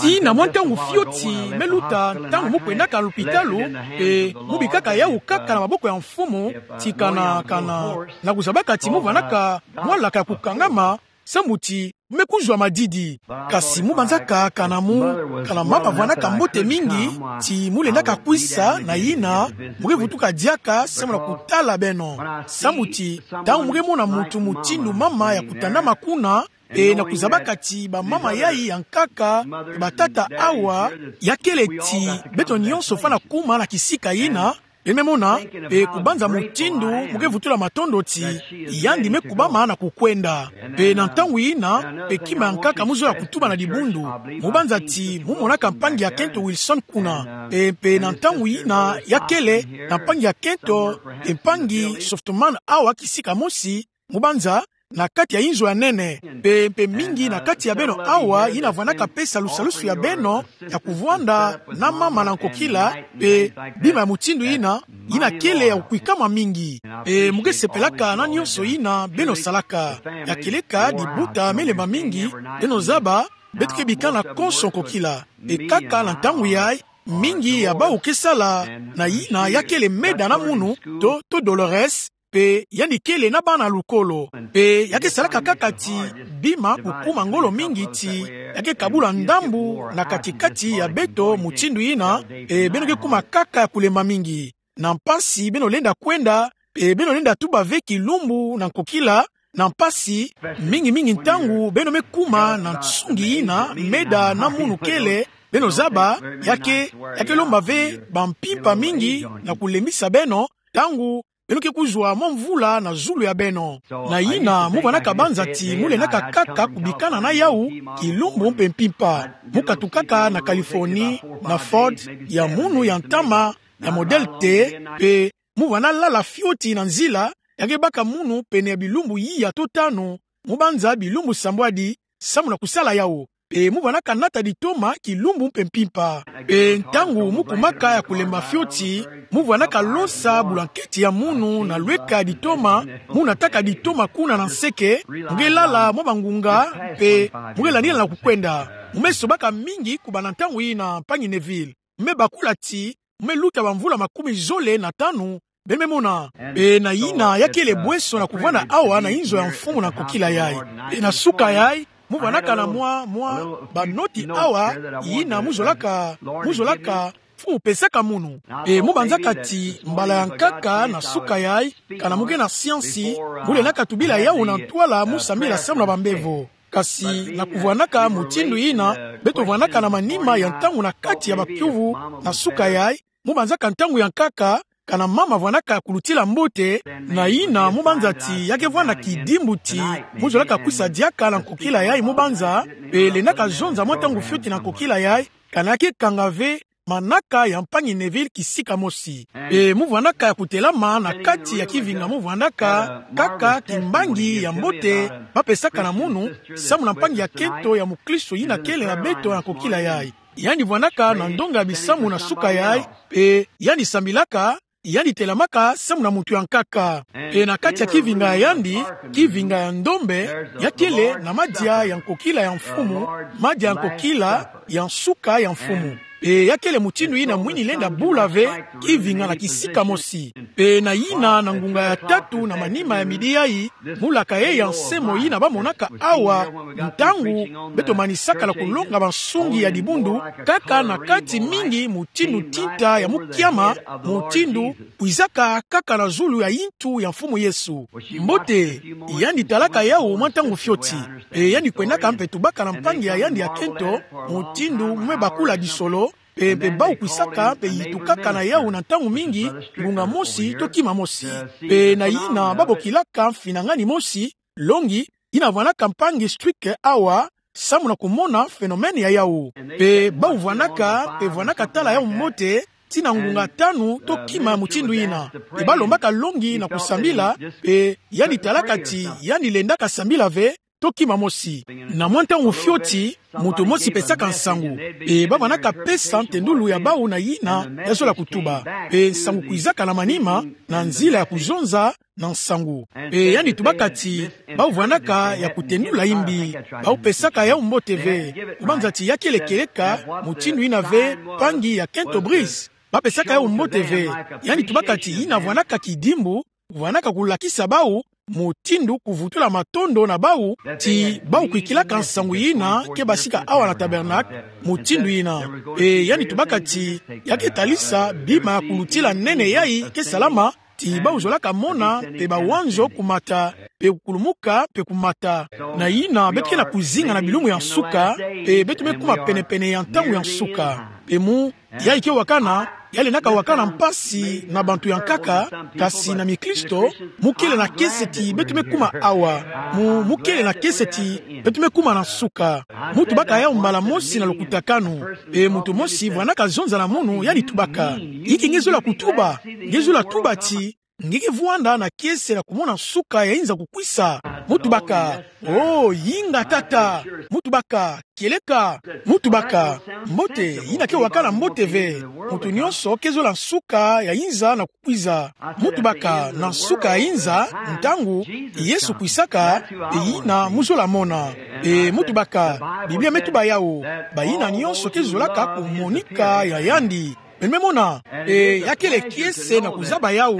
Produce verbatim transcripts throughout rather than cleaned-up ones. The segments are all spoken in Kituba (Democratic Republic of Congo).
Tii na mwa ntangu fioti me luta ntangu mu kwendaka na lupitalu, mpe mu bikaka yawu kaka na maboko ya Mfumu, ti kana, kana, na kuzabaka ti mu vwanaka mwalaka ya kukangama, samu ti mu me kuzwa madidi. Kasi mu banzaka kana mu, kana mama vwanaka mbote mingi, ti mu lendaka kwisa na yina, mu ke vutuka diaka samu na kutala beno. Samu ti, ntangu mu ke mona muntu mutindu mama ya kutandama kuna, mpe na kuzabaka ti bamama yayi ya nkaka, batata awa, ya kele ti beto nyonso fwana kuma na kisika yina, beno me mona, mpe kubanza mutindu mu ke vutula matondo ti, yandi me kubama na kukwenda. Mpe na ntangu yina, mpe kima ya nkaka mu zola kutuba na dibundu. Mu banza ti, mu monaka mpangi ya nkento Wilson kuna. Mpe, mpe na ntangu yina, ya kele, na mpangi ya nkento, mpe mpangi Softman awa kisika mosi, mu banza, na kati ya inzo ya nene. Mpe, mpe mingi na kati ya beno awa, yina vwanaka pesa lusalusu ya beno, ya kuvwanda na mama na nkokila, mpe bima ya mutindu yina, yina kele ya kukwikama mingi. Mpe mu ke sepelaka na nyonso yina beno salaka. Ya kele ka dibuta me lemba mingi, beno zaba, beto ke bikana konso nkokila. Mpe kaka na ntangu yayi, mingi ya bawu ke sala, na yina ya kele Meda na munu, to, to Dolores, mpe yandi kele na bana lukolo. Mpe ya ke salaka kaka ti bima kukuma ngolo mingi ti, ya ke kabula ndambu na kati-kati ya beto mutindu yina, mpe beno ke kuma kaka ya kulemba mingi. Na mpasi beno lenda kwenda, mpe beno lenda tuba ve kilumbu na nkokila, na mpasi, mingi-mingi ntangu beno me kuma na nsungi yina, Meda na munu kele, beno zaba, ya ke, ya ke lomba ve bampimpa mingi na kulembisa beno, ntangu beno ke kuzwa mwa mvula na zulu ya beno. Na yina, mu vwanaka banza ti, mu lendaka kaka kubikana na yawu, kilumbu mpe mpimpa. Mu katukaka na Californie, na Ford, ya munu ya ntama, ya modèle T, mpe mu vwana lala fioti na nzila, ya ke baka munu pene ya bilumbu iya to tanu, mu banza bilumbu sambwadi, samu na kusala yawu. Mpe mu vwanaka nata ditoma kilumbu mpe mpimpa. Mpe ntangu mu kumaka ya kulemba fioti, mu vwanaka losa bulanketi ya munu na lweka ditoma, mu nataka ditoma kuna na nseke, mu ke lala mwa bangunga, mpe mu ke landila na kukwenda. Mu me sobaka mingi kubanda ntangu yina, mpangi Neville. Mu me bakula ti, mu me luta bamvula makumi zole na tanu, beno me mona. Mpe na yina ya kele bweso na kuvwanda awa na inzo ya Mfumu na nkokila yayi. Mpe na suka yayi, mu vwanaka na mwa, mwa, banoti awa, yina mu zolaka, mu zolaka, Mfumu pesaka munu. Mpe mu banzaka ti, mbala ya nkaka na suka yayi, kana mu ke na siansi, mu lendaka tubila yawu na ntwala mu sambila samu na bambevo. Kasi na kuvwanaka mutindu yina, beto vwanaka na manima ya ntangu na kati ya bakiuvu, na suka yayi, mu banzaka ntangu ya nkaka, kana mama vwanaka kulutila mbote, na yina mu banza ti ya ke vwanda kidimbu ti, mu zolaka kwisa diaka na nkokila yayi mu banza, mpe lendaka zonza mwa ntangu fioti na nkokila yayi, kana ya ke kanga ve, manaka ya mpangi Neville kisika mosi. Mpe mu vwanaka ya kutelama na kati ya kivinga mu vwandaka, kaka kimbangi ya mbote, ba pesaka na munu, samu na mpangi ya nkento ya mukristo yina kele na beto na nkokila yayi. Yandi vwanaka na ndonga ya bisamu na suka yayi, mpe yandi sambilaka, yandi telamaka samu na muntu ya nkaka. Mpe na kati ya kivinga ya yandi, kivinga ya ndombe, ya kele na madia ya nkokila ya Mfumu, madia ya nkokila ya nsuka ya Mfumu. Mpe ya kele mutindu yina mwini lenda bula ve, kivinga na kisika mosi. Mpe na yina na ngunga ya tatu na manima ya midi yayi, mu laka yayi ya nsemo yina ba monaka awa, ntangu beto manisaka na kulonga bansungi ya dibundu, kaka na kati mingi mutindu tinta ya mukiama, mutindu kwizaka kaka na zulu ya yintu ya Mfumu Yesu. Mbote, yandi talaka yawu mwa ntangu fioti. Mpe yandi kwendaka mpe tubaka na mpangi ya yandi ya nkento, mutindu mu me bakula disolo, mpe, mpe bawu kwisaka, mpe yitukaka na yawu na ntangu mingi, ngunga mosi, to kima mosi. Mpe na yina ba bokilaka mfinangani mosi, longi, yina vwanaka mpangi Strick awa, samu na kumona phénomène ya yawu. Mpe bawu vwanaka, mpe vwanaka tala yawu mbote, tii na ngunga tanu, to kima mutindu yina. Mpe ba lombaka longi na kusambila, mpe yandi talaka ti, yandi lendaka sambila ve, to kima mosi. Na mwa ntangu fioti, moto mosi pesaka nsangu. Pe bavwandaka pesa ntendulu ya bau na yina ya zola kutuba. Pe nsangu kwizaka na manima, na nzila ya kuzonza na nsangu. Pe yandi tubaka ti, bau vwandaka ya kutendula yimbi, bau pesaka yau mbote ve. Kubanza ti ya kele kieleka, mutindu yina ve, mpangi ya Kent Obrecht. Bapesaka yau mbote ve. Yandi tubaka ti yina vwandaka kidimbu, vwandaka kulakisa bau mutindu kuvutula matondo na bau, ti bau kwikilaka nsangu yina ke basika awa na Tabernacle, mutindu yina. E, yandi tubaka ti, ya ke talisa bima ya kulutila nene yayi ke salama, ti bau zolaka mona, pe bawanzo kumata, pe kukulumuka, pe kumata. Na yina, beto ke na kuzinga na bilumbu ya nsuka, pe beto me kuma penepene ya ntangu ya nsuka. Pe mu, yayi ke wakana, ya lendaka wakana mpasi na bantu ya nkaka, kasi na mikristo, mu kele na kiese ti beto me kuma awa. Mu, mu kele na kiese ti beto me kuma na nsuka. Mu tubaka yau mbala mosi na lukutakanu. Pe muntu mosi vwandaka zonza na munu, yandi tubaka: Inki nge zola kutuba? Nge zola tuba ti, nge ke vwanda na kiese na kumona nsuka ya inza kukwisa? Mu tubaka: Oh, yinga tata. Mu tubaka: Kieleka. Mu tubaka: Mbote, yina ke wakana mbote ve. Muntu nyonso ke zola nsuka ya inza na kukwiza. Mu tubaka: Na nsuka ya inza, ntangu Yesu kwisaka, e yina mu zola mona. E mu tubaka: Biblia me tuba yau, bayina nyonso ke zolaka kumonika ya yandi. Beno me mona, e ya kele kiese na kuzaba yau,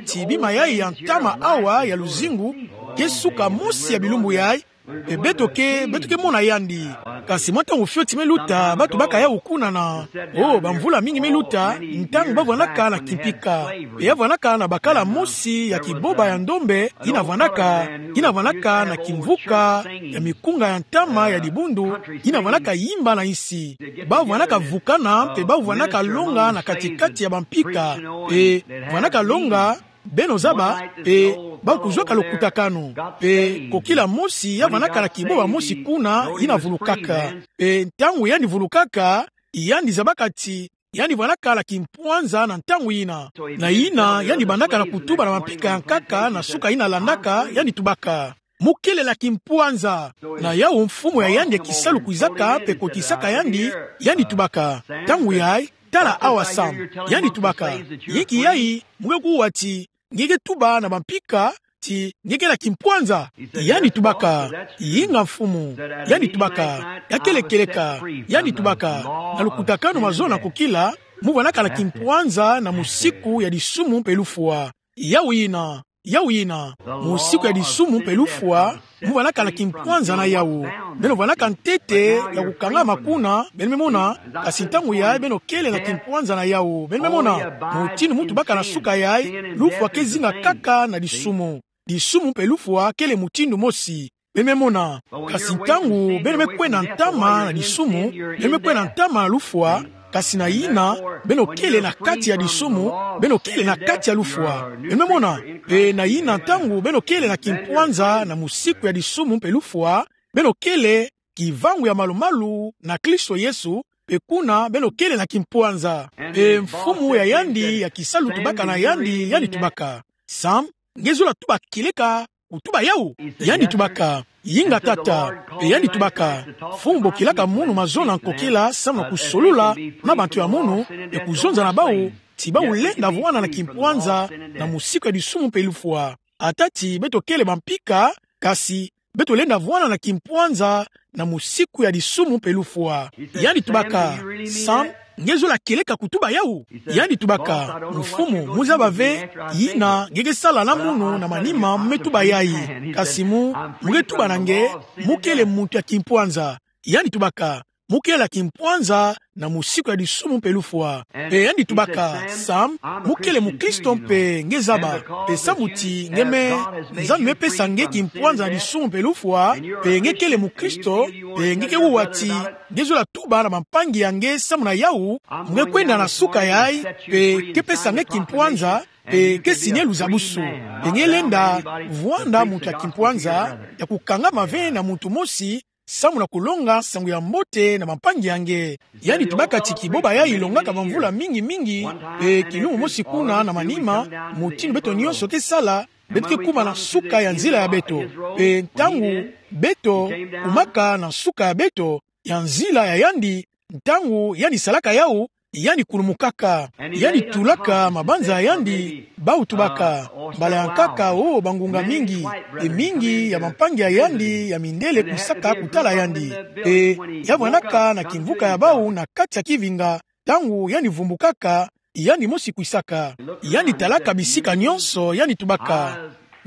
ti bima yayi ya ntama awa ya luzingu, ke suka mosi ya bilumbu yayi, e beto ke, beto ke mona yandi. Kasi mwa ntangu fioti me luta, ba tubaka yau kuna na, oh, bamvula mingi me luta, ntangu ba vwandaka na kimpika. Pe ya vwandaka na bakala mosi ya kiboba ya ndombe, yina vwandaka, yina vwandaka na kimvuka ya mikunga ya ntama ya dibundu, yina vwandaka yimba na insi. Bau vwandaka vukana, pe bau vwandaka longa na kati-kati ya bampika. Pe vwandaka longa, beno zaba, pe bau kuzwaka lukutakanu. Pe kokila mosi ya vwandaka na kiboba mosi kuna, yina vulukaka. Pe ntangu yandi vulukaka, yandi zabaka ti, yandi vwandaka na kimpwanza na ntangu yina. Na yina, yandi bandaka na kutuba na bampika ya nkaka na suka yina landaka, yandi tubaka: Mu kele na kimpwanza. Na yau mfumu ya yandi ya kisalu kwizaka pe kotisaka yandi, yandi tubaka: Ntangu yayi, tala awa Sam. Yandi tubaka: Inki yayi, mu ke kuwa ti, nge ke tuba na bampika ti nge ke na kimpwanza? Yandi tubaka: Yinga mfumu. Yandi tubaka: Ya kele kieleka. Yandi tubaka: Na lukutakanu mazono na kokila, mu vwandaka na kimpwanza na musiku ya disumu mpe lufwa. Yau yina, yau yina, musiku ya disumu mpe lufwa, mu vwandaka na kimpwanza na yau. Beno vwandaka ntete ya kukangama kuna, beno me mona, kasi ntangu yayi beno kele na kimpwanza na yau. Beno me mona, mutindu mu tubaka na suka yayi, lufwa ke zinga kaka na disumu. Disumu mpe lufwa kele mutindu mosi. Beno me mona. Kasi ntangu beno me kwenda ntama na disumu, beno me kwenda ntama na lufwa, kasi na yina, beno kele na kati ya disumu, beno kele na kati ya lufwa. Beno me mona. Pe na yina ntangu beno kele na kimpwanza na musiku ya disumu mpe lufwa, beno kele kivangu ya malu-malu na Kristo Yesu, pe kuna beno kele na kimpwanza. Pe mfumu ya yandi ya kisalu tubaka na yandi, yandi tubaka: Sam, nge zola tuba kieleka kutuba yau? Yandi tubaka: Yinga tata. Pe yandi tubaka: Mfumu bokilaka munu mazono na kokila samu na kusolula na bantu ya munu, pe kuzonza na bau, ti bau lenda vwanda na kimpwanza na musiku ya disumu mpe lufwa. Ata ti beto kele bampika, kasi beto lenda vwanda na kimpwanza na musiku ya disumu mpe lufwa. Yandi tubaka: Sam, nge zola kieleka kutuba yau? Yandi tubaka: Mfumu, mu zaba ve, yina nge ke sala na munu na manima me tuba yayi. Kasi mu, mu ke tuba na nge, mu kele muntu ya kimpwanza. Yandi tubaka: Mu kele na kimpwanza na musiku ya disumu mpe lufwa. Pe yandi tubaka: Sam, mu kele mukristo mpe nge zaba. Pe samu ti nge me, Nzambi me pesa nge kimpwanza na disumu mpe lufwa, pe nge kele mukristo, pe nge ke kuwa ti nge zola tuba na bampangi ya nge samu na yau, mu ke kwenda na suka yayi, pe ke pesa nge kimpwanza, pe ke signe luzabusu. Pe nge lenda vwanda muntu ya kimpwanza, ya kukangama ve na muntu mosi, samu na kulonga nsangu ya mbote na bampangi ya nge. Yandi tubaka ti kiboba yayi ilongaka bamvula mingi-mingi, pe kilumbu mosi kuna na manima, mutindu beto nyonso ke sala, beto ke kuma na nsuka ya nzila ya beto. Pe ntangu beto kumaka na nsuka ya beto, ya nzila ya yandi, ntangu yandi salaka yawu, yandi kulumukaka, yandi tulaka mabanza ya yandi, bawu tubaka, mbala ya nkaka o bangunga mingi, pe mingi ya bampangi ya yandi ya mindele kwisaka kutala yandi. Pe ya vwanaka na kimvuka ya bawu na kati ya kivinga, ntangu yandi vumbukaka, yandi mosi kwisaka. Yandi talaka bisika nyonso, yandi tubaka: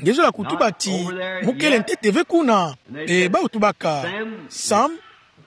Nge zola kutuba ti mukele ntete ve kuna? Pe bawu tubaka: Sam,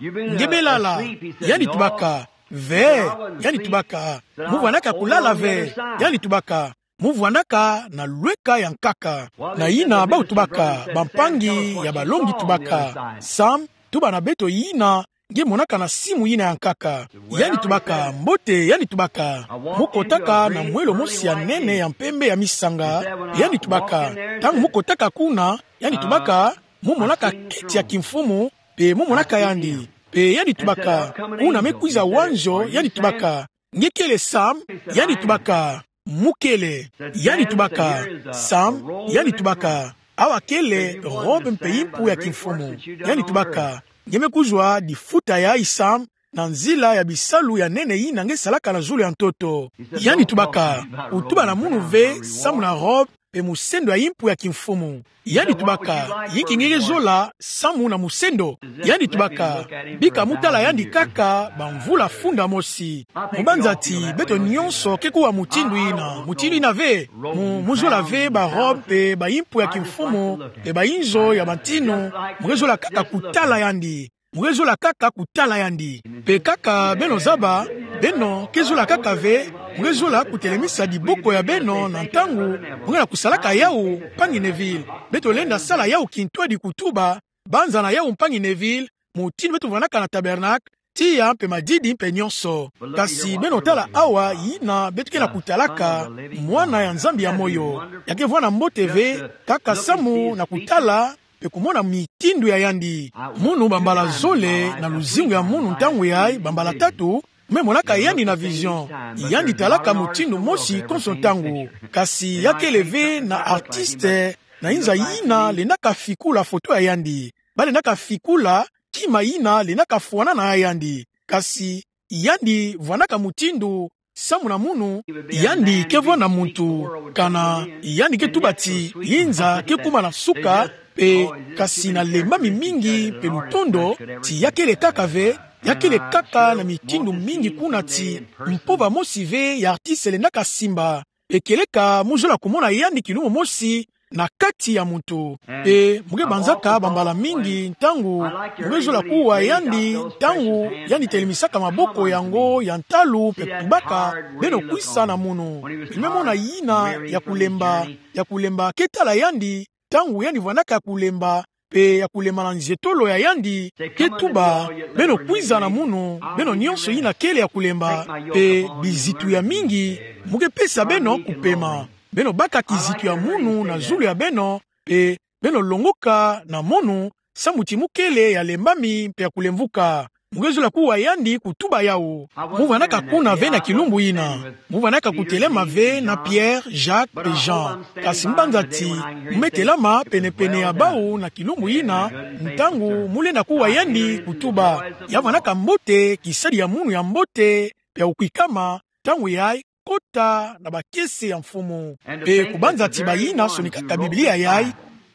nge be lala? Yandi tubaka: Ve. Yandi tubaka: Mu vwanaka kulala ve. Yandi tubaka: Mu vwanaka na lweka ya nkaka. Na yina bawu tubaka, bampangi ya balongi tubaka: Sam, tuba na beto yina nge monaka na simu yina ya nkaka. Yandi tubaka: Mbote. Yandi tubaka: Mu kotaka na mwelo mosi ya nene ya mpembe ya misanga? Yandi tubaka: Ntangu mu kotaka kuna, yandi tubaka, mu monaka keti ya kimfumu, pe mu monaka yandi. Pe yandi tubaka: Kuna me kwiza wanzo. Yandi tubaka: Nge kele Sam? Yandi tubaka: Mu kele. Yandi tubaka: Sam, yandi tubaka, awa kele robe mpe impu ya kimfumu. Yandi tubaka: Nge me kuzwa difuta yayi Sam, na nzila ya bisalu ya nene yina nge salaka na zulu ya ntoto. Yandi tubaka: Kutuba na munu ve samu na robe pe musendo ya impu ya kimfumu. Yandi tubaka: Yinki nge ke zola samu na musendo? Yandi tubaka: Bika mu tala yandi kaka bamvula funda mosi. Mubanza ti beto nyonso ke kuwa mutindu yina, mutindu yina ve. Mu, mu zola ve barobe pe baimpu ya kimfumu pe bayinzo ya bantinu, mu ke zola kaka kutala yandi. Mu ke zola kaka kutala yandi. Pe kaka beno zaba, beno ke zola kaka ve, mu ke zola kutelemisa diboko ya beno na ntangu mu ke na kusalaka yawu, mpangi Neville. Beto lenda sala yawu kintwadi kutuba, banzana yawu, mpangi Neville, mutindu beto vwanaka na tabernacle, tiya mpe madidi mpe nyonso. Kasi beno tala awa yina beto ke na kutalaka, Mwana ya Nzambi ya moyo. Ya ke vwanda mbote ve, kaka samu na kutala pe kumona mitindu ya yandi. Munu bambala zole na luzingu ya munu ntangu yayi, bambala tatu, me monaka yandi na vision. Yandi talaka mutindu mosi konso ntangu. Kasi ya kele ve na artiste na inza yina lendaka fikula foto ya yandi. Ba lendaka fikula kima yina lendaka fwanana na yandi. Kasi yandi vwandaka mutindu samu na munu. Yandi ke vwanda muntu, kana yandi ke tuba ti inza ke kuma na nsuka, pe kasi na lembami mingi mpe lutondo, ti ya kele kaka ve, ya kele kaka na mitindu mingi kuna ti mpova mosi ve ya artiste lendaka simba. Pe kieleka mu zola kumona yandi kilumbu mosi na kati ya muntu. Pe mu ke banzaka bambala mingi ntangu mu ke zola kuwa yandi, ntangu yandi telemisaka maboko yango ya ntalu pe kutubaka: Beno kwisa na munu. Pe me mona yina ya kulemba, ya kulemba ke tala yandi, ntangu yandi vwandaka ya kulemba, pe ya kulemba na nzietolo ya yandi, ke tuba: Beno kwiza na munu, beno nyonso yina kele ya kulemba, pe bizitu ya mingi, mu ke pesa beno kupema. Beno baka kizitu ya munu na zulu ya beno, pe beno longoka na munu, samu ti mu kele ya lembami mpe ya kulemvuka. Mu ke zola kuwa yandi kutuba yawu. Mu vwandaka kuna ve na kilumbu yina. Mu vwandaka kutelema ve na Pierre, Jacques mpe Jean. Kasi mubanza ti mu me telama penepene ya bawu na kilumbu yina, ntangu mu lenda kuwa yandi kutuba. Ya vwandaka mbote, kisadi ya munu ya mbote mpe ya kukwikama, ntangu yayi kota na bakiese ya Mfumu. Pe kubanza ti bayina sonikaka Biblia yayi,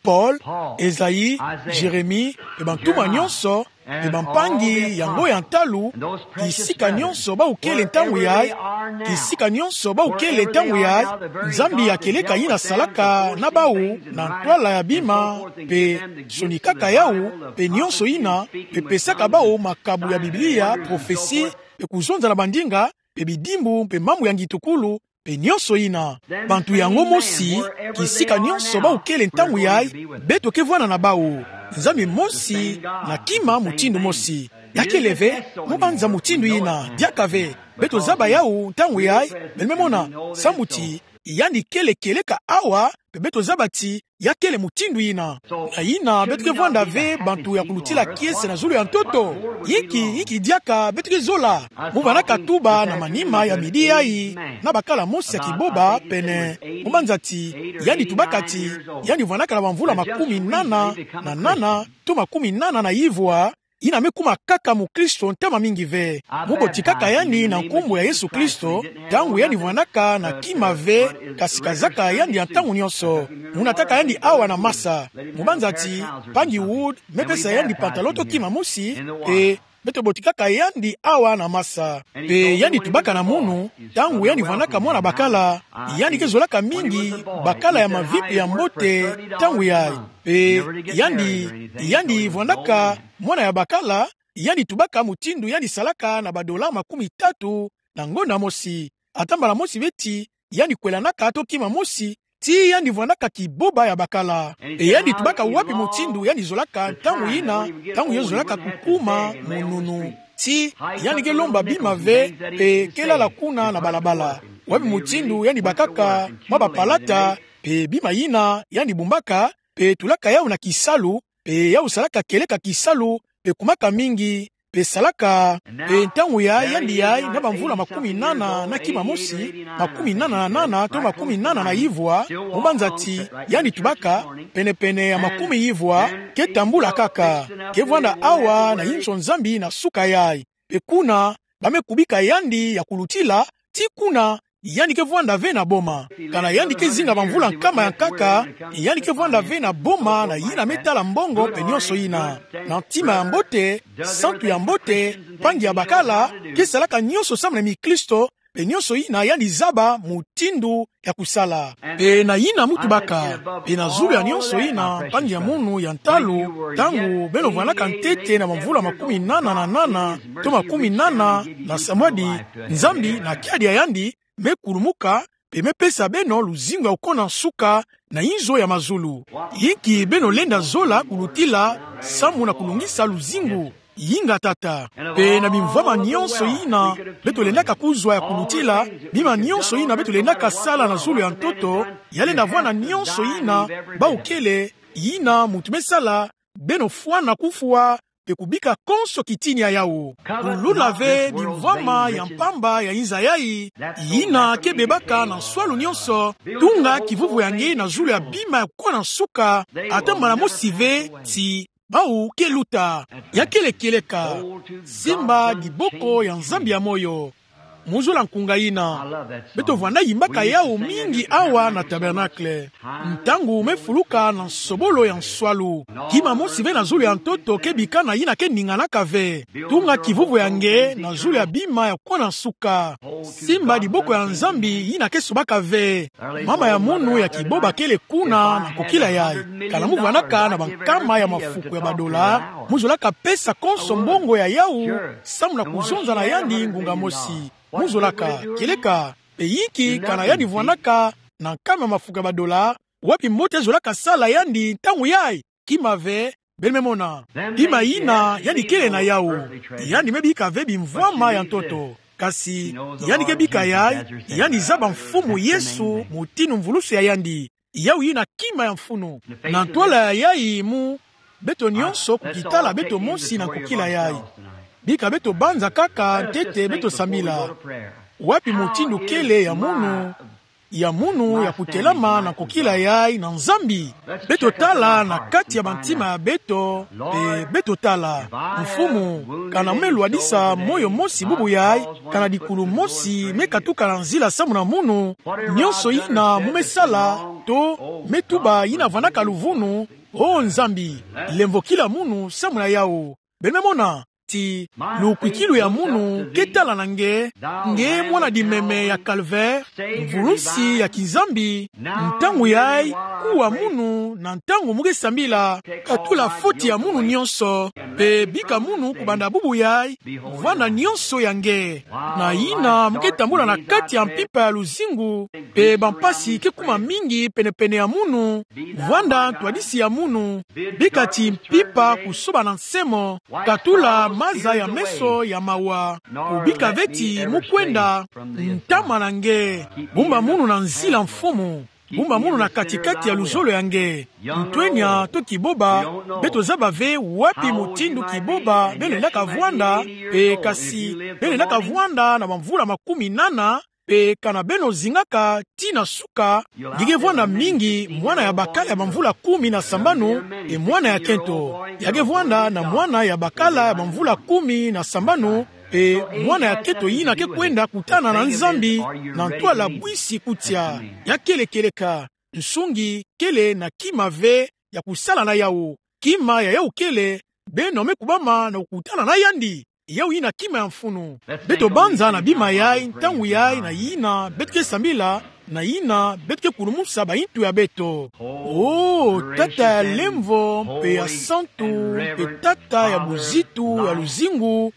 Paul, Esaïe, Jérémie, pe bantumwa nyonso, pe bampangi yango ya ntalu, kisika nyonso bawu kele ntangu yayi, kisika nyonso bawu kele ntangu yayi, Nzambi ya kieleka yina salaka na bawu na ntwala ya bima, pe sonikaka yawu, pe nyonso yina, pe pesaka bawu makabu ya Biblia, prophetie, pe kuzonza na bandinga, pe bidimbu, pe mambu ya ngitukulu, pe nyonso yina. Bantu yango mosi, kisika nyonso bawu kele ntangu yayi, beto ke vwanda na bawu. Nzambi mosi, na kima mutindu mosi. Ya kele ve, mu banza mutindu yina, diaka ve. Beto zaba yawu ntangu yayi, beno me mona, samu ti yandi kele kieleka awa, Pe beto zaba ti, ya kele mutindu yina. Na yina beto ke vwanda ve bantu ya kulutila kiese na zulu ya ntoto. Yinki, yinki diaka beto ke zola. Mu vwandaka tuba na manima ya midi yayi, na bakala mosi ya kiboba pene. Mu banza ti, yandi tubaka ti, yandi vwandaka na bamvula makumi nana na nana, to makumi nana na ivwa, yina me kuma kaka mukristo ntama mingi ve. Mu botikaka yandi na nkumbu ya Yesu Kristo, ntangu yandi vwandaka na kima ve, kasi kazaka yandi ya ntangu nyonso. Mu nataka yandi awa na masa. Mu banza ti, Mpangi Wood me pesa yandi pantalon to kima mosi, pe beto botikaka yandi awa na masa. Pe yandi tubaka na munu, ntangu yandi vwandaka mwana bakala, yandi ke zolaka mingi bakala ya maviku ya mbote, ntangu yayi. Pe yandi, yandi vwandaka mwana ya bakala, yandi tubaka mutindu yandi salaka na ba dollars makumi tatu na ngonda mosi. Ata mbala mosi ve ti, yandi kwelanaka to kima mosi, ti yandi vwandaka kiboba ya bakala. Pe yandi tubaka wapi mutindu yandi zolaka ntangu yina, ntangu yo zolaka kukuma mununu. Ti, yandi ke lomba bima ve, pe ke lala kuna na balabala. Wapi mutindu yandi bakaka mwa bapalata, pe bima yina yandi bumbaka, pe tulaka yawu na kisalu, pe yawu salaka kieleka kisalu, pe kumaka mingi, pe salaka, pe ntangu ya yandi yayi na bamvula makumi nana na kima mosi, makumi nana na nana to makumi nana na ivwa, mu banza ti, yandi tubaka, penepene ya makumi ivwa, ke tambula kaka, ke vwanda awa na inzo Nzambi na suka yayi. Pe kuna, ba me kubika yandi ya kulutila, ti kuna, yandi ke vwanda ve na boma. Kana yandi ke zinga bamvula nkama ya nkaka, yandi ke vwanda ve na boma na yina me tala mbongo pe nyonso yina. Na ntima ya mbote, santu ya mbote, mpangi ya bakala, ke salaka nyonso samu na mikristo, pe nyonso yina yandi zaba mutindu ya kusala. Pe na yina mu tubaka, pe na zulu ya nyonso yina, mpangi ya munu ya ntalu, ntangu beno vwandaka ntete na bamvula makumi nana na nana, to makumi nana na samwadi, Nzambi na kiadi ya yandi, me kulumuka, pe me pesa beno luzingu ya kukona nsuka na inzo ya mazulu. Yinki beno lenda zola kulutila samu na kulungisa luzingu? Yinga tata. Pe na bimvwama nyonso yina beto lendaka kuzwa ya kulutila, bima nyonso yina beto lendaka sala na zulu ya ntoto, ya lenda vwanda nyonso yina, bawu kele, yina muntu me sala, beno fwana kufwa, pe kubika konso kitini ya yawu. Kulula ve bimvwama ya mpamba ya inza yayi, yina ke bebaka na nswalu nyonso, tunga kivuvu ya nge na zulu ya bima ya kukona nsuka, ata mbala mosi ve ti bawu ke luta. Ya kele kieleka, simba diboko ya Nzambi ya moyo. Mu zola nkunga yina. Beto vwanda yimbaka yawu mingi awa na tabernacle. Ntangu me fuluka na nsobolo ya nswalu, kima mosi ve na zulu ya ntoto ke bika na yina ke ninganaka ve. Tunga kivuvu ya nge na zulu ya bima ya kukona nsuka. Simba diboko ya Nzambi yina ke sobaka ve. Mama ya munu ya kiboba kele kuna na kokila yayi. Kana mu vwandaka na bankama ya mafuku ya badola, mu zolaka pesa konso mbongo ya yawu, samu na kuzonza na yandi ngunga mosi. Mu zolaka, kieleka, pe yinki kana yandi vwandaka na nkama ya mafuku ya badola, wapi mbote zolaka sala yandi ntangu yayi? Kima ve, beno me mona. Kima yina yandi kele na yawu, yandi me bika ve bimvwama ya ntoto. Kasi, yandi ke bika yayi, yandi zaba Mfumu Yesu, mutindu mvulusi ya yandi. Yawu yina kima ya mfunu. Na ntwala ya yayi mu, beto nyonso kukitala beto mosi na kokila yayi. Bika beto banza kaka ntete beto sambila. Wapi mutindu kele ya munu, ya munu ya kutelama na kokila yayi na Nzambi? Beto tala na kati ya bantima ya beto, pe beto tala. Mfumu, kana mu me lwadisa moyo mosi bubu yayi, kana dikulu mosi me katuka na nzila samu na munu, nyonso yina mu me sala, to me tuba yina vwandaka luvunu, o Nzambi, lemvokila munu samu na yawu. Beno me mona, ti, lukwikilu ya munu ke tala na nge, nge mwana dimeme ya calvaire, mvulusi ya kiNzambi, ntangu yayi, kuwa munu, na ntangu mu ke sambila, katula foti ya munu nyonso, pe bika munu kubanda bubu yayi, vwanda nyonso ya nge. Na yina mu ke tambula na kati ya mpimpa ya luzingu, pe bampasi ke kuma mingi penepene ya munu, vwanda ntwadisi ya munu, bika ti mpimpa kusoba na nsemo, katula maza ya meso ya mawa, kubika ve ti mu kwenda, ntama na nge, bumba munu na nzila Mfumu. Bumba munu na kati-kati ya luzolo ya nge. Ntwenya to kiboba, beto zaba ve wapi mutindu kiboba beno lendaka vwanda, e kasi beno lendaka vwanda na bamvula makumi nana, e kana beno zingaka tii na suka, nge ke vwanda mingi mwana ya bakala ya bamvula kumi na sambanu, e mwana ya kento. Ya ke vwanda na mwana ya bakala ya bamvula kumi na sambanu, e mwana ya kento yina ke kwenda kutana na Nzambi na ntwala bwisi kutia. Ya kele kieleka, nsungi kele na kima ve ya kusala na yau. Kima ya yau kele, beno me kubama na kukutana na yandi. Yau yina kima ya mfunu. Beto banza na bima yai, ntangu yai, na yina beto ke sambila, na yina beto ke kulumusa bayintu ya beto. O Tata ya lemvo mpe ya santu, mpe Tata ya buzitu ya luzingu,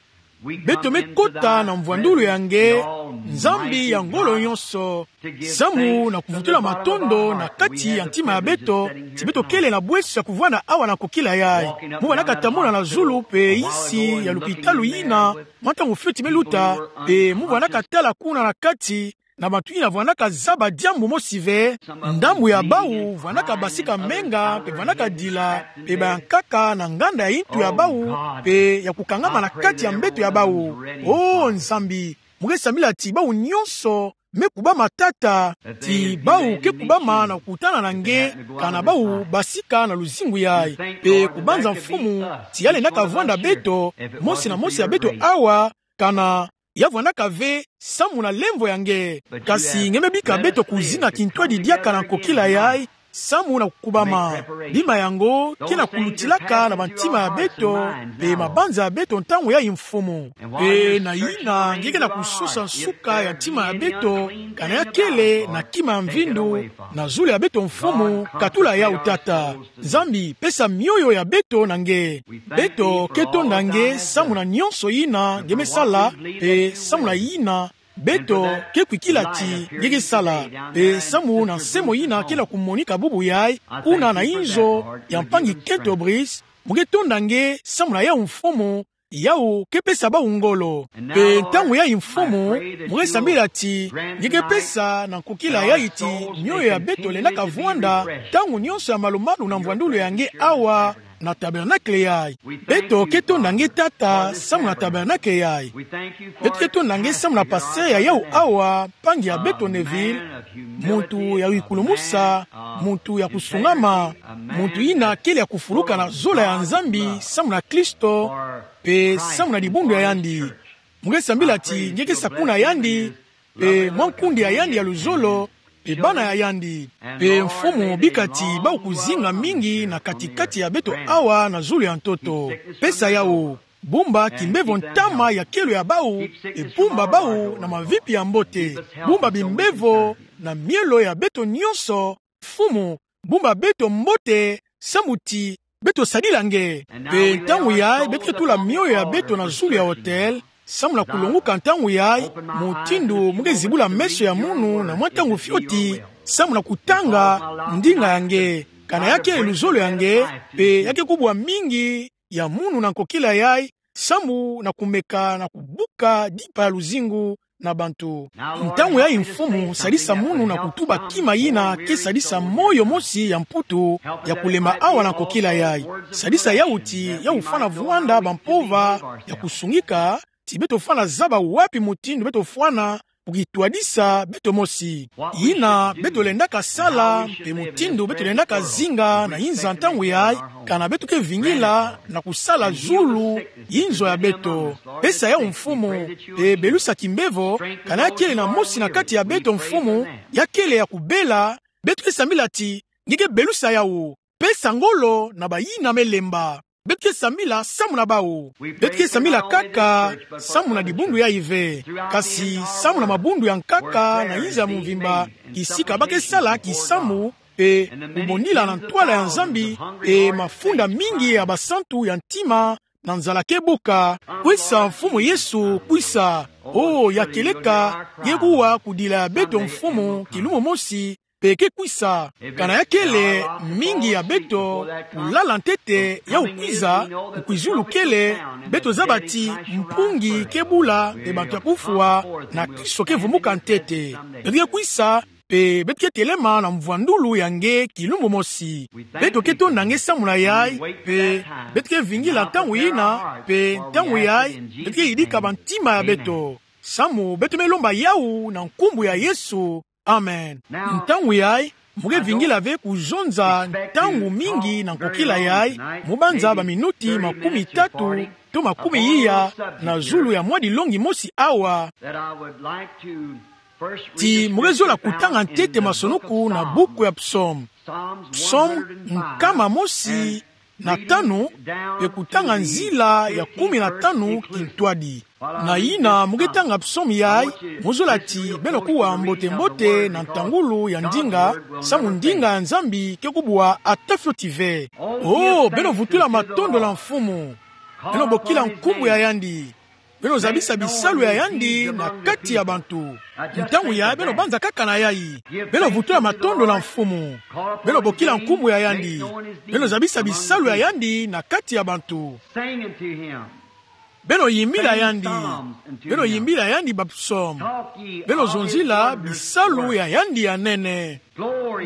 beto me kota na mvwandulu ya nge, Nzambi ya ngolo nyonso, samu na kuvutula matondo na kati ya ntima ya beto, ti beto kele na bweso ya kuvwanda awa na kokila yai. Mu vandaka tambula na zulu mpe isi ya lupitalu yina mwa ntangu fioti me luta, mpe mu vandaka tala kuna na kati, na bantu yina vandaka zaba diambu mosi ve, ndambu ya bau vandaka basika menga, mpe vandaka dila, mpe bayankaka na nganda ya yintu ya bau, mpe ya kukangama na kati ya mbeto ya bau. O Nzambi, mu ke sambila ti bau nyonso me kubama, Tata, ti bau ke kubama na kukutana na nge, kana bau basika na luzingu yai. Mpe kubanza Mfumu, ti ya lendaka vwanda beto, mosi na mosi ya beto awa, kana ya vwandaka ve samu na lemvo ya nge. Kasi nge me bika beto kuzinga kintwadi diaka na kokila yai, samu na kukubama. Bima yango ke na kulutilaka na bantima ya beto, mpe mabanza ya beto ntangu yai Mfumu. Mpe na yina nge ke na kusosa nsuka ya ntima ya beto, kana ya kele na kima ya mvindu, na zulu ya beto Mfumu, katula yau Tata. Nzambi, pesa mioyo ya beto na nge. Beto ke tonda nge samu na nyonso yina nge me sala, mpe samu na yina beto ke kwikila ti nge ke sala, mpe samu na nsemo yina ke na kumonika bubu yai, kuna na inzo ya mpangi kento Brice, mu ke tonda nge samu na yau Mfumu, yau ke pesa bau ngolo. Mpe ntangu yai Mfumu, mu ke sambila ti nge ke pesa na nkokila yai ti mioyo ya beto lendaka vwanda ntangu nyonso ya malu-malu na mvwandulu ya nge awa na tabernacle yai. Beto ke tonda nge Tata samu na tabernacle yai. Beto ke tonda nge samu na pasteur ya yau awa, mpangi ya beto Neville, muntu ya wikulumusa, muntu ya kusungama, muntu yina kele ya kufuluka na zola ya Nzambi samu na Kristo, mpe samu na dibundu ya yandi. Mu ke sambila ti nge ke sakuna yandi, mpe mwa nkundi ya yandi ya luzolo, mpe bana ya yandi. Mpe Mfumu, bika ti bau kuzinga mingi na kati-kati ya beto awa na zulu ya ntoto. Pesa yau, bumba kimbevo ntama ya kelo ya bau, mpe bumba bau na mavipi ya mbote. Bumba bimbevo na mielo ya beto nyonso, Mfumu, bumba beto mbote, samu ti beto sadila nge. Mpe ntangu yai beto ke tula mioyo ya beto na zulu ya autel, samu na kulonguka ntangu yai, mutindu mu ke zibula meso ya munu na mwa ntangu fioti, samu na kutanga ndinga ya nge, kana ya kele luzolo ya nge, mpe ya ke kubwa mingi ya munu na nkokila yai, samu na kumeka na kubuka dipa ya luzingu na bantu. Ntangu yai Mfumu, sadisa munu na kutuba kima yina ke sadisa moyo mosi ya Mputu ya kulema awa na nkokila yai. Sadisa yau ti yau fwana vwanda bampova ya kusungika, ti beto fwana zaba wapi mutindu beto fwana kukitwadisa beto mosi. Yina beto lendaka sala, mpe mutindu beto lendaka zinga na inza ntangu yai, kana beto ke vingila na kusala zulu inzo ya beto. Pesa yau Mfumu, mpe belusa kimbevo, kana ya kele na mosi na kati ya beto Mfumu, ya kele ya kubela, beto ke sambila ti nge ke belusa yau. Pesa ngolo na bayina me lemba. Beto ke sambila samu na bau. Beto ke sambila kaka samu na dibundu yai ve, kasi samu na mabundu ya nkaka na inza ya mvimba, kisika ba ke sala kisambu, mpe kubondila na ntwala ya Nzambi, mpe mafunda mingi ya basantu ya ntima na nzala ke buka. Kwisa, Mfumu Yesu, kwisa. O, ya kieleka, nge kuwa kudila ya beto Mfumu, kilumbu mosi, mpe ke kwisa. Kana ya kele mingi ya beto kulala ntete, yau kwiza, kwizulu kele, beto zaba ti mpungi ke bula, mpe bantu ya kufwa na Kristo ke vumuka ntete. Beto ke kwisa, pe beto ke telema na mvwandulu ya nge kilumbu mosi. Beto ke tonda nge samu na yai, pe beto ke vingila ntangu yina, pe ntangu yai beto ke yidika bantima ya beto. Samu beto me lomba yawu na nkumbu ya Yesu. Amen. Ntangu yai, mo ke vingila ve kuzonza ntangu mingi na nkokila yai, mo banza baminuti makumi tatu to makumi iya na zulu ya mwa dilongi mosi awa. Ti mo ke zola kutanga ntete masoni-ku na buku ya Psaume. Psaume nkama mosi na tanu, pe kutanga nzila ya kumi na tanu kintwadi. Na yina mo ke tanga Psaume yai, mo zola ti beno kuwa mbote-mbote na ntangulu ya ndinga, samu ndinga ya Nzambi ke kubwa ata fioti ve. Oh, beno vutula matondo na Mfumu. Beno bokila nkumbu ya yandi. Beno zabisa bisalu ya yandi na kati ya bantu. Ntangu yai beno banza kaka na yai. Beno vutula matondo na Mfumu. Beno bokila nkumbu ya yandi. Beno zabisa bisalu ya yandi na kati ya bantu. Beno yimbila yandi. Beno yimbila yandi bapsaume. Beno zonzila bisalu ya yandi ya nene.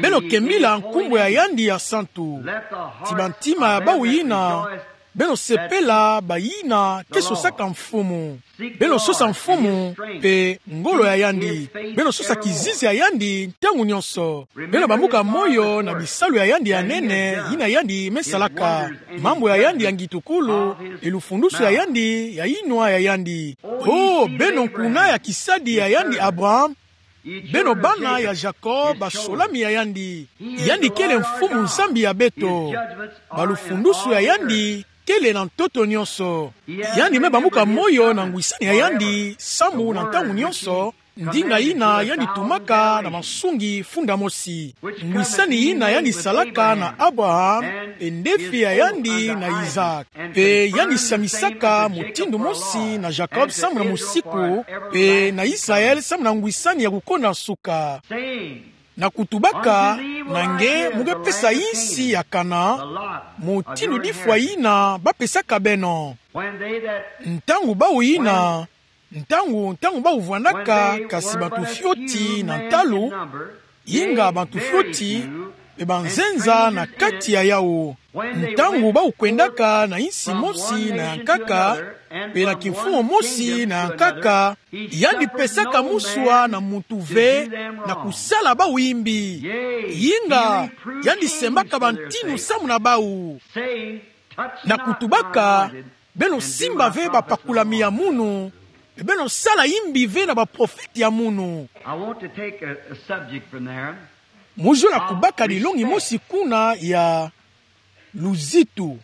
Beno kembila nkumbu ya yandi ya santu. Ti bantima ya bawu yina beno sepela, bayina ke sosaka Mfumu. Beno sosa Mfumu pe ngolo ya yandi. Beno sosa kizizi ya yandi ntangu nyonso. Beno bambuka moyo na bisalu ya yandi ya nene, yina yandi me salaka. Mambu ya yandi ya ngitukulu, e lufundusu ya yandi, ya yinwa ya yandi. Oh, beno nkuna ya kisadi ya yandi Abraham, beno bana ya Jacob, basolami ya yandi. Yandi kele Mfumu Nzambi ya beto. Balufundusu ya yandi kele na ntoto nyonso. Yandi me bambuka moyo na ngwisani ya yandi, samu na ntangu nyonso, ndinga yina yandi tumaka na masungi funda mosi. Ngwisani yina yandi salaka na Abraham, pe ndefi ya yandi na Isaac. Pe yandi siamisaka mutindu mosi na Jacob samu na mosiku, pe na Israël samu na ngwisani ya kukonda nsuka. Na kutubaka, na nge mo ke pesa insi ya Canaan, mutindu difwa yina bapesaka beno. Ntangu bawu yina, ntangu, ntangu bawu vwandaka kasi bantu fioti na ntalu, inga bantu fioti, pe banzenza na kati ya yawu. Ntangu bawu kwendaka na insi mosi na ya nkaka, pe na kimfumu mosi na ya nkaka, yandi pesaka muswa na muntu ve na kusala bawu imbi. Inga, yandi sembaka bantinu samu na bawu. Na kutubaka, beno simba ve bapakulami ya munu, pe beno sala imbi ve na baprofete ya munu. I want to take a, a subject from there. Mo zola kubaka dilongi mosi kuna ya luzitu.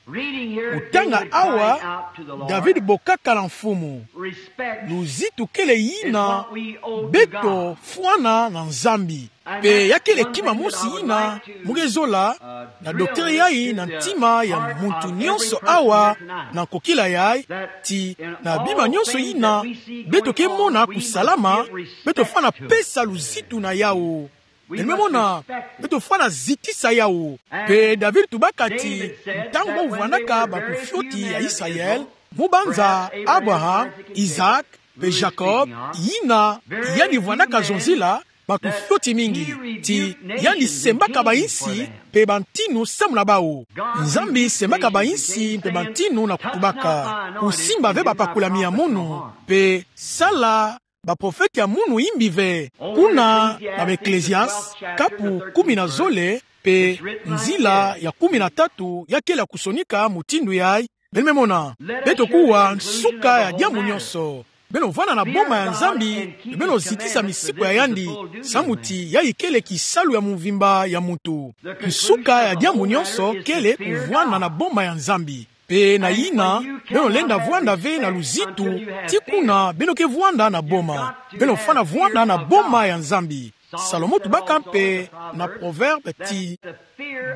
Reading here, kutanga David awa, cried out to the Lord. David bokaka na Mfumu. Respect luzitu kele is yina what we owe to beto God. Fwana na Nzambi. Pe ya kele kima mosi yina mo ke zola na docteur yai na ntima ya muntu nyonso awa na nkokila yai, ti na bima nyonso yina beto ke mona kusalama, beto fwana pesa luzitu na yawu. Beno me mona, beto fwana zitisa yawu. Pe David tubaka ti, ntangu bawu vwandaka bantu fioti ya Israël, mo banza Abraham, Isaac, pe Jacob, yina yandi vwandaka zonzila, bantu fioti mingi, ti yandi sembaka bainsi pe bantinu samu na bawu. Nzambi sembaka bainsi pe bantinu na kutubaka: kusimba ve bapakulami ya munu, pe sala baprofete ya munu imbi ve. Kuna na Ecclésiaste, kapu kumi na zole, pe nzila ya kumi na tatu, ya kele kusonika mutindu yai. Beno me mona, beto kuwa nsuka ya diambu nyonso. Beno vwanda na boma ya Nzambi, beno zitisa misiku ya yandi, samu ti yayi kele kisalu ya mvimba ya muntu. Nsuka ya diambu nyonso kele kuvwanda na boma ya Nzambi. Pe na yina, beno lenda vwanda ve na luzitu, ti kuna beno ke vwanda na boma. Beno fwana vwanda na boma ya Nzambi. Salomo tubaka mpe na Proverbe ti,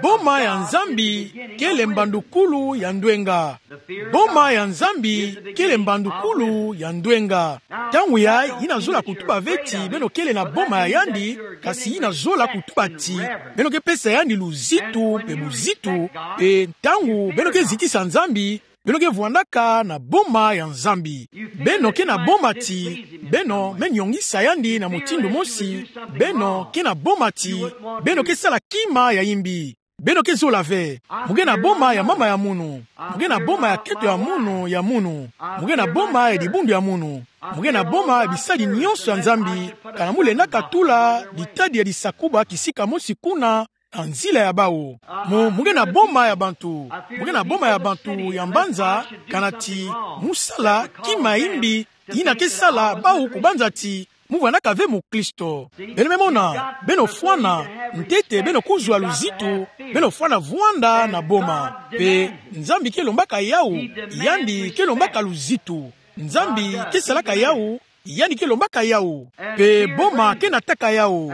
boma ya Nzambi kele mbandukulu ya ndwenga. Boma ya Nzambi kele mbandukulu ya ndwenga. Ntangu yai, yina zola kutuba ve ti beno kele na boma ya yandi, kasi yina zola kutuba ti beno ke pesa yandi luzitu mpe buzitu, mpe ntangu beno ke zitisa Nzambi, beno ke vwandaka na boma ya Nzambi. Beno ke na boma ti beno me nyongisa yandi na mutindu mosi. Beno ke na boma ti beno ke sala kima ya imbi. Beno ke zola ve. Mo ke na boma ya mama ya munu. Mo ke na boma ya keto ya munu, ya munu. Mo ke na boma ya dibundu ya munu. Mo ke na boma ya bisadi nyonso ya Nzambi. Kana mo lendaka tula ditadi ya disakuba kisika mosi kuna na nzila ya bawu. Mo, mo ke na boma ya bantu. Mo ke na boma ya bantu ya mbanza, kana ti mo sala kima ya imbi yina ke sala bawu kubanza ti mo vwandaka ve mukristo. Beno me mona, beno fwana, ntete beno kuzwa luzitu, beno fwana vwanda na boma. Pe Nzambi ke lombaka yawu, yandi ke lombaka luzitu. Nzambi ke salaka yawu, yandi ke lombaka yawu. Pe boma ke nataka yawu.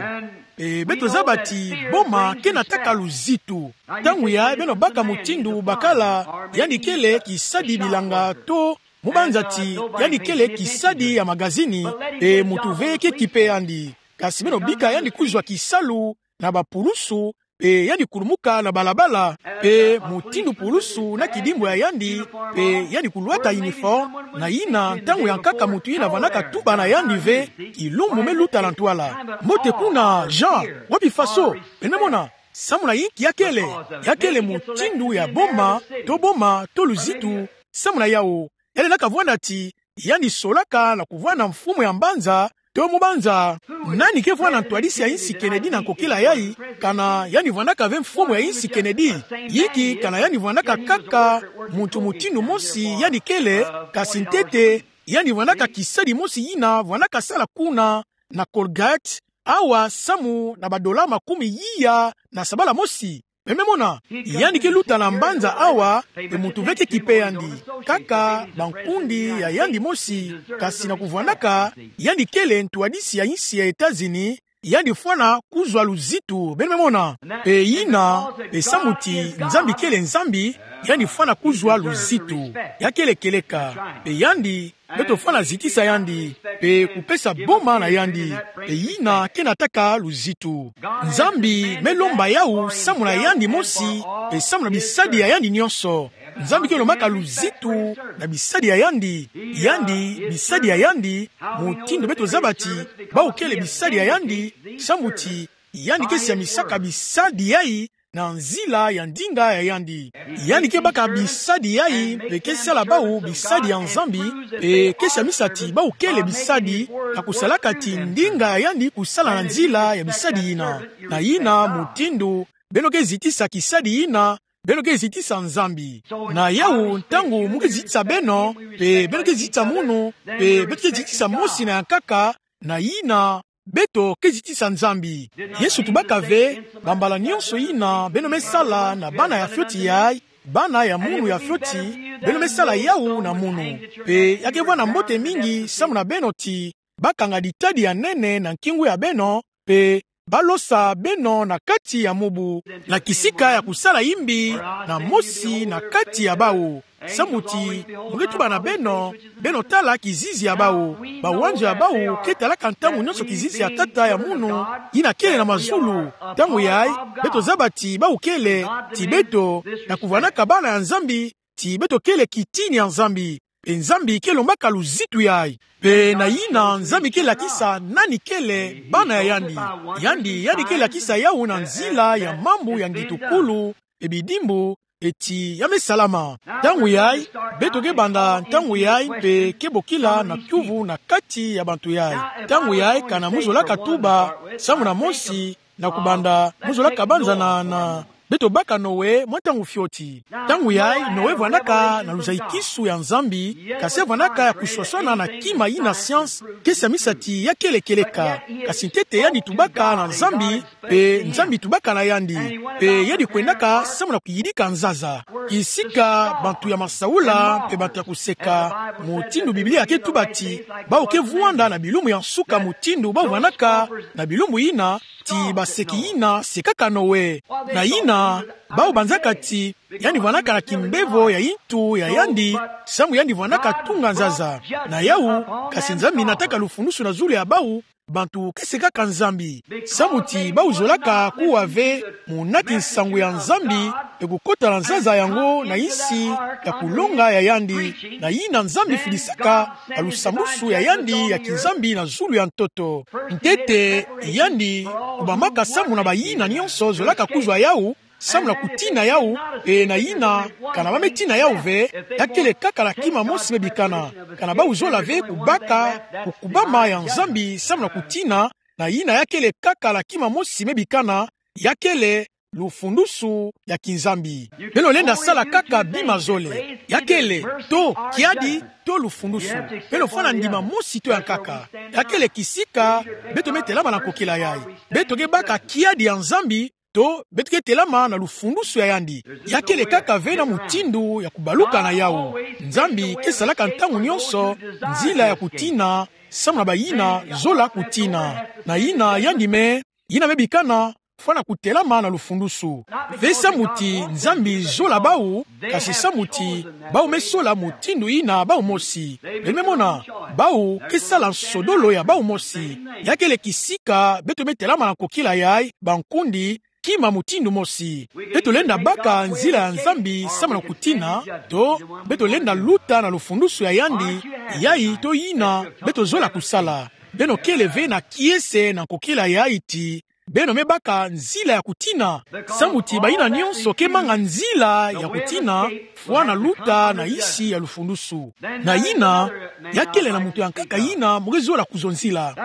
Pe beto zaba ti boma ke nataka luzitu. Ntangu yayi beno baka mutindu bakala, yandi kele kisadi bilanga to, mo banza ti yandi kele kisadi ya magazini, pe mutu ve ke kipe yandi. Kasi beno bika yandi kuzwa kisalu na bapulusu, pe yandi kulumuka na balabala, pe mutindu pulusu na kidimbu ya yandi, pe yandi kulwata uniforme, na yina ntangu ya nkaka mutu yina vwandaka tuba na yandi ve, kilumbu me luta na ntwala: Mbote kuna, Jean, wapi faso? Beno me mona, samu na inki ya kele, ya kele mutindu ya boma, to boma, to luzitu, samu na yawu, ya lendaka vwanda ti yandi solaka na kuvwanda mfumu ya mbanza, to mo banza, nani ke vwanda ntwadisi ya insi Kennedy na nkokila yayi, kana yandi vwandaka ve mfumu ya insi Kennedy? Yinki kana yandi vwandaka kaka muntu mutindu mosi yandi kele, kasi ntete yandi vwandaka kisadi mosi yina vwandaka sala kuna na Colgate, awa samu na badola makumi iya na sabala mosi. Beno me mona, yandi ke luta na mbanza awa, pe mutu ve ke kipe yandi. Kaka bankundi ya yandi mosi, kasi na kuvwandaka yandi kele ntwadisi ya insi ya Etats-Unis, yandi fwana kuzwa luzitu. Beno me mona, pe yina, pe samu ti Nzambi kele Nzambi, yandi fwana kuzwa luzitu. Ya kele kieleka, pe yandi beto fwana zitisa yandi, pe kupesa boma na yandi, pe yina ke nataka luzitu. Nzambi me lomba yawu samu na yandi mosi, pe samu na bisadi ya yandi nyonso. Nzambi ke lombaka luzitu na bisadi ya yandi, yandi, bisadi ya yandi, mutindu beto zaba ti bawu kele bisadi ya yandi, samu ti yandi ke siamisaka bisadi yayi na nzila ya ndinga ya yandi. Yandi ke baka bisadi yayi, pe ke sala bawu bisadi ya Nzambi, pe ke siamisa ti bawu kele bisadi, na kusalaka ti ndinga ya yandi kusala na nzila ya bisadi yina. Na yina mutindu beno ke zitisa kisadi yina, beno ke zitisa Nzambi. Na yawu, ntangu mo ke zitisa beno, pe beno ke zitisa munu, pe beto ke zitisa mosi na ya nkaka, na yina beto ke zitisa Nzambi. Yesu tubaka ve, bambala nyonso yina beno me sala na bana ya fioti yayi, bana ya munu ya fioti, beno me sala yawu na munu. Pe ya ke vwanda mbote mingi samu na beno ti bakanga ditadi ya nene na nkingu ya beno, pe balosa beno na kati ya mubu, na kisika ya kusala imbi na mosi na kati ya bawu. Samu ti mo ke tuba na beno, beno tala kizizi ya bawu. Bawanzo ya bawu ke talaka ntangu nyonso kizizi ya Tata ya munu, yina kele na mazulu. Ntangu yayi, beto zaba ti bawu kele, ti beto, na kuvwandaka bana ya Nzambi, ti beto kele kitini ya Nzambi. Pe Nzambi ke lombaka luzitu yayi. Pe na yina Nzambi ke lakisa nani kele bana ya yandi. Yandi, yandi ke lakisa yawu na nzila ya mambu ya ngitukulu, pe bidimbu, pe ti ya me salama. Ntangu yayi, beto ke banda ntangu yayi, pe ke bokila na kiuvu na kati ya bantu yayi. Ntangu yayi, kana mo zolaka tuba, samu na mosi, na kubanda, mo zolaka banza na, na, beto baka Noe mwa ntangu fioti. Ntangu yayi, Noe vwandaka na luzayikisu ya Nzambi, kasi vwandaka ya kuswaswana na kima yina science ke siamisa ti ya kele kieleka. Kasi ntete yandi tubaka na Nzambi, pe Nzambi tubaka na yandi, pe yandi kwendaka samu na kuyidika nzaza. Kisika bantu ya masaula pe bantu ya kuseka, mutindu Biblia ke tuba ti bawu ke vwanda na bilumbu ya nsuka mutindu bawu vwandaka na bilumbu yina, ti baseki yina sekaka Noe. Na yina, bawu banzaka ti yandi vwandaka na kimbevo ya yintu ya yandi, samu yandi vwandaka tunga nzaza. Na yawu, kasi Nzambi nataka lufundusu na zulu ya bawu, bantu ke sekaka Nzambi. Samu ti bau zolaka kuwa ve munaki nsangu ya Nzambi, pe kukota na nzaza yango na insi ya kulonga ya yandi, na yina Nzambi fidisaka na lusambusu ya yandi ya kiNzambi na zulu ya ntoto. Ntete, yandi kubamaka samu na bayina nyonso zolaka kuzwa yau, samu na kutina yau, pe na yina, kana ba me tina yau ve, ya kele kaka na kima mosi me bikana. Kana bau zola ve kubaka kukubama ya Nzambi samu na kutina, na yina ya kele kaka na kima mosi me bikana, ya kele lufundusu ya kiNzambi. Beno lenda sala kaka bima zole. Ya kele, to kiadi, to lufundusu. Beno fwana ndima mosi to ya nkaka. Ya kele kisika beto me telama na nkokila yai. Beto ke baka kiadi ya Nzambi, to beto ke telama na lufundusu ya yandi. Ya kele kaka ve na mutindu ya kubaluka na yau. Nzambi ke salaka ntangu nyonso nzila ya kutina samu na bayina zola kutina. Na yina yandi me, yina me bikana, fwana kutelama na lufundusu. Ve samu ti Nzambi zola bau, kasi samu ti bau me sola mutindu yina bau mosi. Beno me mona, bau ke sala nsodolo ya bau mosi. Ya kele kisika beto me telama na nkokila yai, bankundi, kima mutindu mosi. Beto lenda baka nzila ya Nzambi samu na kutina, to beto lenda luta na lufundusu ya yandi, yai to yina beto zola kusala. Beno kele ve na kiese na nkokila yai ti beno me baka nzila ya kutina. Samu ti bayina nyonso ke manga nzila ya kutina, fwana luta na insi ya lufundusu. Na yina, ya kele na muntu ya nkaka yina mo ke zola kuzonzila.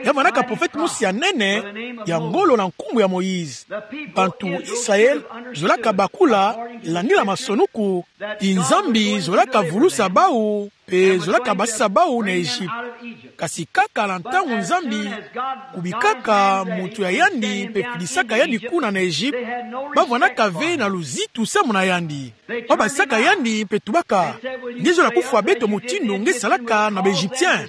Ya vandaka profete mosi ya nene, ya ngolo na nkumbu ya Moïse. Bantu Israel zolaka bakula, landila masonuku, ti Nzambi zolaka vulusa bau, pe zolaka basisa bau na Egypte. Kasi kaka na ntangu Nzambi kubikaka muntu ya yandi pe fidisaka yandi kuna na Egypte, ba vwanaka ve na luzitu samu na yandi. Ba basisaka yandi pe tubaka: Nge zola kufwa beto mutindu nge salaka na ba Egyptien?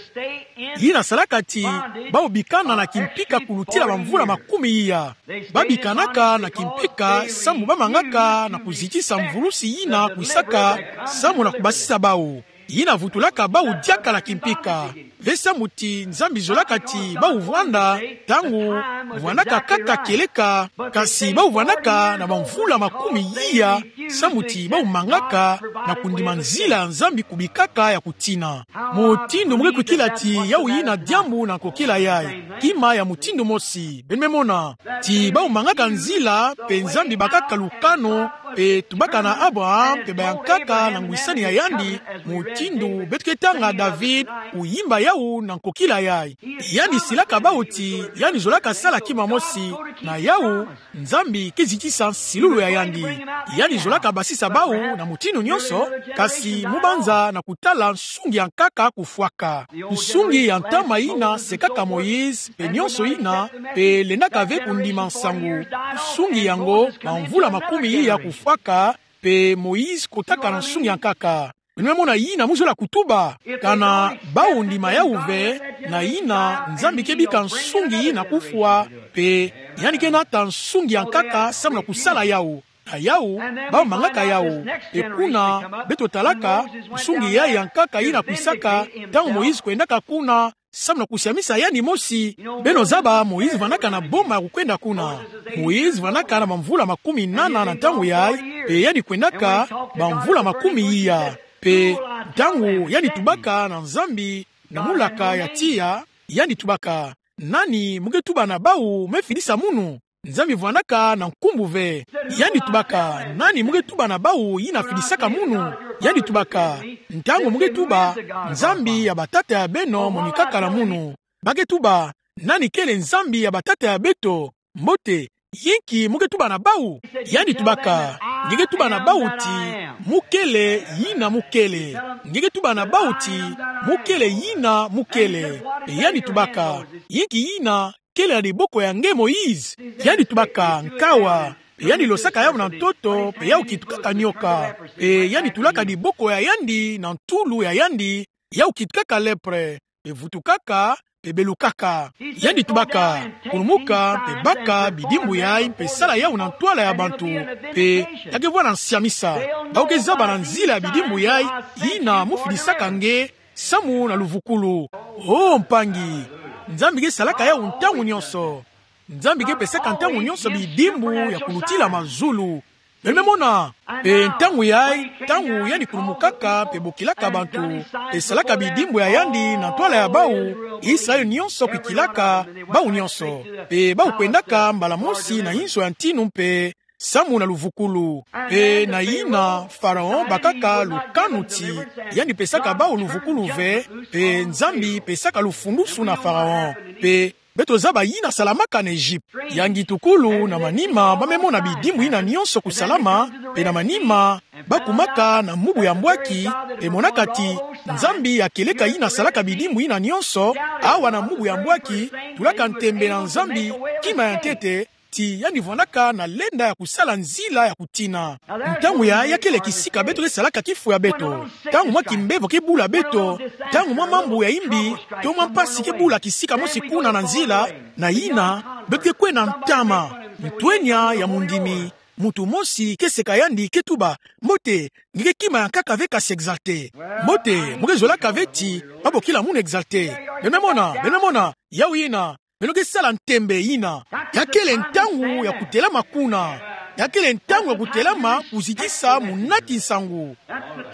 Yina salaka ti bau bikana na kimpika kulutila bamvula makumi iya. Ba bikanaka na kimpika samu ba mangaka na kuzitisa mvulusi yina kwisaka samu na kubasisa bau. Yina vutulaka bau diaka na kimpika. Ve samu ti Nzambi zolaka ti bau vwanda ntangu vwandaka kaka kieleka, kasi bau vwandaka na bamvula makumi iya, samu ti bau mangaka na kundima nzila ya Nzambi kubikaka ya kutina. Mutindu mo ke kwikila ti yau yina diambu na nkokila yai. Kima ya mutindu mosi, beno me mona. Ti bau mangaka nzila, pe Nzambi bakaka lukanu, pe tubaka na Abraham pe bayankaka na ngwisani ya yandi, mutindu beto ke tanga David kuyimba yau na nkokila yai. Yandi silaka bau ti yandi zolaka sala kima mosi na yau, Nzambi ke zitisa nsilulu ya yandi. Yandi zolaka basisa bau na mutindu nyonso, kasi mu banza na kutala nsungi ya nkaka kufwaka. Nsungi ya ntama yina sekaka Moïse, pe nyonso yina, pe lendaka ve kundima nsangu. Nsungi yango, bamvula makumi iya kufwaka, pe Moïse kotaka na nsungi ya nkaka. Beno me mona yina mo zola kutuba. Kana bau ndima yau ve, na yina Nzambi ke bika nsungi yina kufwa, pe yandi ke nata nsungi ya nkaka samu na kusala yau. Na yau, bau mangaka yau. Pe kuna, beto talaka nsungi yai ya nkaka yina kwisaka ntangu Moïse kwendaka kuna, samu na kusiamisa yandi mosi. Beno zaba Moïse vwandaka na boma ya kukwenda kuna. Moïse vwandaka na bamvula makumi nana na ntangu yai, pe yandi kwendaka bamvula makumi iya. Pe ntangu yandi tubaka na Nzambi na mulaka ya tiya, yandi tubaka: Nani mo ke tuba na bau me fidisa munu? Nzambi vwandaka na nkumbu ve. Yandi tubaka: Nani mo ke tuba na bau yina fidisaka munu? Yandi tubaka: Ntangu mo ke tuba: Nzambi ya batata ya beno monikaka na munu, ba ke tuba: Nani kele Nzambi ya batata ya beto? Mbote, yinki mo ke tuba na bau? Yandi tubaka: Nge ke tuba na bau ti mo kele yina mo kele. Nge ke tuba na bau ti mo kele yina mo kele. Pe yandi tubaka: Yinki yina kele na diboko ya nge Moïse? Yandi tubaka: Nkawa. Pe yandi losaka yau na ntoto, pe yau kitukaka nioka. Pe yandi tulaka diboko ya yandi na ntulu ya yandi, yau kitukaka lèpre, pe vutukaka, pe belukaka. Yandi tubaka: Kulumuka, pe baka bidimbu yai, pe sala yau na ntwala ya bantu. Pe ya ke vwanda nsiamisa. Bau ke zaba na nzila ya bidimbu yai yina mo fidisaka nge, samu na luvukulu. O mpangi, Nzambi ke salaka yawu ntangu nyonso. Nzambi ke pesaka ntangu nyonso bidimbu ya kulutila mazulu. Beno me mona, mpe ntangu yayi, ntangu yandi kulumukaka mpe bokilaka bantu, mpe salaka bidimbu ya yandi na ntwala ya bawu, Israele nyonso kwikilaka, bawu nyonso. Mpe bawu kwendaka mbala mosi na inzo ya ntinu mpe samu na luvukulu. Mpe na yina Faraon bakaka lukanu ti yandi pesaka bawu luvukulu ve, mpe Nzambi pesaka lufundusu na Faraon. Mpe beto zaba yina salamaka na Egypte. Ya ngitukulu na manima ba me mona bidimbu yina nyonso kusalama, mpe na manima ba kumaka na mubu ya mbwaki, mpe monaka ti Nzambi ya kieleka yina salaka bidimbu yina nyonso, awa na mubu ya mbwaki, tulaka ntembe na Nzambi, kima ya ntete, ti yandi vwandaka na lenda ya kusala nzila ya kutina. Ntangu yayi ya kele kisika beto ke salaka kifo ya beto. Ntangu mwa kimbevo ke bula beto, ntangu mwa mambu ya imbi, to mwa mpasi ke bula kisika mosi kuna na nzila, na yina, beto ke kwenda ntama, ntwenya ya mundimi, muntu mosi ke seka yandi ke tuba, mbote, nge ke kima ya nkaka ve kasi exalté. Mbote, mo ke zolaka ve ti ba bokila munu exalté. Beno me mona, beno me mona, yawu yina, beno ke sala ntembe yina. Ya kele ntangu ya kutelama kuna. Ya kele ntangu ya kutelama kuzitisa munati nsangu.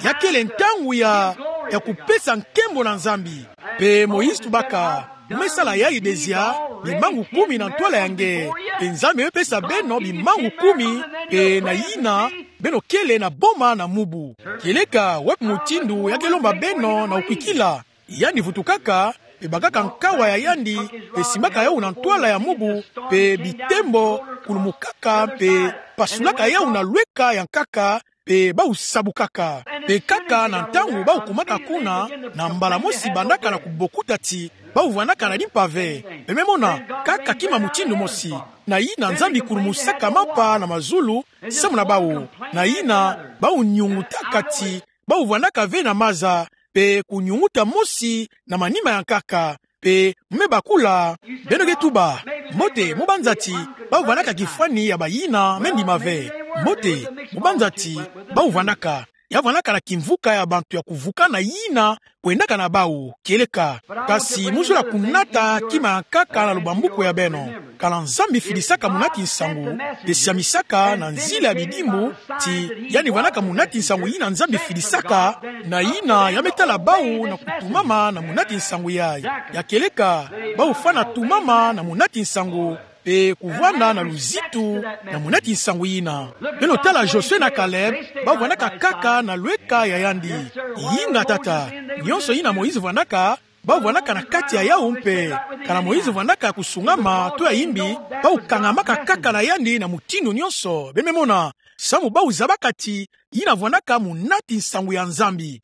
Ya kele ntangu ya, ya kupesa nkembo na Nzambi. Mpe Moïse tubaka, mo me sala yayi dezia, bimangu kumi na ntwala ya nge. Mpe Nzambi me pesa beno bimangu kumi, mpe na yina, beno kele na boma na mubu. Kieleka wapi mutindu ya ke lomba beno na kukwikila. Yandi vutukaka, mpe bakaka nkawa ya yandi, mpe simbaka yawu na ntwala ya mubu, mpe bitembo, kulumukaka, mpe pasulaka yawu na lweka ya nkaka, mpe bawu sabukaka. Mpe kaka na ntangu bawu kumaka kuna, na mbala mosi bandaka na kubokuta ti bawu vwandaka na limpa ve. Beno me mona, kaka kima mutindu mosi. Na yina Nzambi kulumusaka mapa na mazulu, samu na bawu. Na yina, bawu nyungutaka ti bawu vwandaka ve na maza, mpe kunyunguta mosi na manima ya nkaka, mpe mo me bakula, beno ke tuba, mbote, mo banza ti bawu vwandaka kifwani ya bayina, me ndima ve. Mbote, mo banza ti bawu vwandaka, ya vwandaka na kimvuka ya bantu ya kuvuka na yina kwendaka na bawu, kieleka. Kasi mo zola kunata kima ya nkaka na lubambuku ya beno. Kana Nzambi fidisaka munati nsangu, mpe siamisaka na nzila ya bidimbu, ti yandi vwandaka munati nsangu yina Nzambi fidisaka, na yina ya me tala bawu na kutumama na munati nsangu yayi. Ya kieleka, bawu fwana tumama na munati nsangu, mpe kuvwanda na luzitu na munati nsangu yina. Beno tala Josué na Caleb, bawu vwandaka kaka na lweka ya yandi. Yinga tata, nyonso yina Moïse vwandaka, bawu vwandaka na kati ya yawu mpe. Kana Moïse vwandaka ya kusungama, to ya imbi, bawu kangamaka kaka na yandi na mutindu nyonso. Beno me mona, samu bawu zabaka ti yina vwandaka munati nsangu ya Nzambi.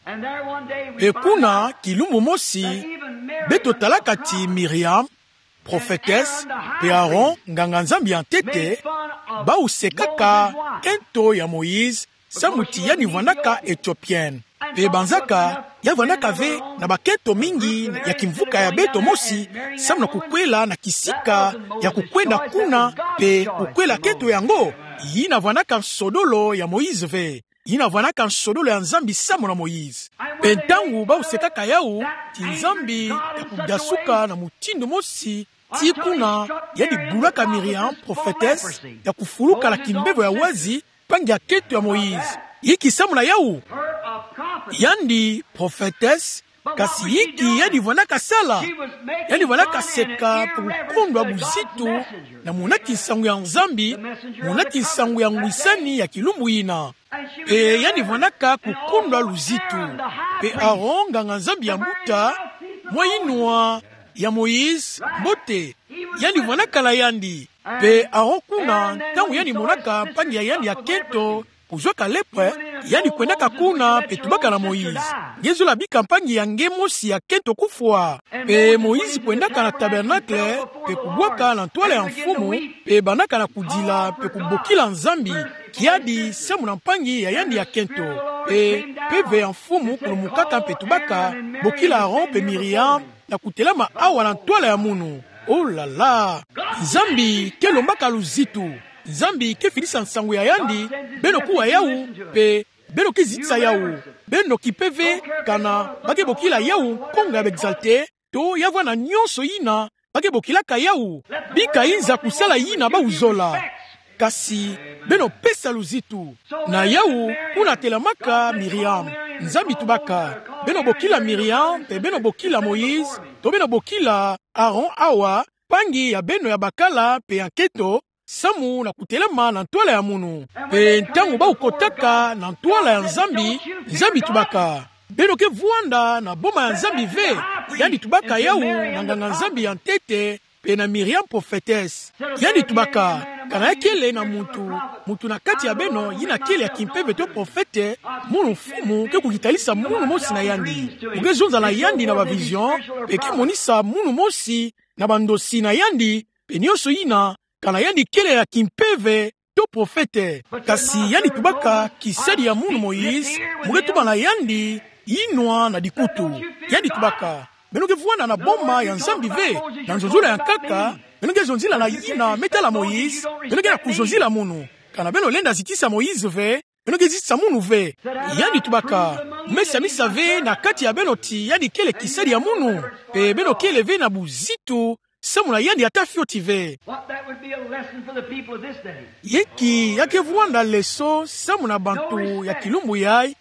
Mpe kuna, kilumbu mosi, beto talaka ti Miriam, prophétesse, mpe Aaron, nganga-Nzambi ya ntete, bawu sekaka kento ya Moïse, samu ti yandi vwandaka Éthiopienne. Mpe banzaka, ya vwandaka ve na bakento mingi ya kimvuka ya beto mosi, samu na kukwela na kisika ya kukwenda kuna, mpe kukwela kento yango, yina vwandaka nsodolo ya Moïse ve. Yina vwandaka nsodolo ya Nzambi samu na Moïse. Mpe ntangu bawu sekaka yawu, ti Nzambi ya kudasuka na mutindu mosi, tii kuna, yandi bulaka Miriam, prophétesse, ya kufuluka na kimbevo ya wazi, mpangi ya kento ya Moïse. Yinki samu na yawu? Yandi prophétesse, kasi yinki yandi vwandaka sala? Yandi vwandaka seka mpe kukondwa buzitu na munati nsangu ya Nzambi, munati nsangu ya ngwisani ya kilumbu yina. Mpe yandi vwandaka kukondwa luzitu. Mpe Aaron, nganga-Nzambi ya mbuta, mwa yinwa ya Moïse, mbote, yandi vwandaka na yandi. Mpe Aaron kuna, ntangu yandi monaka mpangi ya yandi ya kento kuzwaka lèpre, yandi kwendaka kuna mpe tubaka na Moïse: Nge zola bika mpangi ya nge mosi ya kento kufwa. Mpe Moïse kwendaka na tabernacle mpe kubwaka na ntwala ya Mfumu, mpe bandaka na kudila mpe kubokila Nzambi kiadi samu na mpangi ya yandi ya kento. Mpe mpeve ya Mfumu kulumukaka mpe tubaka: Bokila Aaron mpe Miriam na kutelama awa na ntwala ya munu. Oh là là! Nzambi ke lombaka luzitu. Nzambi ke fidisa nsangu ya yandi. Beno kuwa yawu, mpe beno ke zitisa yawu. Beno kipe ve kana ba ke bokila yawu nkonga ya ba exalté, to ya vwanda nionso yina ba ke bokilaka yawu. Bika yinza kusala yina bawuzola. Kasi beno pesa luzitu. Na yawu, kuna telamaka Miriam. Nzambi tubaka: Beno bokila Miriam, mpe beno bokila Moïse, to beno bokila Aaron awa, mpangi ya beno ya bakala mpe ya nkento, samu na kutelama na ntwala ya munu. Mpe ntangu bawukotaka na ntwala ya Nzambi, Nzambi tubaka: Beno ke vwanda na boma ya Nzambi ve. Yandi tubaka yawu na nganga-Nzambi ya ntete, mpe na Miriam prophétesse. Yandi tubaka: Kana ya kele na muntu, muntu na kati ya beno yina kele ya kimpeve to prophète, munu mfumu ke kukitalisa munu mosi na yandi. Mu ke zonza na yandi na ba vision, mpe ke monisa munu mosi na bandosi na yandi, mpe nionso yina, kana yandi kele ya kimpeve to prophète. Kasi yandi tubaka: Kisadi ya munu Moïse, mu ke tuba na yandi yinwa na dikutu. Yandi tubaka: Beno ke vwanda na boma ya Nzambi ve. Na nzonzolo ya nkaka, beno ke zonzila na yina me tala Moïse, beno ke na kuzonzila munu. Kana beno lenda zitisa Moïse ve, beno ke zitisa munu ve. Yandi tubaka: Mu me samisa ve na kati ya beno ti yandi kele kisadi ya munu, mpe beno kele ve na buzitu samu na yandi ata fioti ve. What that would be a lesson for the people of this day. Inki ya ke vwanda leso samu na bantu ya kilumbu yayi?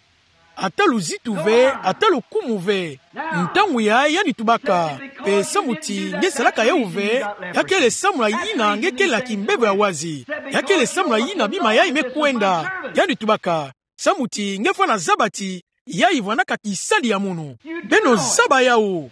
Ata luzitu ve, ata lukumu ve. Ntangu yayi yandi tubaka: Mpe samu ti nge salaka yawu ve, ya kele samu na yina nge kele na kimbevo ya wazi. Ya kele samu na yina bima yayi me kwenda. Yandi tubaka: Samu ti nge fwana zaba ti yayi vwandaka kisadi ya munu. Beno zaba yawu.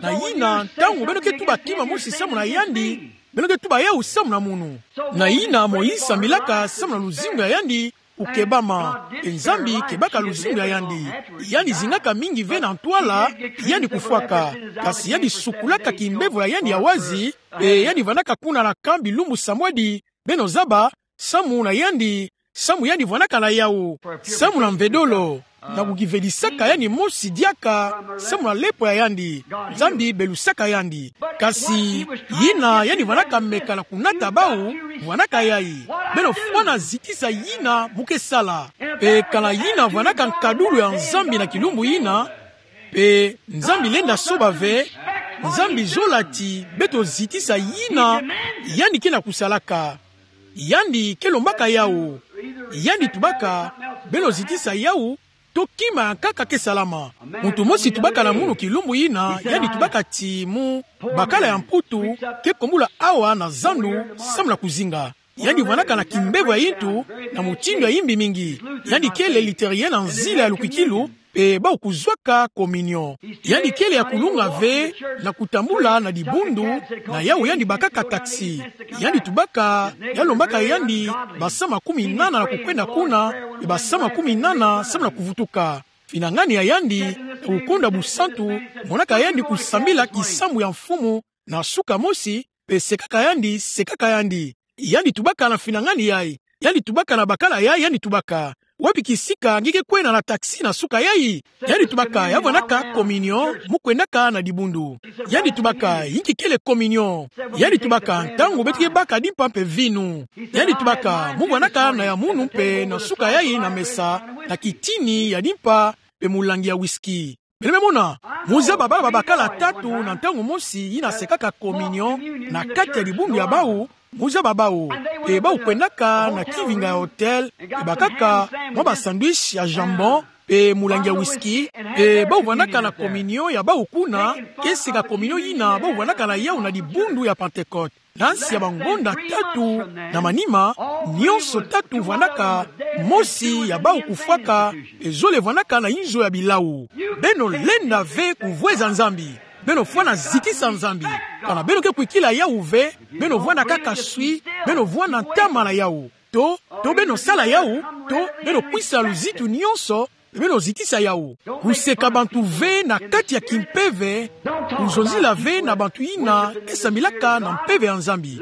Na yina, ntangu beno ke tuba kima mosi samu na yandi, beno ke tuba yawu samu na munu. Na yina Moïse sambilaka samu na luzingu ya yandi kukebama, mpe Nzambi kebaka luzingu ya yandi. Yandi zingaka mingi ve na ntwala yandi kufwaka. Kasi yandi sukulaka kimbevo ya yandi ya wazi, mpe yandi vwandaka kuna na camp bilumbu samwadi. Beno zaba, samu na yandi, samu yandi vwandaka na yawu, samu na mvedolo, na kukivedisaka yandi mosi diaka samu na lepwa ya yandi. Nzambi belusaka yandi. Kasi yina yandi vwandaka meka na kunata bawu, vwandaka yayi: Beno fwana zitisa yina mu ke sala. Mpe kana yina vwandaka nkadulu ya Nzambi na kilumbu yina, mpe Nzambi lenda soba ve, Nzambi zola ti beto zitisa yina yandi ke na kusalaka. Yandi ke lombaka yawu. Yandi tubaka: Beno zitisa yawu, to kima ya nkaka ke salama. Muntu mosi tubaka na munu kilumbu yina, yandi tubaka ti mu bakala ya Mputu ke kombula awa na zandu samu na kuzinga. Yandi vwandaka na kimbevo ya yintu na mutindu ya yimbi mingi. Yandi kele luthérien na nzila ya lukwikilu, mpe bawu kuzwaka communion. Yandi kele ya kulunga ve na kutambula na dibundu, na yawu yandi bakaka taxi. Yandi tubaka ya lombaka yandi basa makumi nana na kukwenda kuna, mpe basa makumi nana samu na kuvutuka. Finangani ya yandi na kukonda busantu monaka yandi kusambila kisambu ya Mfumu na suka mosi, mpe sekaka yandi, sekaka yandi. Yandi tubaka na finangani yayi, yandi tubaka na bakala yayi, yandi tubaka: Wapi kisika nge ke kwenda na taxi na suka yayi? Yandi tubaka ya vwandaka communion mu kwendaka na dibundu. Yandi tubaka: Inki kele communion? Yandi tubaka: Ntangu beto ke baka dimpa mpe vinu. Yandi tubaka: Mu vwandaka na ya munu mpe na suka yayi na mesa, na kitini ya dimpa mpe mulangi ya whisky. Beno me mona, mu zaba bala babakala tatu na ntangu mosi yina sekaka communion na kati ya dibundu ya bawu, mu zaba bawu. Mpe bawu kwendaka na kivinga ya hôtel, mpe bakaka mwa ba sandwich ya jambon, mpe mulangi ya whisky, mpe bawu vwandaka na communion ya bawu kuna, ke seka communion yina bawu vwandaka na yawu na dibundu ya Pentecôte. Na nsi ya bangonda tatu na manima, nionso tatu vwandaka mosi ya bawu kufwaka, mpe zole vwandaka na inzo ya bilawu. Beno lenda ve kuvweza Nzambi. Beno fwana zitisa Nzambi. Kana beno ke kwikila yawu ve, beno vwanda kaka swi, beno vwanda ntama na yawu. To, to beno sala yawu, to beno kwisa luzitu nionso, beno zitisa yawu. Kuseka bantu ve na kati ya kimpeve, kuzonzila ve na bantu yina ke sambilaka na mpeve ya Nzambi.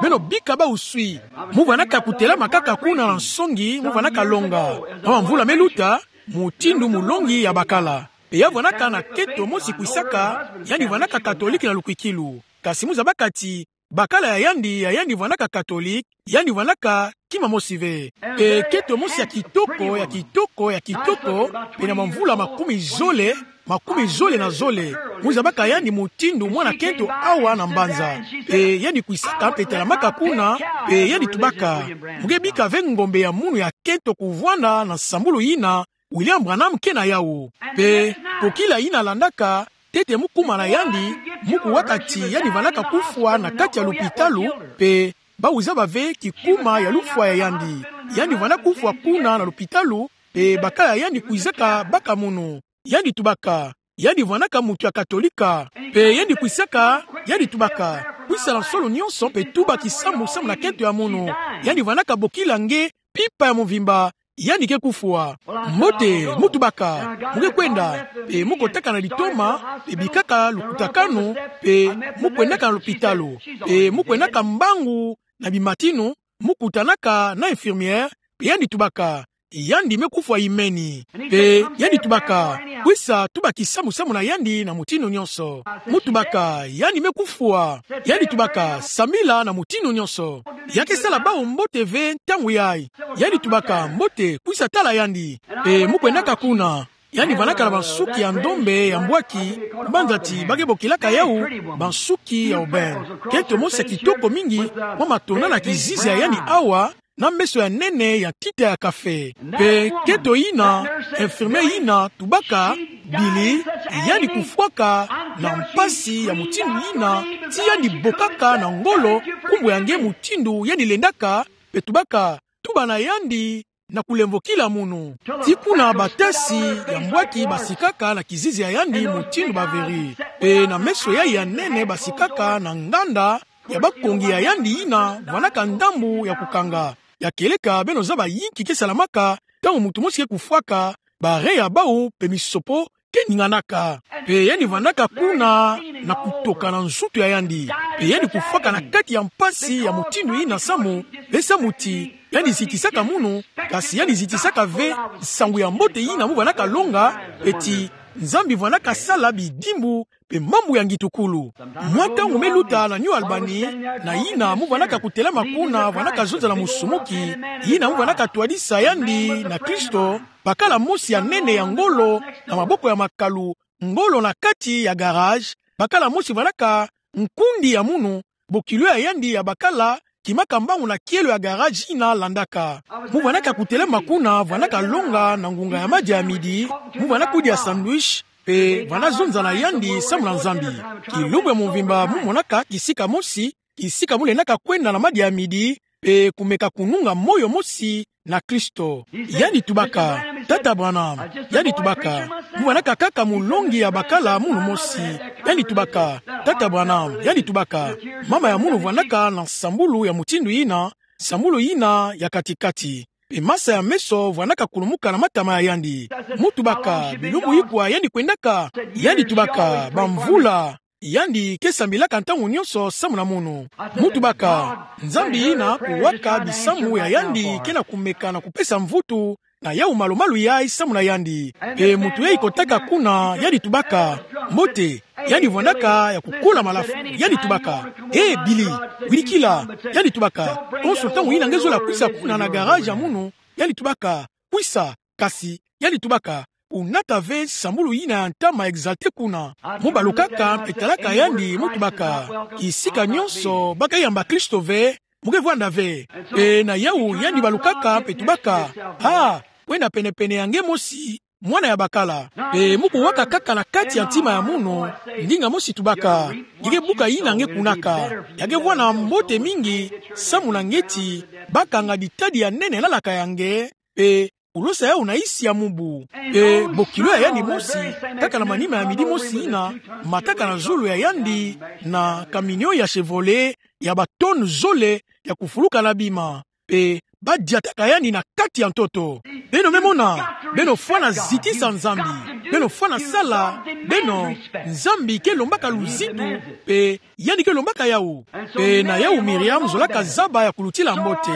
Beno bika bawu swi. Mu vwandaka kutelama kaka kuna na nsongi, mu vwandaka longa. Mwa mvula me luta, mutindu mulongi ya bakala. Mpe ya vwandaka na nkento mosi kwisaka, yandi vwandaka katolike na lukwikilu. Kasi mu zabaka ti bakala ya yandi, ya yandi vwandaka katolike, yandi vwandaka kima mosi ve. Mpe nkento mosi ya kitoko, ya kitoko, ya kitoko, mpe na bamvula makumi zole, makumi zole na zole. Mu zabaka yandi mutindu mwana kento awa na mbanza. Pe yandi kwisaka pe telamaka kuna, pe yandi tubaka: Mu ke bika ve ngombe ya munu ya kento kuvwanda na nsambulu yina William Branham ke na yawu. Pe, ko kila yina landaka, ntete mu kuma na yandi, mu kuwaka ti yandi vandaka kufwa na kati ya lupitalu, pe bawu zaba ve kikuma ya lufwa ya yandi. Yandi vanda kufwa kuna na lupitalu, pe bakala yandi kwizaka baka munu. Yandi tubaka: Yandi vandaka mutu ya Katolika. Pe yandi kwisaka, yandi tubaka: Kwisa na nsolo nyonso pe tuba kisambu samu na kento ya munu. Yandi vandaka bokila nge mpimpa ya mvimba, yandi ke kufwa. Mbote, mu tubaka: Mu ke kwenda. Pe mu kotaka na litoma, pe bikaka lukutakanu, pe mu kwendaka na lupitalu, pe mu kwendaka mbangu na bimatinu, mu kutanaka na infirmière, pe yandi tubaka: Yandi me kufwa imeni. Pe yandi tubaka: Kwisa tuba kisambu samu na yandi na mutindu nyonso. Mu tubaka: Yandi me kufwa. Yandi tubaka: Sambila na mutindu nyonso. Ya ke sala bawu mbote ve ntangu yayi. Yandi tubaka: Mbote, kwisa tala yandi. Pe mu kwendaka kuna. Yandi vandaka na bansuki ya ndombe ya mbwaki, mbanza ti ba ke bokilaka yawu bansuki ya aubaine. Kento mosi ya kitoko mingi, mwa matonda na kizizi ya yandi awa, na meso ya nene ya ntita ya kafe. Pe kento yina, infirmière yina tubaka: Billy, yandi kufwaka na mpasi ya mutindu yina, ti yandi bokaka na ngolo nkumbu ya nge mutindu yandi lendaka, pe tubaka: Tuba na yandi na kulemvokila munu. Ti kuna batasi ya mbwaki basikaka na kizizi ya yandi mutindu ba verrure. Pe na meso yayi ya nene basikaka na nganda ya bakongi ya yandi yina vandaka ndambu ya kukanga. Ya kieleka beno zaba yinki ke salamaka, ntangu mutu mosi ke kufwaka, ba rein ya bawu pe misopo ke ninganaka. Pe yandi vandaka kuna na kutoka na nzutu ya yandi. Pe yandi kufwaka na kati ya mpasi ya mutindu yina samu, pe samu ti yandi zitisaka munu, kasi yandi zitisaka ve nsangu ya mbote yina mu vandaka longa, pe ti Nzambi vandaka sala bidimbu pe mambu ya ngitukulu. Mwa ntangu me luta na New Albany, na yina mu vandaka kutelama kuna vandaka zonza na musumuki, yina mu vandaka twadisa yandi na Kristo, bakala mosi ya nene ya ngolo na maboko ya makalu, ngolo na kati ya garage, bakala mosi vandaka nkundi ya munu, bokilo ya yandi ya bakala kimaka mbangu na kielo ya garage yina landaka. Mu vandaka kutelama kuna vandaka longa na ngunga ya madia ya midi, mu vandaka kudia sandwich, pe vanda zonza na yandi samu na Nzambi. Kilumbu ya mvimba mu monaka kisika mosi, kisika mu lendaka kwenda na madia ya midi, pe kumeka kununga moyo mosi na Kristo. Yandi tubaka: Tata Branham, yandi tubaka, mu vandaka kaka mulongi ya bakala munu mosi. Yandi tubaka: Tata Branham, yandi tubaka, mama ya munu vandaka na nsambulu ya mutindu yina, nsambulu yina ya kati-kati. Pe masa ya meso vandaka kulumuka na matama ya yandi. Mu tubaka: Bilumbu ikwa yandi kwendaka? Yandi tubaka: Bamvula. Yandi ke sambilaka ntangu nyonso samu na munu. Mu tubaka: Nzambi yina kuwaka bisamu ya yandi ke na kumeka na kupesa mvutu na yawu malu-malu yayi samu na yandi. Pe mutu yayi kotaka kuna, yandi tubaka: Mbote. Yandi vandaka ya kukola malafu. Yandi tubaka: Eh, Billy, wirikila. Yandi tubaka: Konso ntangu yina nge zola kwisa kuna na garage ya munu, yandi tubaka: Kwisa. Kasi yandi tubaka: Kunata ve nsambulu yina ya ntama exalté kuna. Mu balukaka pe talaka yandi, mu tubaka: Kisika nyonso ba ke yamba Kristo ve, mu ke vwanda ve. Pe na yawu yandi balukaka pe tubaka: Ah, kwenda pene-pene ya nge mosi, mwana ya bakala. Pe mu kuwaka kaka na kati ya ntima ya munu, ndinga mosi tubaka: Nge ke buka yina nge kunaka. Ya ke vwanda mbote mingi samu na nge ti ba kanga ditadi ya nene na laka ya nge, pe kulosa yawu na isi ya mubu. Pe bokilo ya yandi mosi, kaka na manima ya midi mosi yina, mataka na zulu ya yandi na camion ya Chevrolet ya ba tonnes zole ya kufuluka na bima. Pe ba diataka yandi na kati ya ntoto. Beno me mona, beno fwana zitisa Nzambi. Beno fwana sala, beno, Nzambi ke lombaka luzitu, pe yandi ke lombaka yawu. Pe na yawu Miriam zolaka zaba ya kulutila mbote.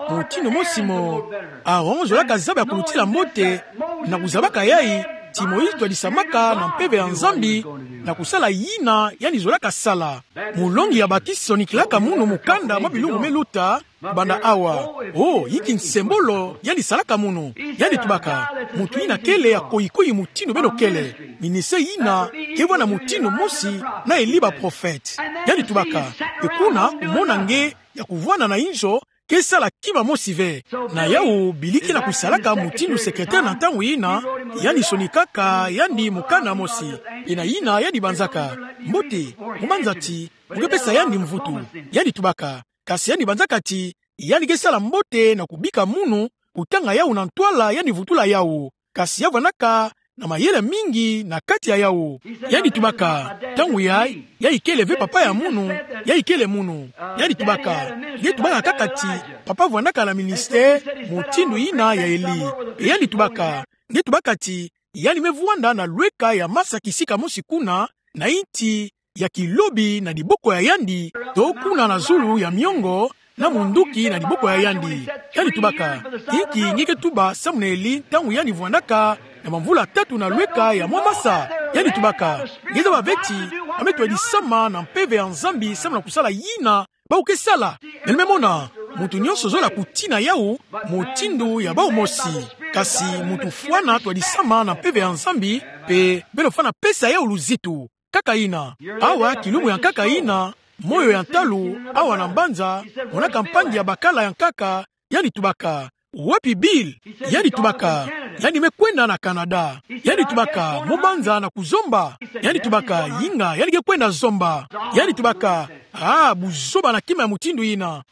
Mutindu mosi mo Aaron zolaka zaba ya kulutila mbote, na kuzabaka yayi, ti Moïse twadisamaka na mpeve ya Nzambi na kusala yina yandi zolaka sala. Molongi ya batisi sonikilaka munu mukanda mwa bilumbu me luta, banda awa. Oh, yinki nsembolo yandi salaka munu. Yandi tubaka: Muntu yina kele ya koyikoyi mutindu beno kele. Ministère yina ke vwanda mutindu mosi na eli baprofete. Yandi tubaka: Pe kuna kumona nge ya kuvwanda na inzo ke sala kima mosi ve. Na yawu, bili ke na kusalaka mutindu secrétaire na ntangu yina, yandi sonikaka yandi mukanda mosi. Pe na yina yandi banzaka: Mbote, mu banza ti mu ke pesa yandi mvutu. Yandi tubaka: Kasi yandi banzaka ti yandi ke sala mbote na kubika munu, kutanga yawu na ntwala yandi vutula yawu. Kasi ya vwandaka na mayele mingi na kati ya yawu. Yandi tubaka: Ntangu yayi, yayi kele ve papa ya munu, yayi kele munu. Yandi tubaka: Nge tubaka kaka ti papa vwandaka na ministère mutindu yina ya Eli. Pe yandi tubaka: Nge tubaka ti yandi me vwanda na lweka ya masa kisika mosi kuna, na inti ya kilobi na diboko ya yandi, to kuna na zulu ya miongo, na munduki na diboko ya yandi. Yandi tubaka: Inki nge ke tuba samu na Eli ntangu yandi vwandaka na bamvula tatu na lweka ya mwa masa? Yandi tubaka: Nge zaba ve ti a me twadisama na mpeve ya Nzambi samu na kusala yina bawu ke sala. Beno me mona, muntu nyonso zola kutina yawu mutindu ya bawu mosi. Kasi muntu fwana twadisama na mpeve ya Nzambi, pe beno fwana pesa yawu luzitu. Kaka yina. Awa, kilumbu ya nkaka yina, moyo ya ntalu, awa na mbanza, monaka mpangi ya bakala ya nkaka, yandi tubaka: Wapi Bill? Yandi tubaka: Yandi me kwenda na Canada. Yandi tubaka: Mu banza na kuzomba? Yandi tubaka: Yinga, yandi ke kwenda zomba. Yandi tubaka: Ah, buzoba na kima ya mutindu yina.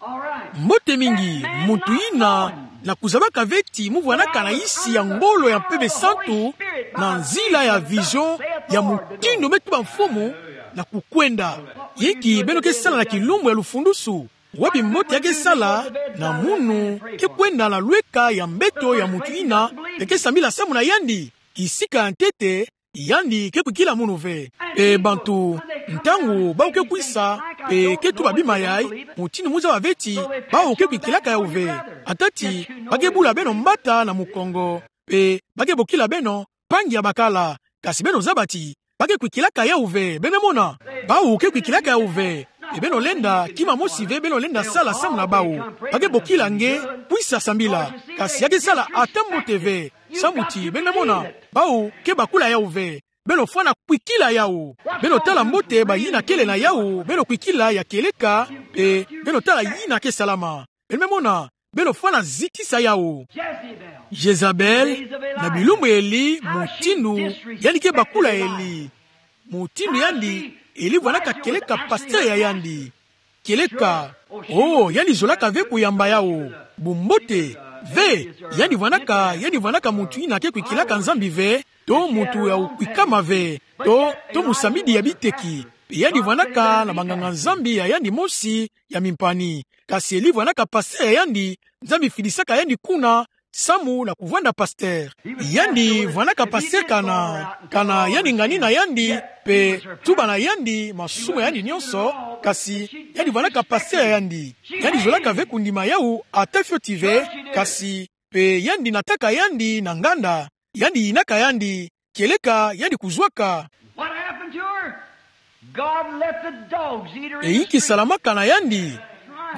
Mbote mingi, muntu yina, na kuzabaka ve ti mu vwandaka na isi ya ngolo ya Mpeve Santu, na nzila ya vision ya mutindu me tuba Mfumu, na kukwenda. Inki beno ke sala na kilumbu ya lufundusu? Wapi mbote ya ke sala na munu ke kwenda na lweka ya mbeto ya muntu yina, pe ke sambila samu na yandi? Kisika ya ntete, yandi ke kwikila munu ve. Pe bantu, ntangu bawu ke kwisa, pe ke tuba bima yayi, mutindu mu zaba ve ti bawu ke kwikilaka yawu ve. Ata ti ba ke bula beno mbata na mukongo, pe ba ke bokila beno mpangi ya bakala. Kasi beno zaba ti ba ke kwikilaka yawu ve. Beno me mona, bawu ke kwikilaka yawu ve. Pe beno lenda kima mosi ve beno lenda sala samu na bawu. Ba ke bokila nge: Kwisa sambila. Kasi ya ke sala ata mbote ve. Samu ti, beno me mona, bawu ke bakula yawu ve. Beno fwana kwikila yawu. Beno tala mbote bayina kele na yawu, beno kwikila ya kieleka, pe beno tala yina ke salama. Beno me mona, beno fwana zitisa yawu. Jezabel, na bilumbu ya Eli, mutindu yandi ke bakula Eli. Mutindu yandi, Eli vwandaka kieleka pasteur ya yandi. Kieleka, oh, yandi zolaka ve kuyamba yawu. Bumbote, ve, yandi vwandaka, yandi vwandaka muntu yina ke kwikilaka Nzambi ve, to muntu ya kwikama ve, to, to musambidi ya biteki. Pe yandi vwandaka na banganga-Nzambi ya yandi mosi ya mimpani. Kasi Eli vwandaka pasteur ya yandi, Nzambi fidisaka yandi kuna, samu na kuvwanda pasteur. Yandi vwandaka pasteur kana, kana yandi ngani na yandi, pe tuba na yandi masumu ya yandi nyonso, kasi yandi vwandaka pasteur ya yandi. Yandi zolaka ve kundima yawu ata fioti ve, kasi pe yandi nataka yandi na nganda, yandi yinaka yandi, kieleka yandi kuzwaka. What happened to her? God let the dogs eat her in the street. E inki salamaka na yandi?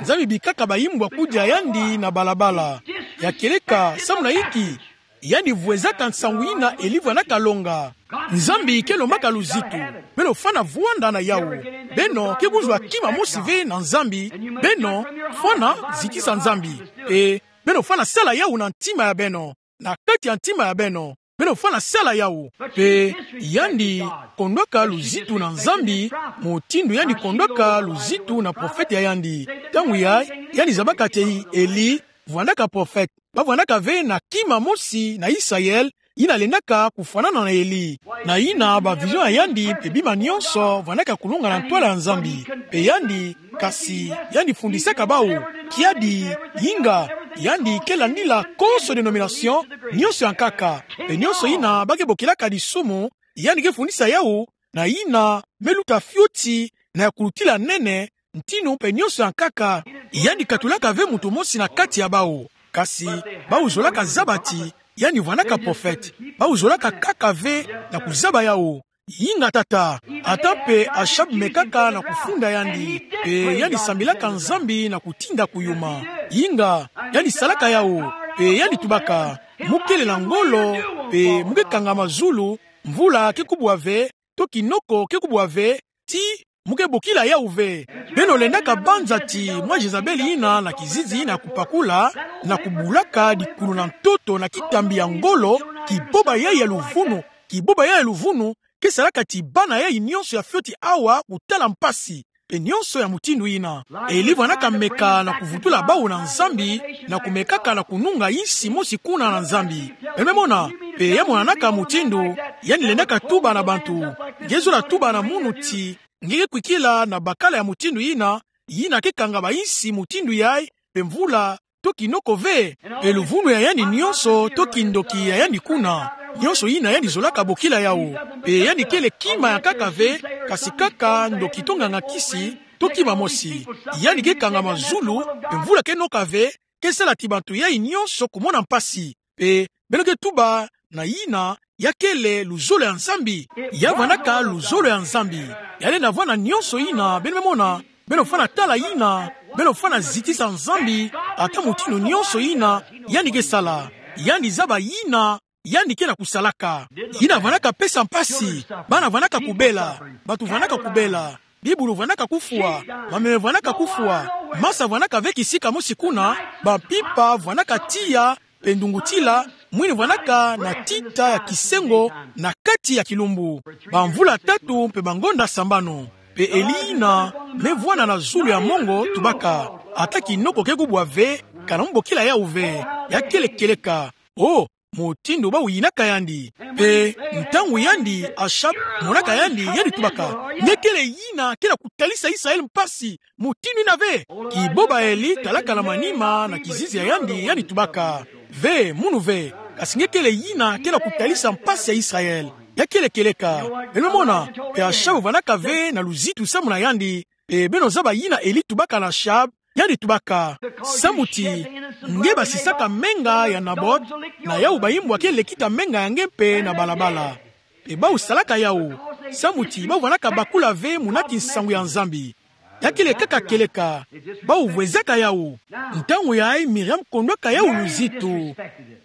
Nzambi bikaka baimbwa kudia yandi na balabala. Ya kieleka, samu na inki? Yandi vwezaka nsangu yina Eli vwandaka longa. Nzambi ke lombaka luzitu. Beno fwana vwanda na yawu. Beno ke kuzwa kima mosi ve na Nzambi. Beno fwana zitisa Nzambi. E, beno fwana sala yawu na ntima ya beno. Na kati ya ntima ya beno, beno fwana sala yawu. Pe yandi kondwaka luzitu na Nzambi, mutindu yandi kondwaka luzitu na profete ya yandi. Ntangu yayi, yandi zabaka ti Eli vwandaka profete. Ba vwandaka ve na kima mosi na Israël, yina lendaka kufwanana na Eli. Na yina ba vision ya yandi pe bima nyonso vwandaka kulonga na ntwala ya Nzambi. Pe yandi, kasi yandi fundisaka bawu, kiadi, yinga, yandi ke landila konso dénomination nyonso ya nkaka. Pe nyonso yina ba ke bokilaka lisumu, yandi ke fundisa yawu, na yina me luta fioti na ya kulutila nene, ntinu pe nyonso ya nkaka. Yandi katulaka ve muntu mosi na kati ya bawu. Kasi bawu zolaka zaba ti yandi vwanaka prophète. Bawu zolaka kaka ve na kuzaba yawu. Inga tata, ata mpe Achab mekaka na kufunda yandi, mpe yandi sambilaka Nzambi na kutinda kuyuma. Inga, yandi salaka yawu, mpe yandi tubaka, mu kele na ngolo, mpe mu ke kangama zulu, mvula ke kubwa ve, to kinoko ke kubwa ve, ti mu ke bokila yawu ve. Beno lendaka banza ti mwa Jezabel yina na kizizi yina ya kupakula, na kubulaka dikulu na ntoto na kitambi ya ngolo, kiboba yayi ya luvunu, kiboba yayi ya luvunu, ke salaka ti bana yayi nyonso ya fioti awa kutala mpasi, mpe nyonso ya mutindu yina. Eli vwanaka meka na kuvutula bawu na Nzambi, na kumekaka na kununga insi mosi kuna na Nzambi. Beno me mona, mpe ya monanaka mutindu, yandi lendaka tuba na bantu, nge zola tuba na munu ti, nge ke kwikila na bakala ya mutindu yina, yina ke kanga bainsi mutindu yayi, mpe mvula, to kinoko ve, mpe luvunu ya yandi nyonso, to kindoki ya yandi kuna, nyonso yina yandi zolaka bokila yawu, mpe yandi kele kima ya nkaka ve, kasi kaka ndoki to nganga kisi, to kima mosi, yandi ke kangama zulu, mpe mvula ke noka ve, ke sala ti bantu yayi nyonso kumona mpasi, mpe beno ke tuba na yina, ya kele luzolo ya Nzambi. Ya vwanaka luzolo ya Nzambi. Ya lenda vwanda nyonso yina, beno me mona, beno fwana tala yina, beno fwana zitisa Nzambi, ata mutindu nyonso yina, yandi ke sala. Yandi zaba yina, yandi ke na kusalaka. Yina vwanaka pesa mpasi, bana vwanaka kubela, bantu vwanaka kubela, bibulu vwanaka kufwa, mameme vwanaka kufwa, masa vwanaka ve kisika mosi kuna, bampimpa vwanaka tiya, mpe ndungutila, mwini vwanaka na tita ya kisengo na kati ya kilumbu. Bamvula tatu mpe bangonda sambanu. Mpe Eli yina, me vwanda na zulu ya mongo, tubaka, ata kinoko ke kubwa ve, kana mu bokila yawu ve, ya kele kieleka. Oh, mutindu bawu yinaka yandi. Mpe, ntangu yandi, Achab, monaka yandi, yandi tubaka, nge kele yina ke na kutalisa Israël mpasi, mutindu yina ve. Kiboba Eli talaka na manima na kizizi ya yandi, yandi tubaka, ve, munu ve, kasi nge kele yina ke na kutalisa mpasi ya Israël. Ya kele kieleka. Beno me mona, mpe Achab vwanaka ve na luzitu samu na yandi, mpe beno zaba yina Eli tubaka na Achab, yandi tubaka, samu ti, nge basisaka menga ya Nabot, na yawu bayimbwa ke lekita menga ya nge mpe na balabala. Mpe bawu salaka yawu, samu ti bawu vwanaka bakula ve muna ti nsangu ya Nzambi. Ya kele kaka kieleka, bawu vwezaka yawu. Ntangu yayi Miriam kondwaka yawu luzitu.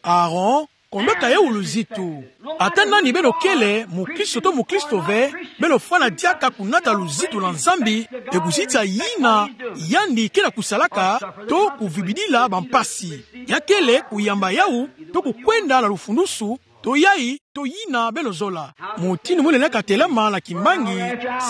Aaron kondwaka yawu luzitu. Ata nani beno kele, mukristo to mukristo ve, beno fwana diaka kunata luzitu na Nzambi, mpe kuzitisa yina yandi ke na kusalaka, to kuvibidila bampasi. Ya kele kuyamba yawu, to kukwenda na lufundusu, to yayi, to yina beno zola. Mutindu mu lenda katelama na kimbangi,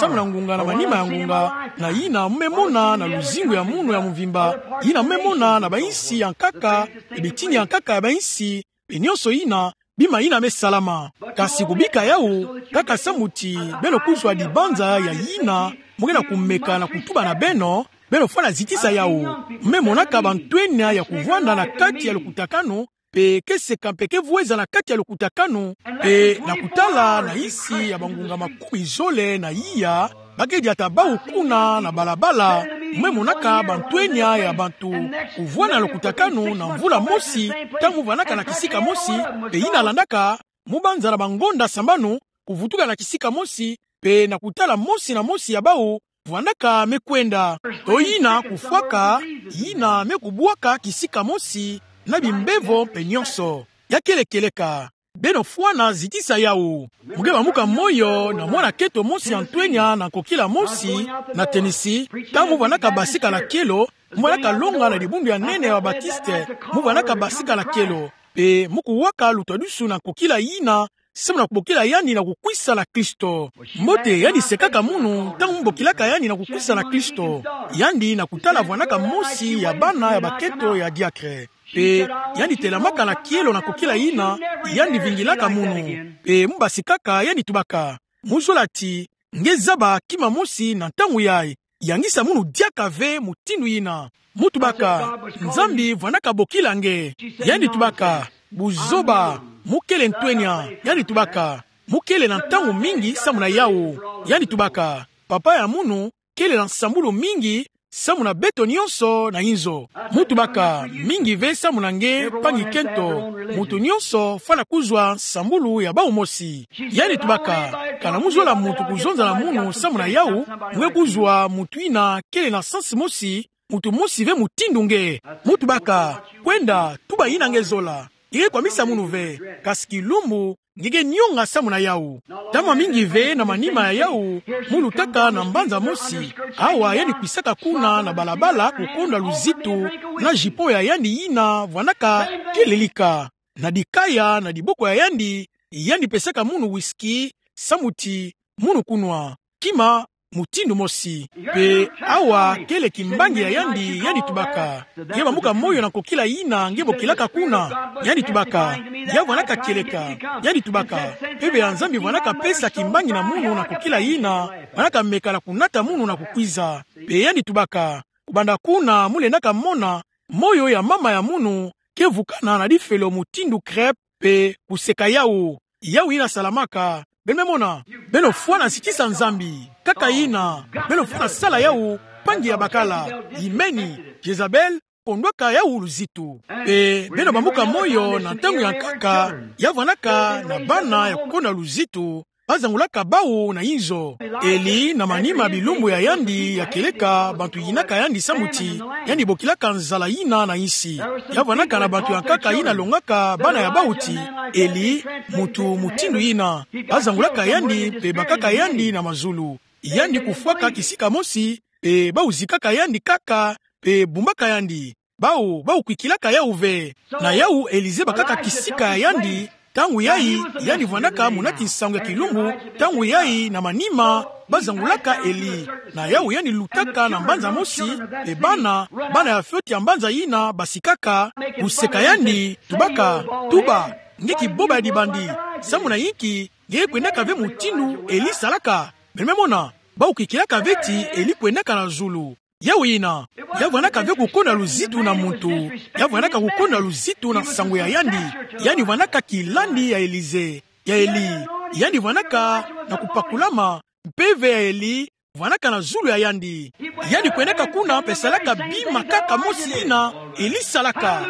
samu na ngunga na manima ya ngunga, na yina mu me mona na luzingu ya munu ya mvimba, yina mu me mona na bainsi ya nkaka, mpe bitini ya nkaka ya bainsi, mpe nyonso yina, bima yina me salama. Kasi kubika yawu, kaka samu ti, beno kuzwa dibanza ya yina mu ke na kumeka na kutuba na beno, beno fwana zitisa yawu. Mu me monaka bantwenia ya kuvwanda na kati ya lukutakanu, mpe ke seka mpe ke vweza na kati ya lukutakanu, mpe na kutala na insi ya bangunga makumi zole na iya, ba ke diata bawu kuna na balabala, mu me monaka bantwenia ya bantu kuvwanda na lukutakanu na mvula mosi, ntangu mu vwanaka na kisika mosi, mpe yina landaka, mu banza na bangonda sambanu, kuvutuka na kisika mosi, mpe na kutala mosi na mosi ya bawu, vwandaka me kwenda. To yina kufwaka, yina me kubwaka kisika mosi, na bimbevo mpe nyonso. Ya kele kieleka. Beno fwana zitisa yawu. Mu ke bamuka moyo na mwana keto mosi ya ntwenia na nkokila mosi, na Tennessee, ntangu mu vwanaka basika na kielo, mu vwanaka longa na dibundu ya nene ya ba Baptiste, mu vwanaka basika na kielo. Mpe mu kuwaka lutwadusu na nkokila yina, samu na kubokila yandi na kukwisa na Kristo. Mbote yandi sekaka munu, ntangu mu bokilaka yandi na kukwisa na Kristo. Yandi na kutala vwanaka mosi ya bana ya baketo ya diacre. Mpe yandi telamaka na kielo na nkokila yina, yandi vingilaka munu. Mpe mu basikaka yandi tubaka, mu zola ti, nge zaba kima mosi na ntangu yayi, yangisa munu diaka ve mutindu yina. Mu tubaka, Nzambi vwanaka bokila nge. Yandi tubaka, buzoba, mu kele ntwenia. Yandi tubaka, mu kele na ntangu mingi samu na yawu. Yandi tubaka, papa ya munu kele na nsambulu mingi, samu na beto nyonso na inzo. Mu tubaka, mingi ve samu na nge, mpangi kento, moto nyonso fwana kuzwa nsambulu ya bawu mosi. Yandi tubaka, kana mu zola muntu kuzonza na munu samu na yawu, nge kuzwa muntu yina kele na sens mosi, muntu mosi ve mutindu nge. Mu tubaka, kwenda, tuba yina nge zola. Nge kwamisa munu ve, kasi kilumbu, nge ke nyonga samu na yawu. Ntama mingi ve na manima ya yawu, mu lutaka na mbanza mosi, awa yandi kwisaka kuna na balabala kukondwa luzitu, na jupon ya yandi yina vwanaka kelelika. Na dikaya, na diboko ya yandi, yandi pesaka munu whisky, samu ti, munu kunwa. Kima, mutindu mosi. Mpe awa kele kimbangi ya yandi, yandi tubaka. Nge bambuka moyo na kokila yina nge bokilaka kuna. Yandi tubaka. Ya vwanaka kieleka. Yandi tubaka. Mpeve ya Nzambi vwanaka pesa kimbangi na munu na kokila yina, vwanaka meka na kunata munu na kukwiza. Mpe yandi tubaka. Kubanda kuna mu lendaka mona, moyo ya mama ya munu ke vukana na difelo mutindu crêpe, mpe kuseka yawu. Yawu yina salamaka. Beno me mona. Beno fwana sitisa Nzambi. Kaka yina. Beno fwana sala yawu. Mpangi ya bakala. Yimeni. Jezabel kondwaka yawu luzitu. Mpe beno bambuka moyo na ntangu ya nkaka, ya vwanaka na bana ya kukondwa luzitu, bazangulaka bawu na inzo. Eli na manima bilumbu ya yandi ya kieleka bantu yinaka yandi samu ti, yandi bokilaka nzala yina na insi. Ya vwanaka na bantu ya nkaka yina longaka bana ya bawu ti, Eli, muntu mutindu yina. Bazangulaka yandi, mpe bakaka yandi na mazulu. Yandi kufwaka kisika mosi, mpe bawu zikaka yandi kaka, mpe bumbaka yandi. Bawu, bawu kwikilaka yawu ve. Na yawu Elize bakaka kisika ya yandi, ntangu yayi, yandi vwanaka munati nsangu ya kilumbu, ntangu yayi na manima, bazangulaka Eli. Na yawu yandi lutaka na mbanza mosi, mpe bana, bana ya fioti ya mbanza yina basikaka, kuseka yandi, tubaka, tuba, nge kiboba ya dibandi, samu na yinki, nge kwendaka ve mutindu Eli salaka. Beno me mona, bawu kwikilaka ve ti Eli kwendaka na zulu. Yawu yina, ya vwanaka ve kukondwa luzitu na muntu, ya vwanaka kukondwa luzitu na nsangu ya yandi, yandi vwanaka kilandi ya Elize, ya Eli, yandi vwanaka na kupakulama, mpeve ya Eli vwanaka na zulu ya yandi. Yandi kwendaka kuna mpe salaka bima kaka mosi yina Eli salaka.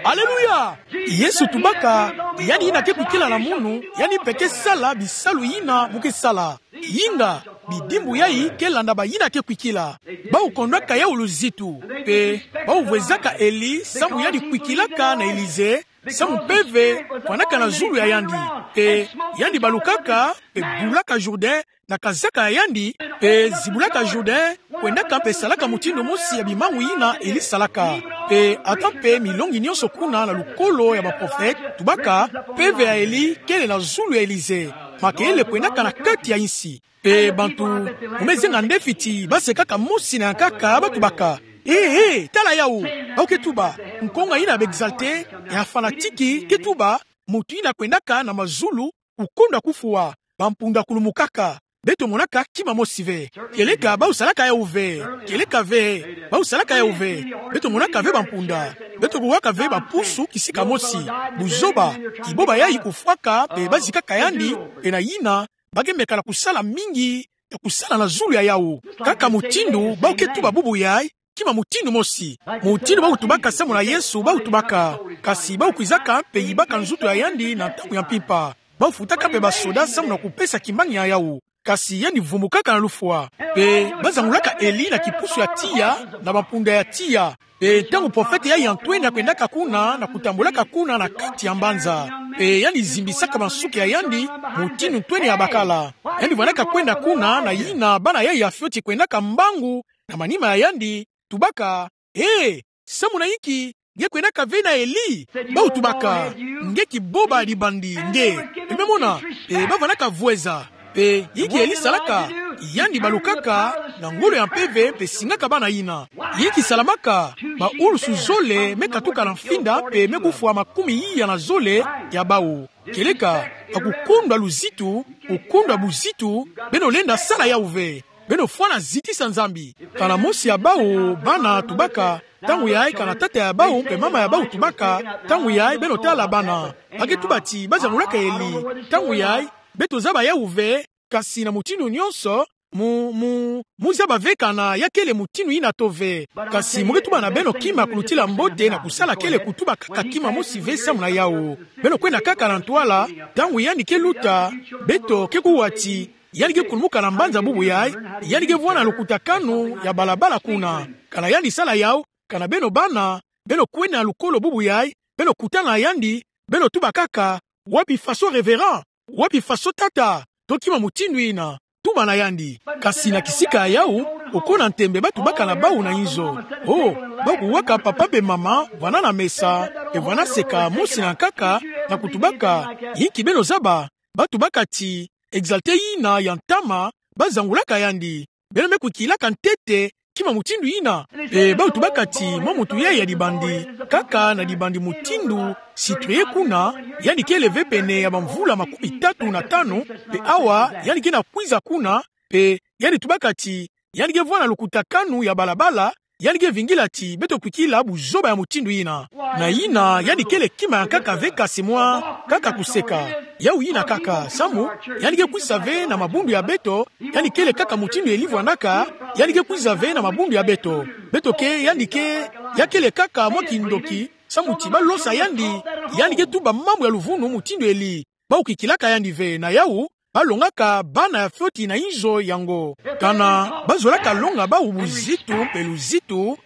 Aleluya! Yesu tubaka, yandi yina ke kwikila na munu, yandi mpe ke sala bisalu yina mu ke sala. Yinga, bidimbu yayi ke landa bayina ke kwikila. Bawu kondwaka yawu luzitu. Mpe, bawu vwezaka Eli, samu yandi kwikilaka na Elize, samu mpeve, vwanaka na zulu ya yandi. Mpe, yandi balukaka, mpe bulaka Jourdain, na kazaka ya yandi, mpe zibulaka Jourdain, kwendaka mpe salaka mutindu mosi ya bimangu yina Eli salaka. Mpe ata mpe milongi nyonso kuna na lukolo ya baprofete, tubaka, mpeve ya Eli, kele na zulu ya Elize. Makelele kwendaka na kati ya insi. Mpe bantu, mu me zenga ndefi ti, basekaka mosi na ya nkaka, batubaka. He, he, tala yawu. Bawu ke tuba, nkonga yina ya ba exaltés, ya fanatiques, ke tuba, muntu yina kwendaka na mazulu, kukondwa kufwa, bampunda kulumukaka. Beto monaka kima mosi ve. Kieleka bawu salaka yawu ve. Kieleka ve. Bawu salaka yawu ve. Beto monaka ve bampunda. Beto kuwaka ve bapusu kisika mosi. Buzoba. Kiboba yayi kufwaka, mpe bazikaka yandi, mpe na yina, ba ke meka na kusala mingi, ya kusala na zulu ya yawu. Kaka mutindu, bawu ke tuba bubu yayi, kima mutindu mosi. Mutindu bawu tubaka samu na Yesu, bawu tubaka. Kasi bawu kwizaka mpe yibaka nzoto ya yandi na ntangu ya mpimpa. Bawu futaka mpe basoda samu na kupesa kimbangi ya yawu. Kasi yandi vumbukaka na lufwa. Mpe bazangulaka Eli na kipusu ya tiya, na bampunda ya tiya. Mpe ntangu profete yayi ya ntwenia kwendaka kuna, na kutambulaka kuna na kati ya mbanza. Mpe yandi zimbisaka bansuki ya yandi, mutindu ntwenia ya bakala. Yandi vwanaka kwenda kuna, na yina bana yayi ya fioti kwendaka mbangu, na manima ya yandi, tubaka, he, samu na yinki, nge kwendaka ve na Eli? Bawu tubaka, nge kiboba ya dibandi, nge. Beno me mona, mpe bavwanaka vweza. Mpe yinki Eli salaka, yandi balukaka, na ngolo ya mpeve, mpe singaka bana yina. Yinki salamaka, baulusu zole, me katuka na mfinda, mpe me kufwa makumi iya na zole, ya bawu. Kieleka, bakukondwa luzitu, kukondwa buzitu, beno lenda sala yawu ve. Beno fwana zitisa Nzambi. Kana mosi ya bawu, bana tubaka, ntangu yayi kana tata ya bawu, mpe mama ya bawu tubaka, ntangu yayi beno tala bana. Ba ke tuba ti, bazangulaka Eli, ntangu yayi, beto zaba yawu ve, kasi na mutindu nyonso, mu, mu, mu zaba ve kana ya kele mutindu ina to ve. Kasi mu ke tuba na beno kima ya kulutila mbote na kusala kele kutuba kaka kima mosi ve samu na yawu. Beno kwenda kaka na ntwala, ntangu yandi ke luta, beto ke kuwa ti, yandi ke kunumuka na mbanza bubu yayi, yandi ke vwanda lukutakanu ya balabala kuna. Kana yandi sala yawu, kana beno bana, beno kwenda na lukolo bubu yayi, beno kutana na yandi, beno tuba kaka, wapi faso révérend, wapi faso tata, to kima mutindu ina, tuba na yandi. Kasi na kisika yawu, oko na ntembe ba tubaka na bawu na inzo: Oh, ba kuwaka papa mpe mama vwanda na mesa, mpe vwanda seka mosi na nkaka, na kutubaka, inki beno zaba? Ba tubaka ti, exalté ina ya ntama, ba zangulaka yandi. Beno me kwikilaka ntete kima mutindu ina? Mpe bawu tubaka ti, mwa muntu yayi ya dibandi, kaka na dibandi mutindu citrouille kuna, yandi kele ve pene ya bamvula makumi tatu na tanu, mpe awa yandi ke na kwiza kuna, mpe yandi tubaka ti, yandi ke vwanda lukutakanu ya balabala, yandi ke vingila ti beto kwikila buzoba ya mutindu ina. Na ina, yandi kele kima ya nkaka ve kasi mwa, kaka kuseka. Yawu ina kaka, samu, yandi ke kwisa ve na mabundu ya beto, yandi kele kaka mutindu Eli vwandaka, yandi ke kwiza ve na mabundu ya beto. Beto ke, yandi ke, ya kele kaka mwa kindoki, samu ti ba losa yandi, yandi ke tuba mambu ya luvunu mutindu Eli. Bawu kwikilaka yandi ve. Na yawu, ba longaka bana ya fioti na inzo yango. Kana ba zolaka longa bawu buzitu mpe luzitu,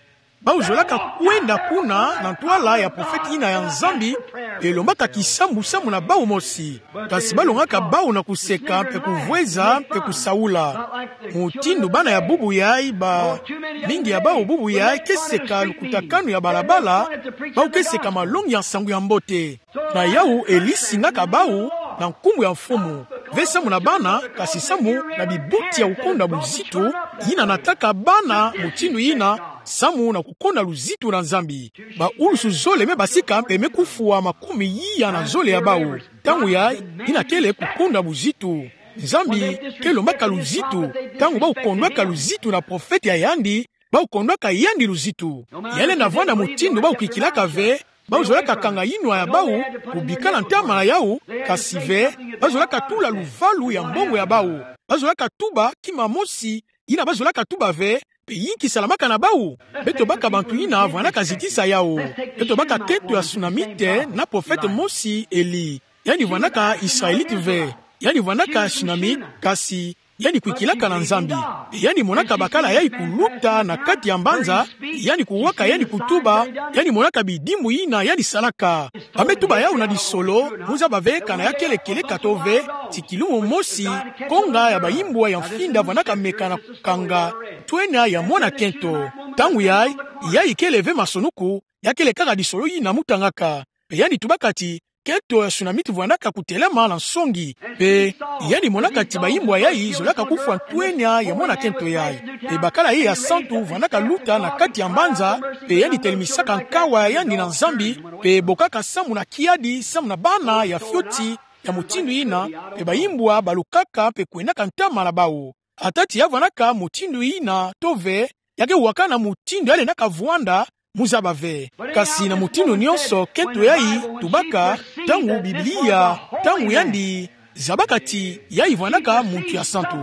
bawu zolaka kwenda kuna na ntwala ya profete ina ya Nzambi, mpe lombaka kisambu samu na bawu mosi. Kasi ba longaka bawu na kuseka mpe kuvweza mpe kusaula. Mutindu bana ya bubu yayi ba, mingi ya bawu bubu yayi ke seka lukutakanu ya balabala, bawu ke seka malongi ya nsangu ya mbote. Na yawu Eli singaka bawu na nkumbu ya Mfumu, ve samu na bana, kasi samu na bibuti ya kukonda buzitu, ina nataka bana mutindu ina, samu na kukonda luzitu na Nzambi. Baulusu zole me basika mpe me kufwa makumi iya na zole ya bawu. Ntangu yayi, ina kele kukonda buzitu. Nzambi ke lombaka luzitu, ntangu bawu kondwaka luzitu na profete ya yandi, bawu kondwaka yandi luzitu. Ya lenda vwanda mutindu bawu kwikilaka ve, bawu zolaka kanga yinwa ya bawu, kubika na ntama na yawu, kasi ve, ba zolaka tula luvalu ya mbongo ya bawu. Ba zolaka tuba kima mosi, ina ba zolaka tuba ve, mpe inki salamaka na bawu? Beto baka bantu ina vwandaka zitisa yawu. Beto baka kento ya Sunamite na profete mosi Eli. Yandi vwandaka Israelite ve. Yandi vwandaka Sunamite, kasi yandi kwikilaka na Nzambi. Yandi monaka bakala yayi kuluta na kati ya mbanza, yandi kuwaka, yandi kutuba, yandi monaka bidimbu ina yandi salaka. Ba me tuba yawu na disolo, mu zaba ve kana ya kele kieleka to ve, ti kilumbu mosi, konga ya bayimbwa ya mfinda vwandaka meka na kanga ntwenya ya mwana kento. Ntangu yayi, yayi kele ve masonuku, ya kele kaka disolo ina mu tangaka. Mpe yandi tubaka ti, kento ya Sunamite vwandaka kutelama na nsongi. Mpe yandi monaka ti bayimbwa yayi zolaka kufwa ntwenya ya mwana kento yayi. Mpe bakala yayi ya santu vwandaka luta na kati ya mbanza, mpe yandi telemisaka nkawa ya yandi na Nzambi, mpe bokaka samu na kiadi, samu na bana ya fioti ya mutindu ina, mpe bayimbwa balukaka mpe kwendaka ntama na bawu. Ata ti ya vwandaka mutindu ina to ve, ya ke wakana mutindu ya lendaka vwanda, mu zaba ve. Kasi na mutindu nyonso, kento yayi tubaka, ntangu Biblia, ntangu yandi zabaka ti yayi vwandaka muntu ya santu,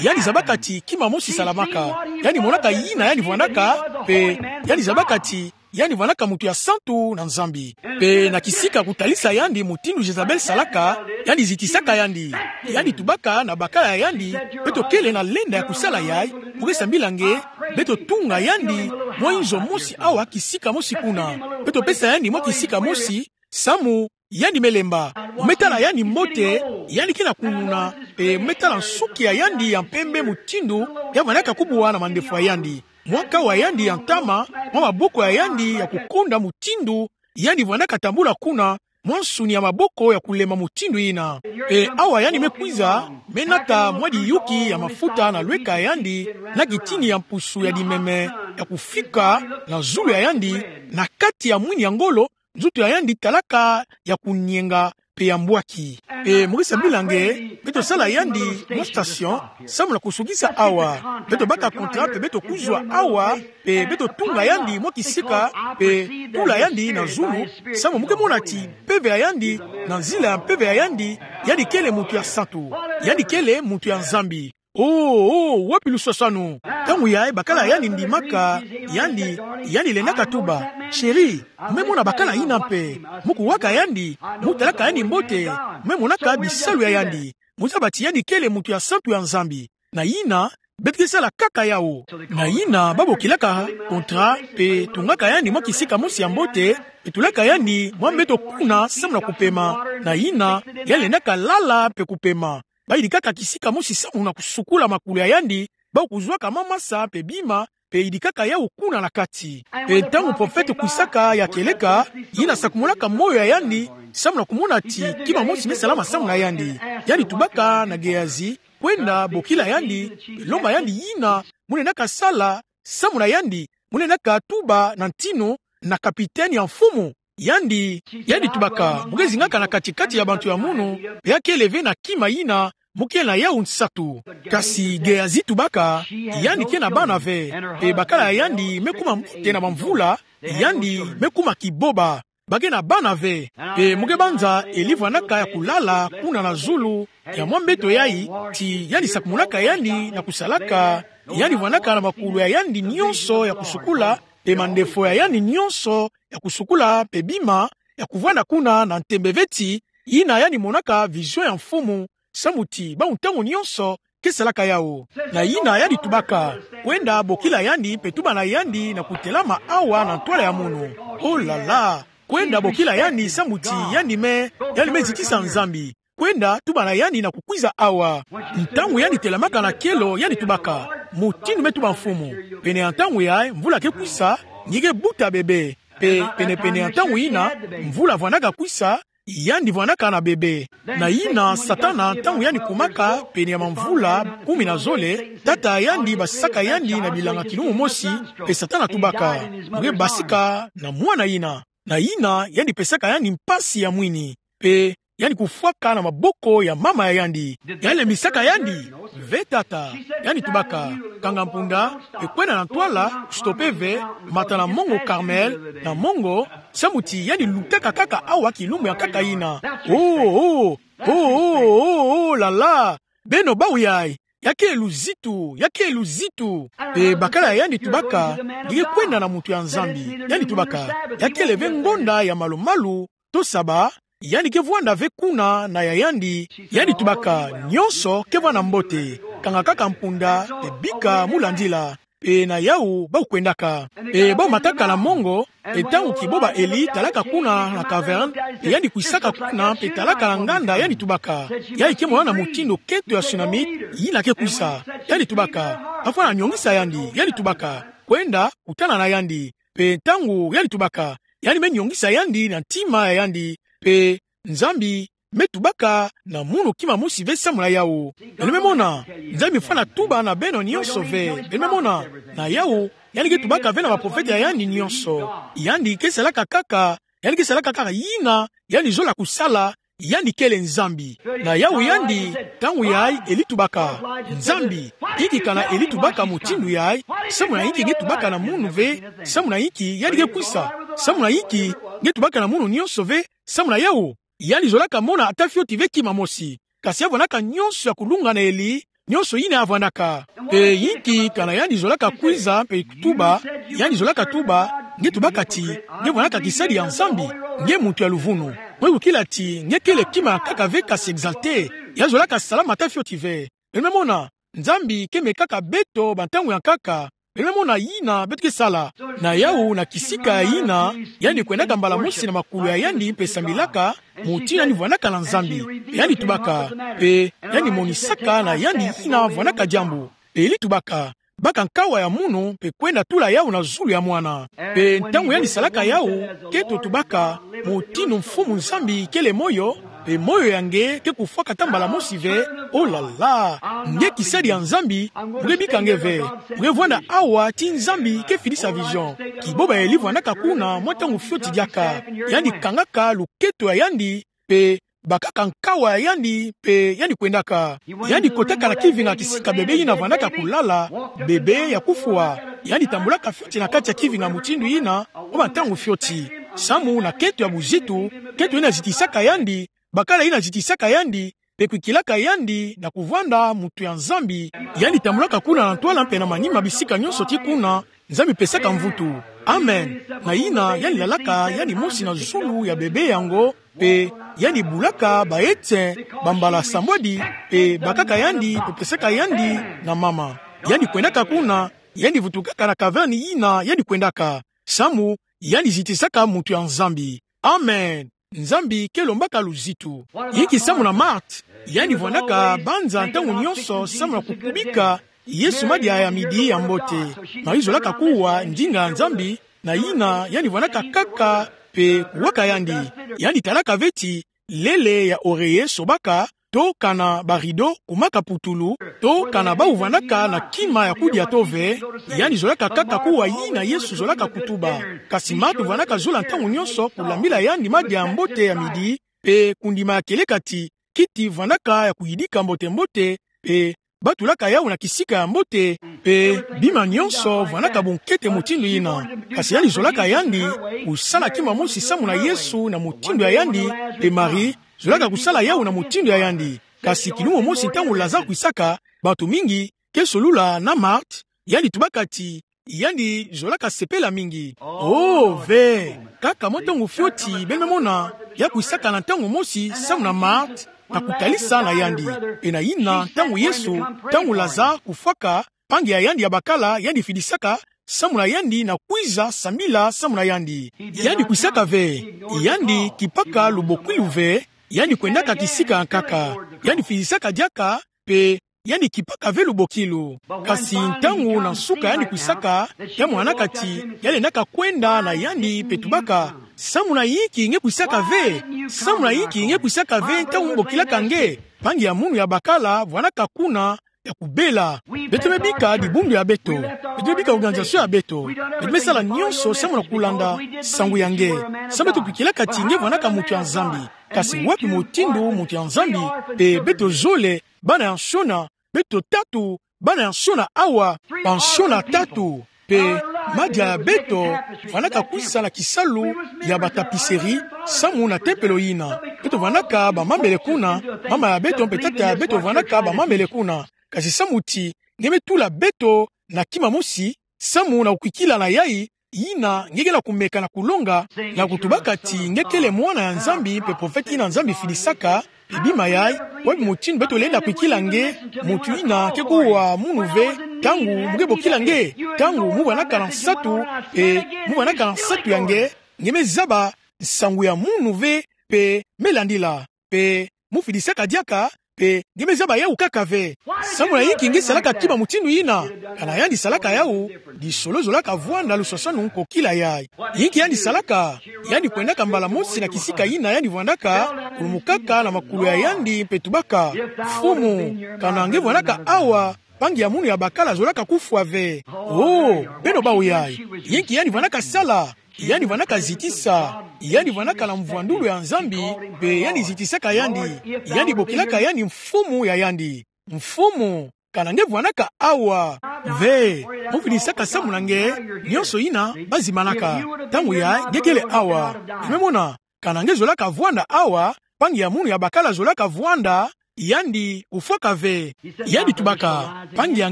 yandi zabaka ti kima mosi salamaka, yandi monaka yina yandi vwandaka, mpe yandi zabaka ti yandi vwandaka muntu ya santu na Nzambi. Mpe na kisika kutalisa yandi mutindu Jezabel salaka, yandi zitisaka yandi. Yandi tubaka na bakala ya yandi: Beto kele na lenda ya kusala yayi, mu ke sambila nge, beto tunga yandi mwa inzo mosi awa kisika mosi kuna. Beto pesa yandi mwa kisika mosi, samu yandi me lemba. Mu me tala yandi mbote, yandi ke na kununa, mpe mu me tala nsuki ya yandi ya mpembe, mutindu ya vwandaka kubwa na mandefu ya yandi. Mwa nkawa ya yandi ya ntama, mwa maboko ya yandi ya kukonda, mutindu yandi vwandaka tambula kuna, mwa nsuni ya maboko ya kulemba mutindu yina. Mpe awa yandi me kwiza, me nata mwa diyuki ya mafuta na lweka ya yandi, na kitini ya mpusu ya dimeme, ya kufika na zulu ya yandi, na kati ya mwini ya ngolo, nzutu ya yandi talaka ya kunyenga mpe ya mbwaki. Mpe mu ke sambila nge, beto sala yandi mwa station, samu na kusukisa awa. Beto baka contrat mpe beto kuzwa awa, mpe beto tunga yandi mwa kisika, mpe tula yandi na zulu, samu mu ke mona ti mpeve ya yandi, na nzila ya mpeve ya yandi, yandi kele muntu ya santu. Yandi kele muntu ya Nzambi. Oh, oh, wapi luswaswanu? Ntangu yayi bakala yandi ndimaka, yandi, yandi lendaka tuba: Chérie, me mona bakala yina mpe. Mu kuwaka yandi, mu talaka yandi mbote, me monaka bisalu ya yandi. Mu zaba ti yandi kele muntu ya santu ya Nzambi. Na yina, beto ke sala kaka yawu. Na yina, ba bokilaka contrat, mpe tungaka yandi mwa kisika mosi ya mbote, mpe tulaka yandi mwa mbeto kuna samu na kupema. Na yina, yandi lendaka lala mpe kupema. Ba yidikaka kisika mosi samu na kusukula makulu ya yandi, ba kuzwaka mwa masa mpe bima, mpe yidikaka yawu kuna na kati. Mpe ntangu profete kwisaka ya kieleka, yina sakumulaka moyo ya yandi, samu na kumona ti kima mosi me salama samu na yandi. Yandi tubaka na Gehazi kwenda bokila yandi, mpe lomba yandi yina mu lendaka sala samu na yandi, mu lendaka tuba na ntinu na kapitene ya mfumu. Yandi, yandi tubaka: Mu ke zingaka na kati-kati ya bantu ya munu, mpe ya kele ve na kima yina mu kele na yawu nsatu. Kasi Gehazi tubaka: Yandi ke na bana ve, mpe bakala ya yandi me kuma mbote na bamvula, yandi me kuma kiboba. Ba ke na bana ve. Mpe mu ke banza Eli vwandaka ya kulala kuna na zulu ya mwa mbeto yayi, ti yandi sakumulaka yandi na kusalaka, yandi vwandaka na makulu ya yandi nyonso ya kusukula, mpe mandefo ya yandi nyonso ya kusukula, mpe bima ya kuvwanda kuna na ntembe ve ti yina yandi monaka vision ya mfumu, samu ti bawu ntangu nyonso ke salaka yawu. Na yina yandi tubaka: Kwenda bokila yandi mpe tuba na yandi na kutelama awa na ntwala ya munu. Oh là là! Kwenda bokila yandi samu ti yandi me, yandi me zitisa Nzambi. Kwenda tuba na yandi na kukwiza awa. Ntangu yandi telamaka na kelo, yandi tubaka: Mutindu me tuba mfumu, pene ya ntangu yayi mvula ke kwisa, nge ke buta bebe. Mpe pene-pene ya ntangu yina mvula vwandaka kwisa, yandi vwandaka na bebe. Na yina Satana, ntangu yandi kumaka pene ya mamvula kumi na zole, tata yandi basisaka yandi na bilanga kilumbu mosi, mpe Satana tubaka: Mu ke basika na mwana yina. Na yina yandi pesaka yandi mpasi ya mwini, mpe yandi kufwaka na maboko ya mama ya yandi. Yandi lembisaka yandi? Ve tata. Yandi tubaka: Kanga mpunda, mpe kwenda na ntwala, stopper ve, mata na mongo Carmel, na mongo, samu ti yandi lutaka kaka awa kilumbu ya nkaka yina. Oh, oh, oh, oh, oh, oh là là! Beno bawu yayi, ya ke luzitu, ya ke luzitu. Mpe bakala ya yandi tubaka: Nge ke kwenda na muntu ya Nzambi. Yandi tubaka: Ya kele ve ngonda ya malu-malu to saba, yandi ke vwanda ve kuna na ya yandi. Yandi tubaka: Nyonso ke vwanda mbote. Kanga kaka mpunda, mpe bika mu landila. Mpe na yawu bawu kwendaka. Mpe bawu mataka na mongo, mpe ntangu kiboba Eli talaka kuna na caverne, mpe yandi kwisaka kuna, mpe talaka na nganda, yandi tubaka: Yayi ke mona na mutindu nkento ya Sunamite yina ke kwisa. Yandi tubaka: Afwana nyongisa yandi. Yandi tubaka: Kwenda kutana na yandi. Mpe ntangu yandi tubaka, yandi me nyongisa yandi na ntima ya yandi, mpe Nzambi me tubaka na munu kima mosi ve samu na yawu. Beno me mona, Nzambi fwana tuba na beno nyonso ve. Beno me mona, na yawu, yandi ke tubaka ve na baprofete ya yandi nyonso. Yandi ke salaka kaka, yandi ke salaka kaka yina yandi zola kusala, yandi kele Nzambi. Na yawu yandi, ntangu yayi Eli tubaka: Nzambi, inki kana Eli tubaka mutindu yayi? Samu na inki nge tubaka na munu ve samu na inki yandi ke kwisa? Samu na inki nge tubaka na munu nyonso ve samu na yawu? Yandi zolaka mona ata fioti ve kima mosi. Kasi ya vwandaka nyonso ya kulunga na Eli, nyonso yina ya vwandaka. Mpe inki kana yandi zolaka kwiza mpe kutuba, yandi zolaka tuba: Nge tubaka ti nge vwandaka kisadi ya Nzambi, nge muntu ya luvunu. Mwe kukila ti nge kele kima ya nkaka ve kasi exalté, ya zolaka salama ata fioti ve. Beno me mona, Nzambi ke mekaka beto ba ntangu ya nkaka. Beno me mona yina beto ke sala. Na yawu, na kisika yina, yandi kwendaka mbala mosi na makulu ya yandi mpe sambilaka, mutindu yandi vwandaka na Nzambi. Yandi tubaka, mpe yandi monisaka na yandi yina vwandaka diambu. Eli tubaka: Baka nkawa ya munu mpe kwenda tula yawu na zulu ya mwana. Mpe ntangu yandi salaka yawu, nkento tubaka: Mutindu Mfumu Nzambi kele moyo, mpe moyo ya nge ke kufwaka ata mbala mosi ve. Oh là là! Nge kisadi ya Nzambi, mu ke bika nge ve. Mu ke vwanda awa ti Nzambi ke fidisa vision. Kiboba Eli vwandaka kuna mwa ntangu fioti diaka. Yandi kangaka luketo ya yandi, mpe bakaka nkawa ya yandi, mpe yandi kwendaka. Yandi kotaka na kivinga kisika bebe yina vwandaka kulala, bebe ya kufwa. Yandi tambulaka fioti na kati ya kivinga mutindu yina, mwa ba ntangu fioti. Samu na nkento ya buzitu, nkento yina zitisaka yandi, bakala yina zitisaka yandi, mpe kwikilaka yandi na kuvwanda muntu ya Nzambi. Yandi tambulaka kuna na ntwala mpe na manima bisika nyonso ti kuna Nzambi pesaka mvutu. Amen. Na yina yandi lalaka yandi mosi na zulu ya bebe yango, mpe yandi bulaka ba ete bambala sambwadi, mpe bakaka yandi, mpe pesaka yandi na mama. Yandi kwendaka kuna, yandi vutukaka na caverne yina yandi kwendaka. Samu yandi zitisaka muntu ya Nzambi. Amen. Nzambi ke lombaka luzitu. Yinki samu na Marthe? Yandi vwandaka banza ntangu nyonso samu na kukubika Yesu madia ya midi ya mbote. Marie zolaka kuwa ndinga ya Nzambi, na yina yandi vwandaka kaka mpe kuwaka yandi. Yandi talaka ve ti lele ya oreiller sobaka, to kana ba rideau kumaka putulu, to kana bawu vwandaka na kima ya kudia to ve. Yandi zolaka kaka kuwa yina Yesu zolaka kutuba. Kasi Marthe vwandaka zola ntangu nyonso kulambila yandi madia ya mbote ya midi, mpe kundima ya kieleka ti kiti vwandaka ya kuyidika mbote-mbote, mpe batulaka yawu na kisika ya mbote, mpe bima nyonso vwandaka bunkete mutindu yina. Kasi yandi zolaka yandi kusala kima mosi samu na Yesu na mutindu ya yandi, mpe Marie zolaka kusala yawu na mutindu ya yandi. Kasi kilumbu mosi ntangu Lazare kwisaka, bantu mingi ke solula na Marthe, yandi tubaka ti yandi zolaka sepela mingi. Oh, ve. Kaka mwa ntangu fioti, beno me mona, ya kwisaka na ntangu mosi samu na Marthe, na kutalisa na yandi. Mpe na yina ntangu Yesu, ntangu Lazare kufwaka, mpangi ya yandi ya bakala, yandi fidisaka samu na yandi na kwiza sambila samu na yandi. Yandi kwisaka ve, yandi kipaka lubokwilu ve, yandi kwendaka kisika ya nkaka. Yandi fidisaka diaka, mpe yandi kipaka ve lubokwilu. Kasi ntangu na nsuka yandi kwisaka, ya mwanaka ti yandi lendaka kwenda na yandi mpe tubaka: Samu na yinki nge kwisaka ve? Samu na yinki nge kwisaka ve ntangu mbokilaka nge? Mpangi ya munu ya bakala vwanaka kuna ya kubela. Beto me bika dibundu ya beto. Beto me bika organisation ya beto. Beto me sala nyonso samu na kulanda nsangu ya nge. Samu beto kwikilaka ti nge vwanaka muntu ya Nzambi. Kasi wapi mutindu muntu ya Nzambi? Mpe beto zole, bana ya nsiona, beto tatu, bana ya nsiona awa, bansiona tatu. Mpe madia ya beto vwanaka kwisa na kisalu ya ba tapisserie, samu na tempelo yina. Beto vwanaka bamambele kuna, mama ya beto mpe tata ya beto vwanaka bamambele kuna. Kasi samu ti nge me tula beto na kima mosi, samu na kukwikila na yai, yina nge ke na kumeka na kulonga, na kutubaka ti nge kele mwana ya Nzambi mpe profete yina Nzambi fidisaka, mpe bima yai, wapi mutindu beto lenda kwikila nge, muntu yina ke kuwa munu ve, ntangu mu ke bokila nge, ntangu mu vwanaka na nsatu, mpe mu vwanaka na nsatu ya nge, nge me zaba nsangu ya munu ve, mpe me landila, mpe mu fidisaka diaka, mpe nge me zaba yawu kaka ve. Samu na yinki nge salaka kima mutindu yina? Kana yandi salaka yawu, lisolo zolaka vwanda lusasanu kokila yai. Yinki yandi salaka? Yandi kwendaka mbala mosi na kisika yina yandi vwandaka, kulumukaka na makulu ya yandi mpe tubaka: Mfumu, kana nge vwanaka awa, mpangi ya munu ya bakala zolaka kufwa ve. Oh, beno bawu yai. Yinki yandi vwanaka sala? Yandi vwanaka zitisa. Yandi vwanaka na mvwandulu ya Nzambi, mpe yandi zitisaka yandi. Yandi bokilaka yandi mfumu ya yandi. Mfumu, kana nge vwanaka awa ve, mu fidisaka samu na nge nyonso yina ba zimbanaka. Ntangu yai nge kele awa. Nge me mona, kana nge zolaka vwanda awa, mpangi ya munu ya bakala zolaka vwanda, yandi kufwaka ve. Yandi tubaka: Mpangi ya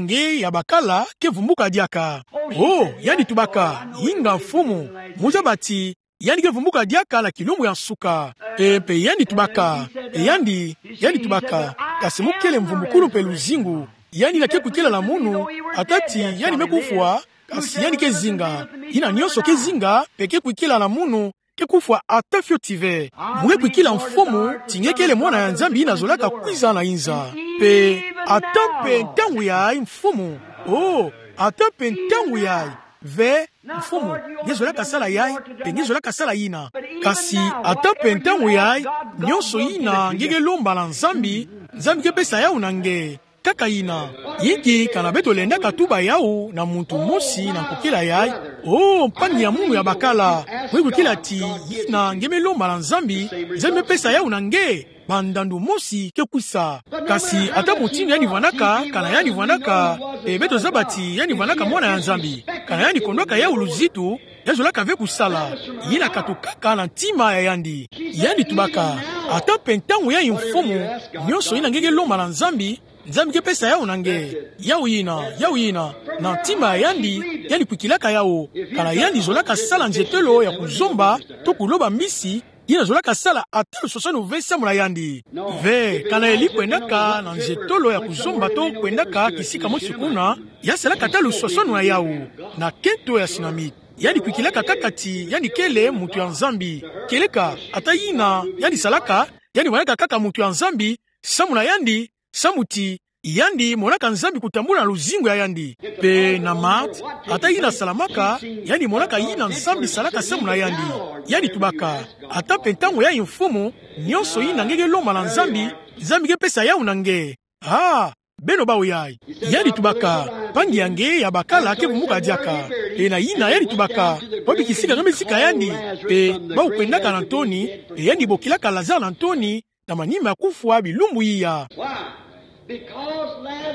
nge ya bakala ke vumbuka diaka. Oh, yandi tubaka: Inga Mfumu, mu zaba ti yandi ke vumbuka diaka na kilumbu ya nsuka. E, mpe yandi tubaka, e, yandi, yandi tubaka: Kasi mu kele mvumbukulu mpe luzingu. Yandi yina ke kwikila na munu, ata ti yandi me kufwa, kasi yandi ke zinga. Yina nyonso ke zinga, mpe ke kwikila na munu, ke kufwa ata fioti ve. Mu ke kwikila Mfumu, ti nge kele mwana ya Nzambi yina zolaka kwiza na inza. Mpe ata mpe ntangu yai Mfumu. Oh, ata mpe ntangu yai ve, Mfumu, nge zolaka sala yai, mpe nge zolaka sala yina. Kasi ata mpe ntangu yai, nyonso yina nge ke lomba na Nzambi, Nzambi ke pesa yawu na nge. Kaka yina. Yinki kana beto lendaka tuba yawu na muntu mosi na nkokila yai: Oh, mpangi ya munu ya bakala, mu ke kwikila ti yina nge me lomba na Nzambi, Nzambi me pesa yawu na nge, bandandu mosi ke kwisa. Kasi ata mutindu yandi vwanaka, kana yandi vwanaka, e, beto zaba ti yandi vwanaka mwana ya Nzambi. Kana yandi kondwaka yawu luzitu, ya zolaka ve kusala. Yina katukaka na ntima ya yandi. Yandi tubaka: Ata pe ntangu ya mfumu, nionso ina nge ke lomba na Nzambi, Nzambi ke pesa yawu na nge. Yawu ina, yawu ina, na ntima ya yandi, yandi kwikilaka yawu. Kana yandi zolaka sala nzietolo ya kuzomba, to kuloba mbisi, ina zolaka sala ata luswaswanu ve samu na yandi. Ve, kana eli kwendaka na nzietolo ya kuzomba to kwendaka kisika mosi kuna, ya salaka ata luswaswanu na yawu, na kento ya Sunamite. Yandi kwikilaka kaka ti yandi kele muntu ya Nzambi. Kieleka, ata ina yandi salaka, yandi wanaka kaka muntu ya Nzambi, samu na yandi, samu ti yandi monaka Nzambi kutambula na luzingu ya yandi. Pe na Marthe, ata ina salamaka, yandi monaka ina Nzambi salaka samu na yandi. Yandi tubaka, ata pe ntangu ya mfumu, nionso ina nge ke lomba na Nzambi, Nzambi ke pesa yawu na nge. Ah, beno bawu yayi. Yandi tubaka, mpangi ya nge ya bakala ke bumuka diaka. Pe na ina yandi tubaka, wapi kisika nge me sika yandi? Pe bawu kwendaka na ntoni, pe yandi bokilaka Lazare na ntoni, na manima ya kufwa bilumbu iya.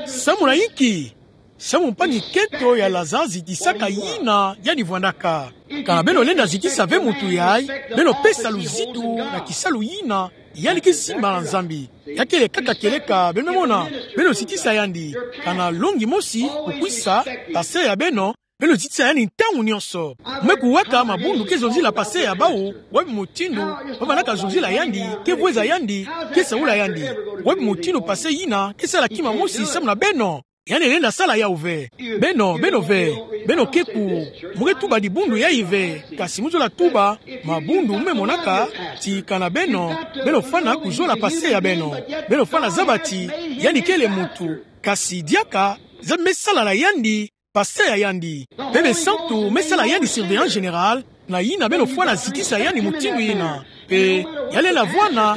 Samu na inki? Samu mpangi-kento ya Lazare zitisaka ina yandi vwandaka. Kana beno lenda zitisa ve muntu yayi, beno pesa luzitu na kisalu ina yandi ke simba na Nzambi. Ya kele kaka kieleka, beno me mona, beno zitisa yandi. Kana longi mosi kukwisa pasteur ya beno, beno zitisa yandi ntangu nionso. Me kuwaka mabundu ke zonzila pasteur ya bawu, wapi mutindu ba vandaka zonzila yandi, ke vweza yandi, ke saula yandi. Wapi mutindu pasteur ina ke sala kima mosi samu na beno? Yandi lenda sala yawu ve. Beno, beno ve. Beno ke ku, mu ke tuba dibundu yayi ve. Kasi mu zola tuba mabundu mu me monaka, ti kana beno, beno fwana kuzola pasteur ya beno. Beno fwana zaba ti yandi kele muntu. Kasi diaka, Nzambi me sala na yandi pasteur ya yandi. Pe Basantu me sala yandi surveillant général, na ina beno fwana zitisa yandi mutindu ina. Pe ya lenda vwanda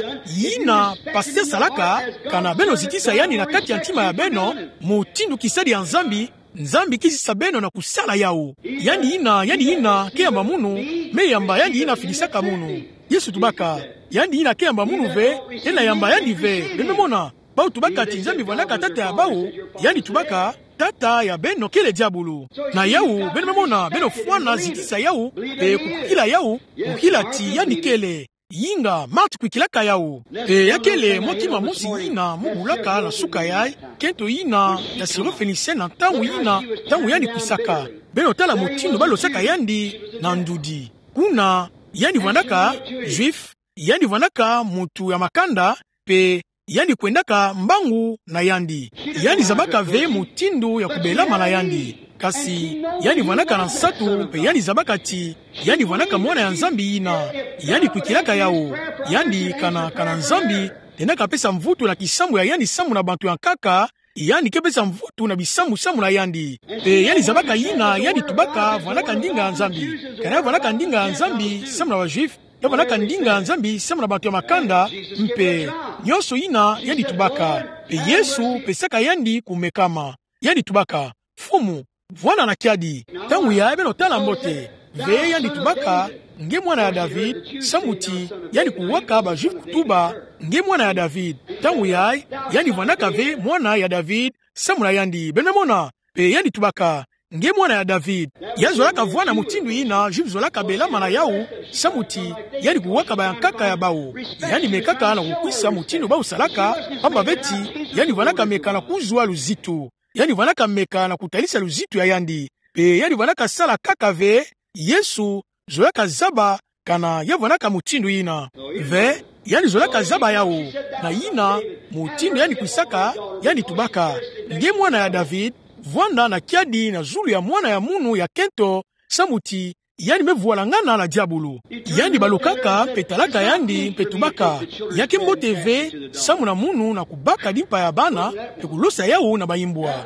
ina pasteur salaka, kana beno zitisa yandi na kati ya ntima ya beno, mutindu kisadi ya Nzambi, Nzambi ke zitisa beno na kusala yawu. Yandi ina, yandi ina ke yamba munu, me yamba yandi ina fidisaka munu. Yesu tubaka, yandi ina ke yamba munu ve, lenda yamba yandi ve, beno me mona. Bawu tubaka ti Nzambi vwandaka tata ya bawu, yandi tubaka, tata ya beno kele diabulu. Na yawu, beno me mona, beno fwana zitisa yawu, pe kukila yawu, kukila ti yandi kele. Yinga, Marthe kwikilaka yawu. Pe ya kele mwa kima mosi ina mu bulaka na suka yayi, kento ina ya Syrophénicienne na ntangu ina, ntangu yandi kwisaka. Beno tala mutindu ba losaka yandi na ndudi. Kuna, yandi vwandaka Juif, yandi vwandaka muntu ya makanda, pe yandi kwendaka mbangu na yandi. Yandi zabaka ve mutindu ya kubelama na yandi. Kasi, yandi vwandaka na nsatu, pe yandi zabaka ti yandi vwandaka mwana ya Nzambi ina. Yandi kwikilaka yawu. Yandi kana, kana Nzambi lendaka pesa mvutu na kisambu ya yandi samu na bantu ya nkaka, yandi ke pesa mvutu na bisambu samu na yandi. Pe yandi zabaka ina, yandi tubaka, vwandaka ndinga ya Nzambi. Kana ya vwandaka ndinga ya Nzambi samu na ba Juif, ya vwandaka ndinga ya Nzambi samu na bantu ya makanda, mpe nionso ina yandi tubaka. Pe Yesu pesaka yandi kumekama. Yandi tubaka, Mfumu, vwanda na kiadi. Ntangu yayi beno tala mbote. Ve yandi tubaka, nge mwana ya David, samu ti yandi kuwaka ba Juif kutuba, nge mwana ya David. Ntangu yayi, yandi vwandaka ve mwana ya David, samu na yandi. Beno me mona, pe yandi tubaka, nge mwana ya David. Ya zolaka vwanda mutindu ina, Juif zolaka belama na yawu, samu ti yandi kuwaka ba ya nkaka ya bawu. Yandi mekaka na kukwisa mutindu bawu salaka, pamba ve ti yandi vwandaka meka na kuzwa luzitu. Yandi vwandaka meka na kutalisa luzitu ya yandi. Pe yandi vwandaka sala kaka ve, Yesu zolaka zaba kana ya vwandaka mutindu ina. Ve, yandi zolaka zaba yawu. Na ina, mutindu yandi kwisaka, yandi tubaka, nge mwana ya David, vwanda na kiadi na zulu ya mwana ya munu ya kento, samu ti yandi me vwalangana na diabulu. Yandi balukaka, mpe talaka yandi, mpe tubaka, ya ke mbote ve samu na munu na kubaka dimpa ya bana, mpe kulosa yawu na bayimbwa.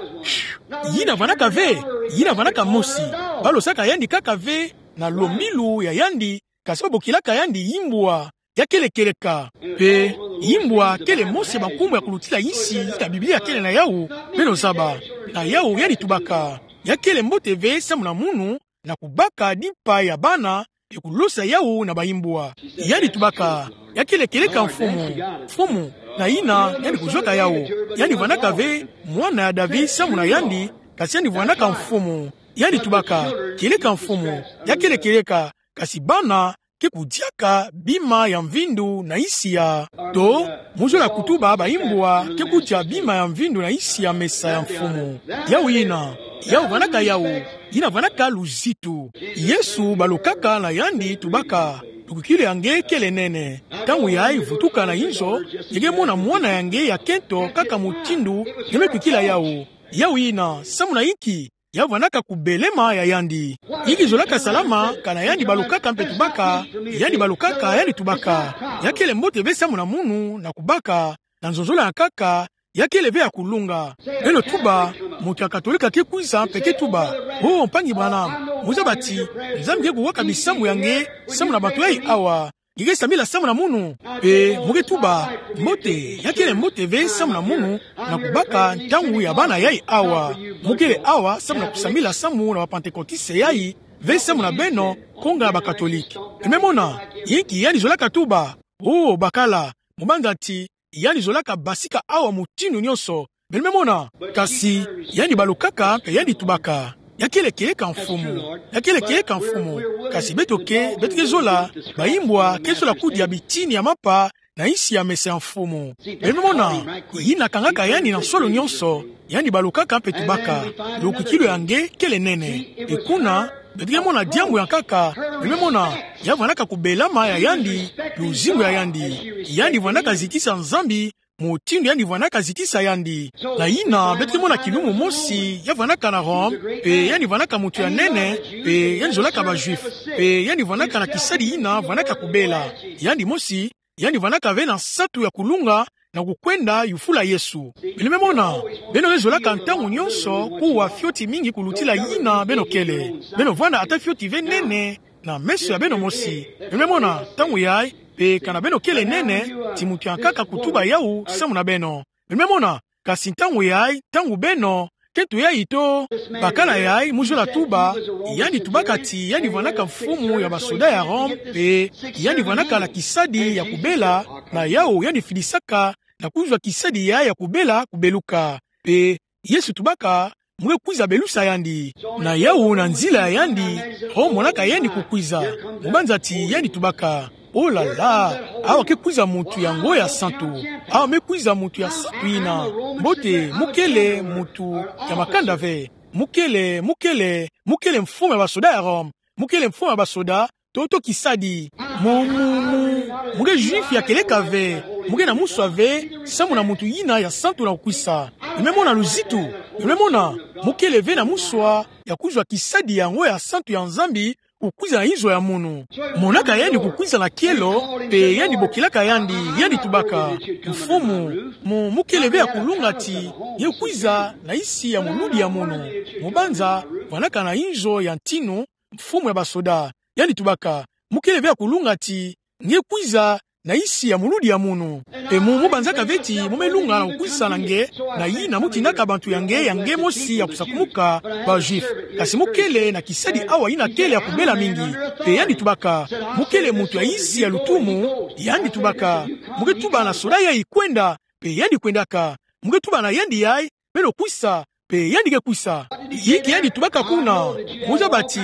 Yina vwandaka ve, yina vwandaka mosi. Ba losaka yandi kaka ve na lombilu ya yandi, kasi ba bokilaka yandi yimbwa. Ya kele kieleka. Mpe yimbwa kele mosi ya bankumbu ya kulutila insi yina Biblia kele na yawu, beno zaba. Na yawu yandi tubaka, ya kele mbote ve samu na munu na kubaka dimpa ya bana, mpe kulosa yawu na bayimbwa. Yandi tubaka, ya kele kieleka, Mfumu, Mfumu, na ina yandi kuzwaka yawu. Yandi vwandaka ve mwana ya David samu na yandi, kasi yandi vwandaka Mfumu. Yandi tubaka, kieleka, Mfumu, ya kele kieleka, kasi bana ke kudiaka bima ya mvindu na isi ya. To, mu zola kutuba baimbwa ke kudia bima ya mvindu na isi ya mesa ya mfumu. Yawu yina, yawu vwanaka yawu, yina vwanaka luzitu. Yesu balukaka na yandi tubaka. Lukwikilu ya nge kele nene. Ntangu yayi vutuka na inzo, nge ke mona mwana ya nge ya kento kaka mutindu nge me kwikila yawu. Yawu yina, samu na inki? Ya vwanaka kubelema ya yandi. Inki zolaka salama, kana yandi balukaka mpe tubaka, yandi balukaka, yandi tubaka. Ya kele mbote ve samu na munu, na kubaka, na nzonzolo ya nkaka, ya kele ve ya kulunga. Beno tuba, muntu ya katolika ke kwiza mpe ke tuba: Oh, mpangi Branham, mu zaba ti Nzambi ke kuwaka bisamu ya nge samu na bantu yayi awa. Nge ke sambila samu na munu. Mpe mu ke tuba: Mbote, ya kele mbote ve samu na munu, na kubaka ntangu ya bana yayi awa. Mu kele awa samu na kusambila samu na ba-Pantekotiste yayi, ve samu na beno, konga ya ba-Katolike. Beno me mona, inki yandi zolaka tuba? Oh, bakala, mu banza ti yandi zolaka basika awa mutindu nyonso. Beno me mona, kasi yandi balukaka mpe yandi tubaka: Ya kele kieleka mfumu, ya kele kieleka mfumu. Kasi beto ke, beto ke zola, baimbwa ke zola kudia bitini ya mapa na isi ya mesa ya mfumu. Beno me mona, yina kangaka yandi na nsolo nyonso, yandi balukaka mpe tubaka. Lukwikilu ya nge kele nene. Mpe kuna, beto ke mona diambu ya nkaka, beno me mona, ya vwanaka kubelama ya yandi, luzingu ya yandi. Yandi vwanaka zitisa Nzambi, mutindu yandi vwanaka zitisa yandi. Na yina, beto ke mona kilumu mosi, ya vwanaka na Rome, mpe yandi vwanaka muntu ya nene, mpe yandi zolaka ba-Juif, mpe yandi vwanaka na kisadi yina vwanaka kubela. Yandi mosi, yandi vwanaka ve na nsatu ya kulunga, na kukwenda yufula Yesu. Beno me mona, beno ke zolaka ntangu nyonso kuwa fioti mingi kulutila yina beno kele. Beno vwanda ata fioti ve nene, na meso ya beno mosi. Beno me mona, ntangu yayi, mpe kana beno kele nene, ti muntu ya nkaka kutuba yawu samu na beno. Beno me mona, kasi ntangu yayi, ntangu beno, kento yayi to, bakala yayi, mu zola tuba, yandi tubaka ti yandi vwanaka mfumu ya basoda ya Rome, mpe yandi vwanaka na kisadi ya kubela, na yawu yandi fidisaka, na kuzwa kisadi yayi ya kubela kubeluka. Mpe Yesu tubaka, mu ke kwiza belusa yandi. Na yawu na nzila ya yandi, ho monaka yandi kukwiza. Mu banza ti yandi tubaka: Oh là là, awa ke kwiza muntu yango ya santu. Awa me kwiza muntu ya santu yina. Mbote, mu kele muntu ya makanda ve. Mu kele, mu kele, mu kele mfumu ya basoda ya Rome. Mu kele mfumu ya basoda, to, to kisadi. Mu, mu, mu, mu ke Juif ya kieleka ve, mu ke na muswa ve samu na muntu yina ya santu na kukwisa. Beno me mona luzitu, beno me mona, mu kele ve na muswa ya kuzwa kisadi yango ya santu ya Nzambi, kukwiza na inzo ya munu. Monaka yandi kukwiza na kielo, mpe yandi bokilaka yandi, yandi tubaka: Mfumu, mu, mu kele ve ya kulunga ti nge kwiza na isi ya muludi ya munu. Mu banza, vwanaka na inzo ya ntinu, mfumu ya basoda. Yandi tubaka: Mu kele ve ya kulunga ti nge kwiza na isi ya muludi ya munu. Mpe mu, mu banzaka ve ti mu me lunga na kukwisa na nge, na yina mu tindaka bantu ya nge, ya nge mosi ya kusakumuka, ba-Juif. Kasi mu kele na kisadi awa yina kele ya kubela mingi. Mpe yandi tubaka: Mu kele muntu ya isi ya lutumu. Yandi tubaka: Mu ke tuba na soda yayi kwenda, mpe yandi kwendaka. Mu ke tuba na yandi yayi: Beno kwisa, mpe yandi ke kwisa. Inki yandi tubaka kuna? Mu zaba ti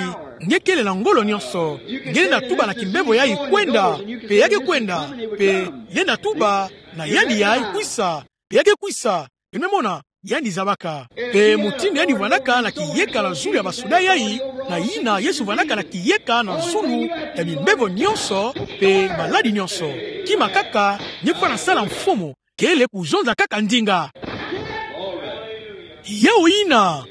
nge kele na ngolo nyonso. Nge lenda tuba na kimbevo yayi kwenda, mpe ya ke kwenda, mpe lenda tuba na yandi yayi kwisa, mpe ya ke kwisa. Beno me mona, yandi zabaka. Mpe mutindu yandi vwanaka na kiyeka na zulu ya basoda yayi, na yina Yesu vwanaka na kiyeka na zulu ya bimbevo nyonso, mpe maladi nyonso. Kima kaka, nge fwana sala mfumu, kele kuzonza kaka ndinga. Yawu yina,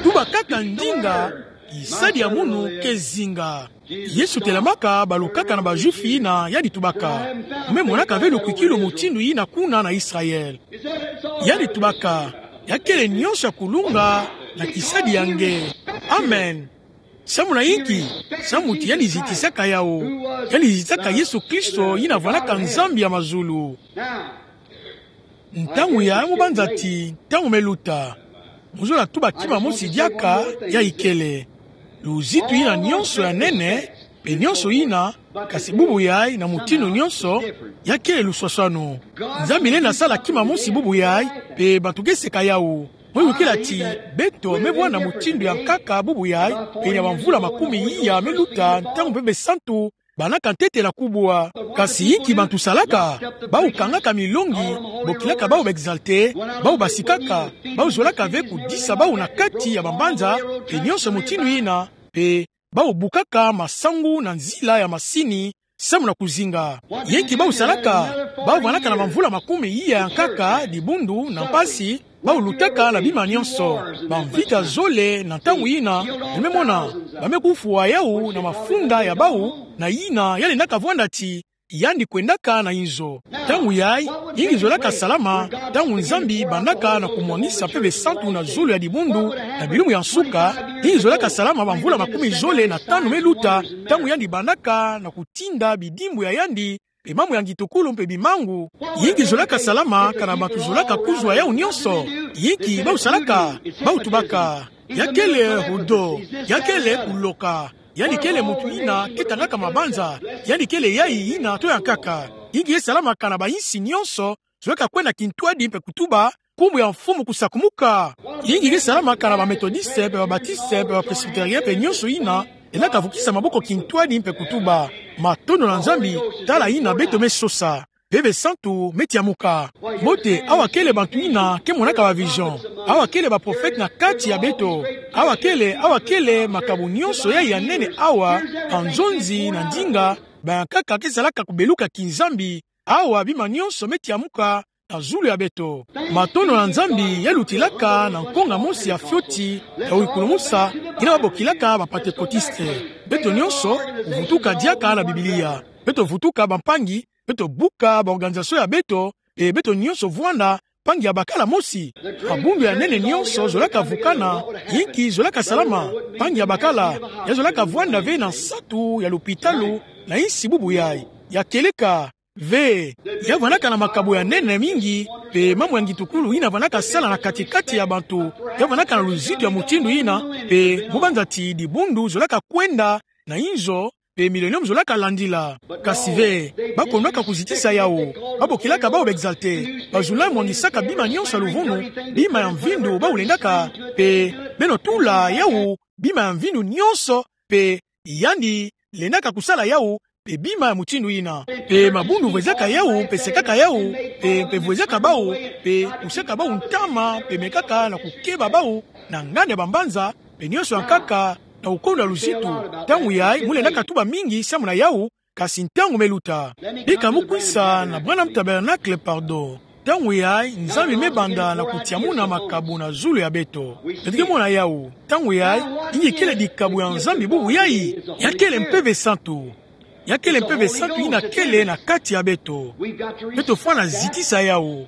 tuba kaka ndinga, kisadi ya munu ke zinga. Yesu telamaka, balukaka na ba-Juif yina, yandi tubaka: Mu me monaka ve lukwikilu mutindu yina kuna na Israël? Yandi tubaka: Ya kele nyonso ya kulunga na kisadi ya nge. Amen. Samu na inki? Samu ti yandi zitisaka yawu. Yandi zitisaka Yesu Kristo, yina vwanaka Nzambi ya mazulu. Ntangu yayi mu banza ti ntangu me luta. Mu zola tuba kima mosi diaka, yayi kele luzitu yina nyonso ya nene, mpe nyonso yina, kasi bubu yayi na mutindu nyonso, ya kele luswaswanu. Nzambi lenda sala kima mosi bubu yayi, mpe bantu ke seka yawu. Mu yukila ti beto me vwanda mutindu ya nkaka bubu yayi, pene ya bamvula makumi iya me luta ntangu Bebe Santu banaka ntete na kubwa. Kasi inki bantu salaka? Bawu kangaka milongi, bokilaka bawu ba exaltés, bawu basikaka, bawu zolaka ve kudisa bawu na kati ya bambanza, mpe nionso mutindu yina, mpe bawu bukaka masangu na nzila ya masini, samu na kuzinga. Inki bawu salaka? Bawu vandaka na bamvula makumi iya ya nkaka, dibundu na mpasi, bawu lutaka na bima nionso. Bamvita zole na ntangu yina, bame mona, bame kufwa yawu na mafunda ya bawu, na yina ya lendaka vwanda ti, yandi kwendaka na inzo. Ntangu yayi, inki zolaka salama, ntangu Nzambi bandaka na kumwangisa Mpeve Santu na zulu ya dibundu, na bilumbu ya nsuka, inki zolaka salama bamvula makumi zole na tanu me luta, ntangu yandi bandaka na kutinda bidimbu ya yandi, mpe mambu ya ngitukulu mpe bimangu, inki zolaka salama, kana bantu zolaka kuzwa yawu nionso? Inki bawu salaka? Bawu tubaka, ya kele udo, ya kele kuloka, yandi kele muntu yina ke tangaka mabanza, yandi kele yayi yina to ya nkaka. Inki ke salama kana bayinsi nionso zolaka kwenda kintwadi mpe kutuba, nkumbu ya Mfumu kusakumuka? Inki ke salama kana ba Méthodistes mpe ba Baptistes mpe ba Presbytériens mpe nionso yina, elaka vukisa maboko kintwadi mpe kutuba, matondo na Nzambi, tala yina beto me sosa, Mpeve Santu me tiamuka. Mbote, awa kele bantu yina ke monaka ba vision. Awa kele ba prophètes na kati ya beto. Awa kele, awa kele makabo nionso yayi ya nene awa, na nzonzi na ndinga, ba ya nkaka ke salaka kubeluka kinzambi. Awa bima nionso me tiamuka na zulu ya beto. Matondo na Nzambi, ya lutilaka na nkonga mosi ya fioti ya wikulumusa, yina babokilaka ba Pentecôtistes. Beto nionso vutuka diaka na Biblia. Beto vutuka bampangi, beto buka ba organisations ya beto, mpe beto nionso vwanda mpangi ya bakala mosi. Mabundu ya nene nionso zolaka vukana, inki zolaka salama? Mpangi ya bakala, ya zolaka vwanda ve na nsatu ya lopitalo, na insi bubu yayi. Ya kieleka ve. Ya vwandaka na makabo ya nene mingi, mpe mambu ya ngitukulu yina vwandaka sala na kati-kati ya bantu, ya vwandaka na luzitu ya mutindu yina, mpe mu banza ti dibundu zolaka kwenda na inzo, mpe millennium zolaka landila. Kasi ve, bakondwaka kuzitisa yawu. Babokilaka bawu ba exaltés. Bazula mwangisaka bima nionso ya luvunu, bima ya mvindu bawu lendaka, mpe beno tula yawu bima ya mvindu nionso, mpe yandi lendaka kusala yawu, mpe bima ya mutindu yina. Mpe mabundu vwezaka yawu, mpe sekaka yawu, mpe, mpe vwezaka bawu, mpe kusiaka bawu ntama, mpe mekaka na kukeba bawu na nganda ya bambanza, mpe nionso ya nkaka, na kukonda luzitu. Ntangu yayi, mu lendaka tuba mingi samu na yawu, kasi ntangu me luta. Bika mu kwisa na Branham Tabernacle, pardon. Ntangu yayi, Nzambi me banda na kutiamuna makabo na zulu ya beto. Beto ke mona yawu. Ntangu yayi, inki kele dikabo ya Nzambi bubu yayi? Ya kele Mpeve Santu. Ya kele Mpeve Santu yina kele na kati ya beto. Beto fwana zitisa yawu.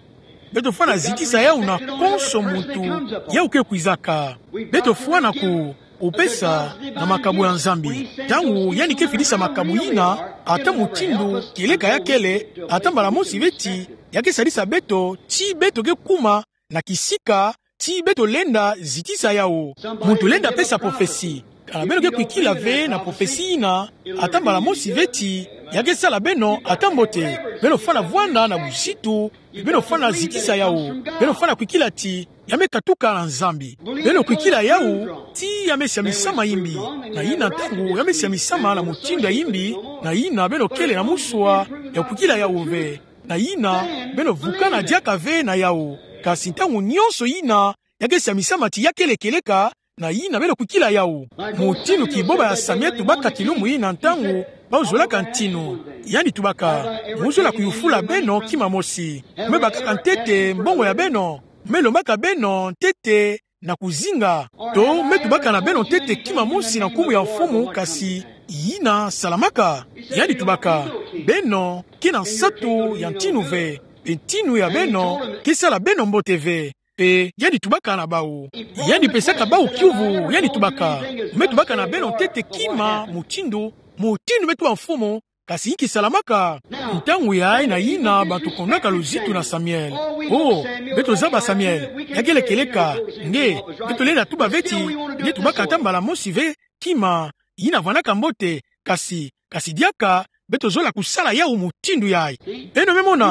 Beto fwana zitisa yawu na konso muntu yawu ke kwizaka. Beto fwana ku, kupesa na makabo ya Nzambi. Ntangu yandi ke fidisa makabo yina, ata mutindu kieleka ya kele, ata mbala mosi ve ti ya ke sadisa beto, ti beto ke kuma na kisika ti beto lenda zitisa yawu. Muntu lenda pesa prophetie. Kana beno ke kwikila ve na prophetie yina, ata mbala mosi ve ti ya ke sala beno ata mbote. Beno fwana vwanda na buzitu, beno fwana zitisa yawu. Beno fwana kwikila ti ya me katuka na Nzambi. Beno kwikila yawu ti ya me siamisama imbi. Na yina ntangu ya me siamisama na mutindu ya imbi, na yina beno kele na muswa ya kwikila yawu ve. Na yina, beno vukana diaka ve na yawu. Kasi ntangu nionso yina ya ke siamisama ti ya kele kieleka, na yina beno kwikila yawu. Mutindu kiboba ya Samuel tubaka kilumbu yina ntangu bawu zolaka ntinu. Yandi tubaka, mu zola kuyufula beno kima mosi. Mu me bakaka ntete mbongo ya beno. Mu me lombaka beno ntete na kuzinga. To mu me tubaka na beno ntete kima mosi na nkumbu ya Mfumu, kasi yina salamaka? Yandi tubaka, beno ke na nsatu ya ntinu ve, mpe ntinu ya beno ke sala beno mbote ve. Mpe yandi tubaka na bawu. Yandi pesaka bawu kiuvu, yandi tubaka, mu me tubaka na beno ntete kima mutindu, mutindu me tuba Mfumu, kasi inki salamaka? Ntangu yayi na yina bantu kondwaka luzitu na Samuel. Oh, beto zaba Samuel, ya kele kieleka, nge, beto lenda tuba ve ti, nge tubaka ata mbala mosi ve kima yina vwandaka mbote, kasi, kasi diaka beto zola kusala yawu mutindu yayi. Beno me mona,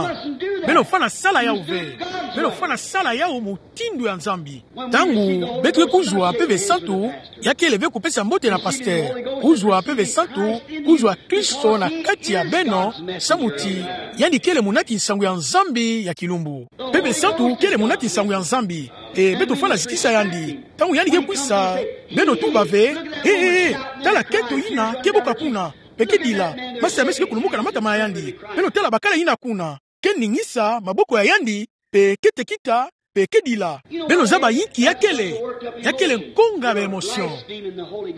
beno fwana sala yawu ve. Beno fwana sala yawu mutindu ya Nzambi. Ntangu beto ke kuzwa Mpeve Santu, ya kele ve kupesa mbote na pasteur. Kuzwa Mpeve Santu, kuzwa Kristo na kati ya beno, samu ti yandi kele muna kinsangu ya Nzambi ya kilumbu. Mpeve Santu kele muna kinsangu ya Nzambi. E, beto fwana zitisa yandi. Ntangu yandi ke kwisa, beno tuba ve: "E, e, e, tala kento yina ke boka kuna, mpe ke dila. Masi ya meso ke kulumuka na matama na yandi. Beno tala bakala yina kuna. Ke ningisa maboko ya yandi, mpe ke tekita, mpe ke dila." Beno zaba yinki ya kele. Ya kele nkonga ya ba émotion.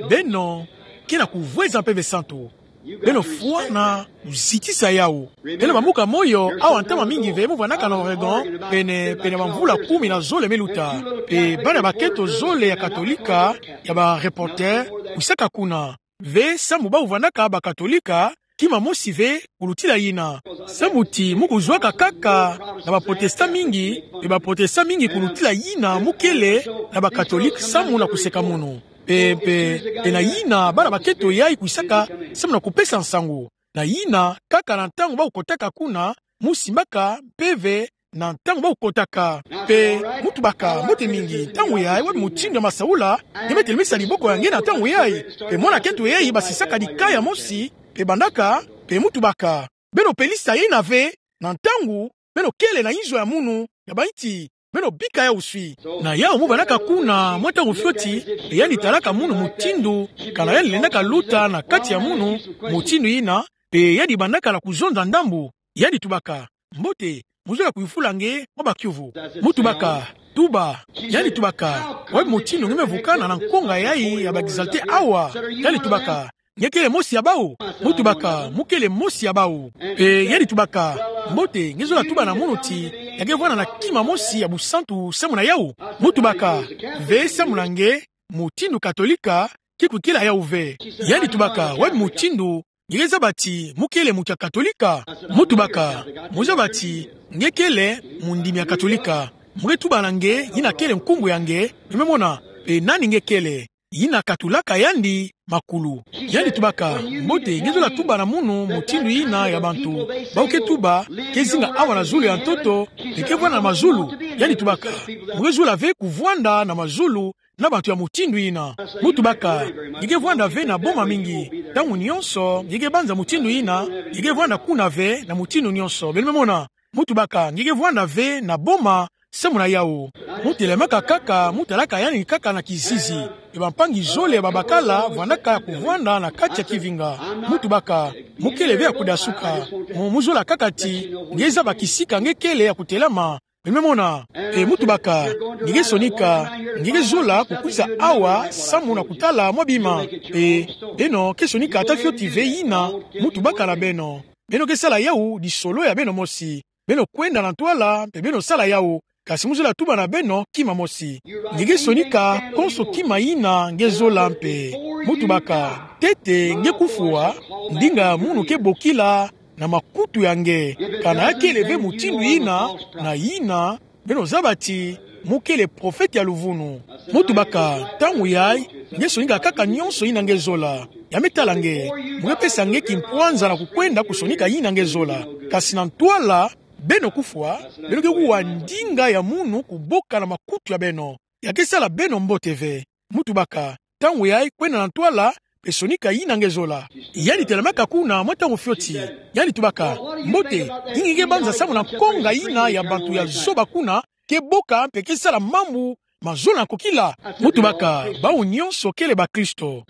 Beno ke na kuvweza Mpeve Santu. Beno fwana kuzitisa yawu. Beno bambuka moyo awa ntama mingi ve, mu vwanaka na Oregon, pene, pene bamvula kumi na zole me luta. Mpe bana bakento zole ya Katolika, ya ba reporter, kwisaka kuna. Ve samu bawu vwanaka ba Katolika, kima mosi ve kulutila yina. Samu ti mu kuzwaka kaka na ba protestant mingi, mpe ba protestant mingi kulutila yina mu kele na ba Katolika samu na kuseka munu. Mpe, mpe, mpe na yina bana bakento yayi kwisaka samu na kupesa nsangu. Na yina, kaka na ntangu bawu kotaka kuna, mu simbaka mpeve na ntangu bawu kotaka. Mpe mu tubaka: "Mbote mingi, ntangu yayi wapi mutindu ya masaula?" Nge me telemisa diboko ya nge na ntangu yayi. Mpe mwana kento yayi basisaka dikaya mosi, mpe bandaka, mpe mu tubaka: "Beno pelisa yina ve, na ntangu beno kele na inzo ya munu, ya ba nti beno bika yawu swi." Na yawu mu bandaka kuna mwa ntangu fioti, mpe yandi talaka munu mutindu, kana yandi lendaka luta na kati ya munu mutindu yina, mpe yandi bandaka na kuzonza ndambu. Yandi tubaka: "Mbote, mu zola kuyufula nge mwa bakiuvu?" Mu tubaka: "Tuba." Yandi tubaka: "Wapi mutindu nge me vukana na nkonga yayi ya ba exalté awa?" Yandi tubaka: "Nge kele mosi ya bawu?" Mu tubaka: "Mu kele mosi ya bawu." Mpe yandi tubaka: "Mbote, nge zola tuba na munu ti ya ke vwanda na kima mosi ya busantu samu na yawu?" Mu tubaka: "Ve samu na nge, mutindu Katolika ke kwikila yawu ve." Yandi tubaka: "Wapi mutindu nge ke zaba ti mu kele muntu ya Katolika?" Mu tubaka: "Mu zaba ti nge kele mundimi ya Katolika. Mu ke tuba na nge yina kele nkumbu ya nge, nge me mona, mpe nani nge kele." Yina katulaka yandi makulu. Yandi tubaka: "Mbote, nge zola tuba na munu mutindu yina ya bantu bawu ke tuba ke zinga awa na zulu ya ntoto, mpe ke vwanda na mazulu?" Yandi tubaka: "Mu ke zola ve kuvwanda na mazulu na bantu ya mutindu yina." Mu tubaka: "Nge ke vwanda ve na boma mingi. Ntangu nyonso nge ke banza mutindu yina, nge ke vwanda kuna ve na mutindu nyonso. Beno me mona." Mu tubaka: "Nge ke vwanda ve na boma samu na yawu." Mu telemaka kaka, mu talaka yandi kaka na kizizi. Mpe bampangi zole ya babakala vwandaka ya kuvwanda na kati ya kivinga. Mu tubaka: "Mu kele ve ya kudasuka. Mu, mu zola kaka ti nge zaba kisika nge kele ya kutelama. Beno me mona." Mpe mu tubaka: "Nge ke sonika, nge ke zola kukwiza awa samu na kutala mwa bima. Mpe beno ke sonika ata fioti ve yina mu tubaka na beno. Beno ke sala yawu lisolo ya beno mosi. Beno kwenda na ntwala, mpe beno sala yawu. Kasi mu zola tuba na beno kima mosi. Nge ke sonika konso kima yina nge zola mpe." Mu tubaka: "Ntete nge kufwa, ndinga ya munu ke bokila na makutu ya nge. Kana ya kele ve mutindu yina, na yina beno zaba ti mu kele profete ya luvunu." Mu tubaka: "Ntangu yayi, nge sonika kaka nyonso yina nge zola. Ya me tala nge, mu ke pesa nge kimpwanza na kukwenda kusonika yina nge zola. Kasi na ntwala, beno kufwa, beno ke kuwa ndinga ya munu kuboka na makutu ya beno. Ya ke sala beno mbote ve." Mu tubaka: "Ntangu yayi, kwenda na ntwala, mpe sonika yina nge zola." Yandi telemaka kuna mwa ntangu fioti. Yandi tubaka: "Mbote, yinki nge ke banza samu na nkonga yina ya bantu ya zoba kuna, ke boka mpe ke sala mambu ma zola na kokila?" Mu tubaka: "Bawu nyonso kele bakristo."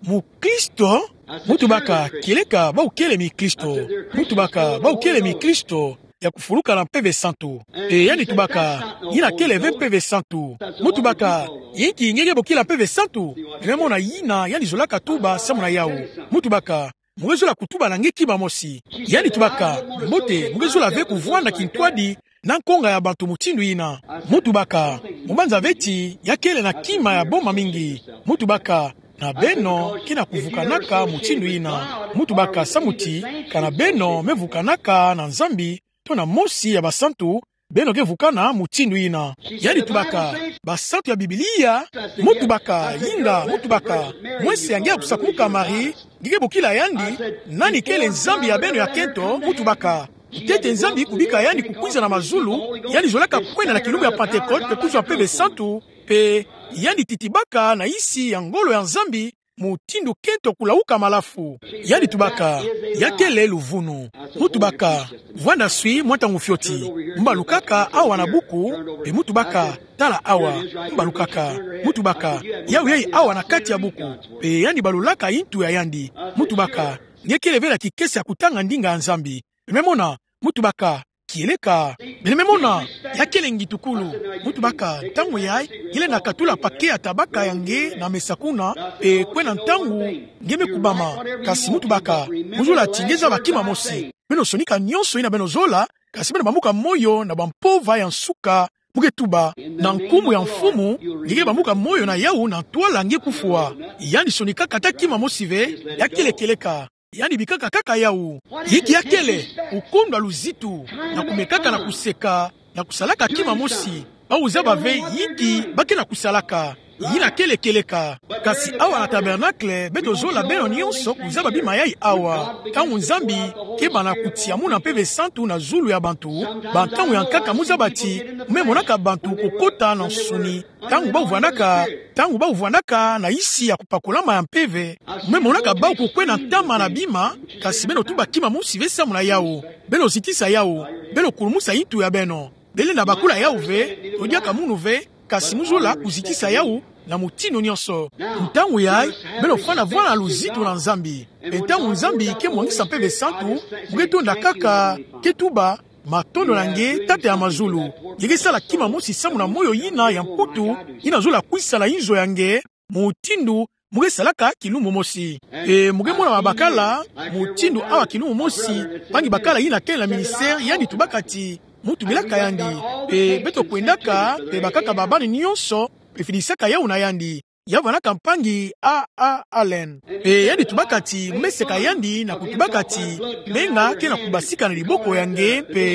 "Mukristo?" Mu tubaka: "Kieleka bawu kele mikristo." Mu tubaka: "Bawu kele mikristo ya kufuluka na Mpeve Santu." Mpe yandi tubaka: "Yina kele ve Mpeve Santu." Mu tubaka: "Yinki nge ke bokila Mpeve Santu?" Beno me mona yina yandi zolaka tuba samu na yawu. Mu tubaka: "Mu ke zola kutuba na nge kima mosi." Yandi tubaka: "Mbote, mu ke zola ve kuvwanda kintwadi na nkonga ya bantu mutindu yina." Mu tubaka: "Mu banza ve ti ya kele na kima ya boma mingi." Mu tubaka: "Na beno ke na kuvukanaka mutindu yina." Mu tubaka: "Samu ti kana beno me vukanaka na Nzambi, to na mosi ya basantu, beno ke vukana mutindu yina." Yandi tubaka: "Basantu ya Biblia?" Mu tubaka: "Inga." Mu tubaka: "Mwese ya nge ya kusakumuka Marie, Ngike bokila yandi: Nani kele Nzambi ya beno ya kento? Mu tubaka: Ntete Nzambi kubika yandi kukwiza na mazulu, yandi zolaka kwenda na kilumbu ya Pantekote pe kuzwa Mpeve Santu, pe yandi titibaka na nsi ya ngolo ya Nzambi, mutindu kento kulauka malafu. Yandi tubaka: Ya kele luvunu. Mu tubaka: Vwanda swi mwa ntangu fioti. Mu balukaka awa na buku, pe mu tubaka: Tala awa. Mu balukaka. Mu tubaka: Yawu yai awa na kati ya buku. Pe yandi balulaka ntu ya yandi. Mu tubaka: Nge kele ve na kikesa ya kutanga ndinga ya Nzambi? Beno me mona? Mu tubaka: Kieleka. Beno me mona? Ya kele ngitukulu. Mu tubaka: Ntangu yai, nge lenda katula paquet ya tabaka ya nge na mesa kuna, pe kwena ntangu nge me kubama. Kasi mu tubaka: Mu zola ti nge zaba kima mosi. Beno sonika nionso yina beno zola, kasi beno bambuka moyo na bampova ya nsuka. Mu ke tuba: Na nkumbu ya Mfumu, nge ke bambuka moyo na yawu na ntwala nge kufwa. Yandi sonikaka ata kima mosi ve. Ya kele kieleka. Yandi bikaka kaka yawu. Inki ya kele? Kukondwa luzitu, na kumekaka na kuseka, na kusalaka kima mosi. Bawu zaba ve inki ba ke na kusalaka. Yina kele kieleka. Kasi awa na tabernacle, beto zola beno nionso kuzaba bima yai awa. Ntangu Nzambi keba na kutia muna Mpeve Santu na zulu ya bantu, bantangu ya nkaka mu zaba ti mu me monaka bantu kukota na nsuni. Ntangu bawu vwandaka, ntangu bawu vwandaka na nsi ya kupakulama ya mpeve, mu me monaka bawu kukwenda ntama na bima. Kasi beno tuba kima mosi ve samu na yawu. Beno zitisa yawu. Beno kulumusa ntu ya beno. Beno lenda bakula yawu ve, to diaka munu ve, kasi mu zola kuzitisa yawu na mutindu nionso. Ntangu yai, beno fwana vwala luzitu na Nzambi. Pe ntangu Nzambi ke mwangisa Mpeve Santu, mu ke tonda kaka, ke tuba: Matondo na nge, Tata ya mazulu. Nge ke sala kima mosi samu na moyo yina ya mputu, yina zola kwisa na inzo ya nge, mutindu mu ke salaka kilumbu mosi. Pe mu ke mona babakala mutindu awa kilumbu mosi, mpangi bakala yina kele na ministère, yandi tubaka ti mu tubilaka yandi. Pe beto kwendaka, pe bakaka babana nionso, pe fidisaka yawu na yandi. Ya vwandaka mpangi A. A. Allen. Pe yandi tubaka ti mu me seka yandi na kutubaka ti menga ke na kubasika na diboko ya nge, pe,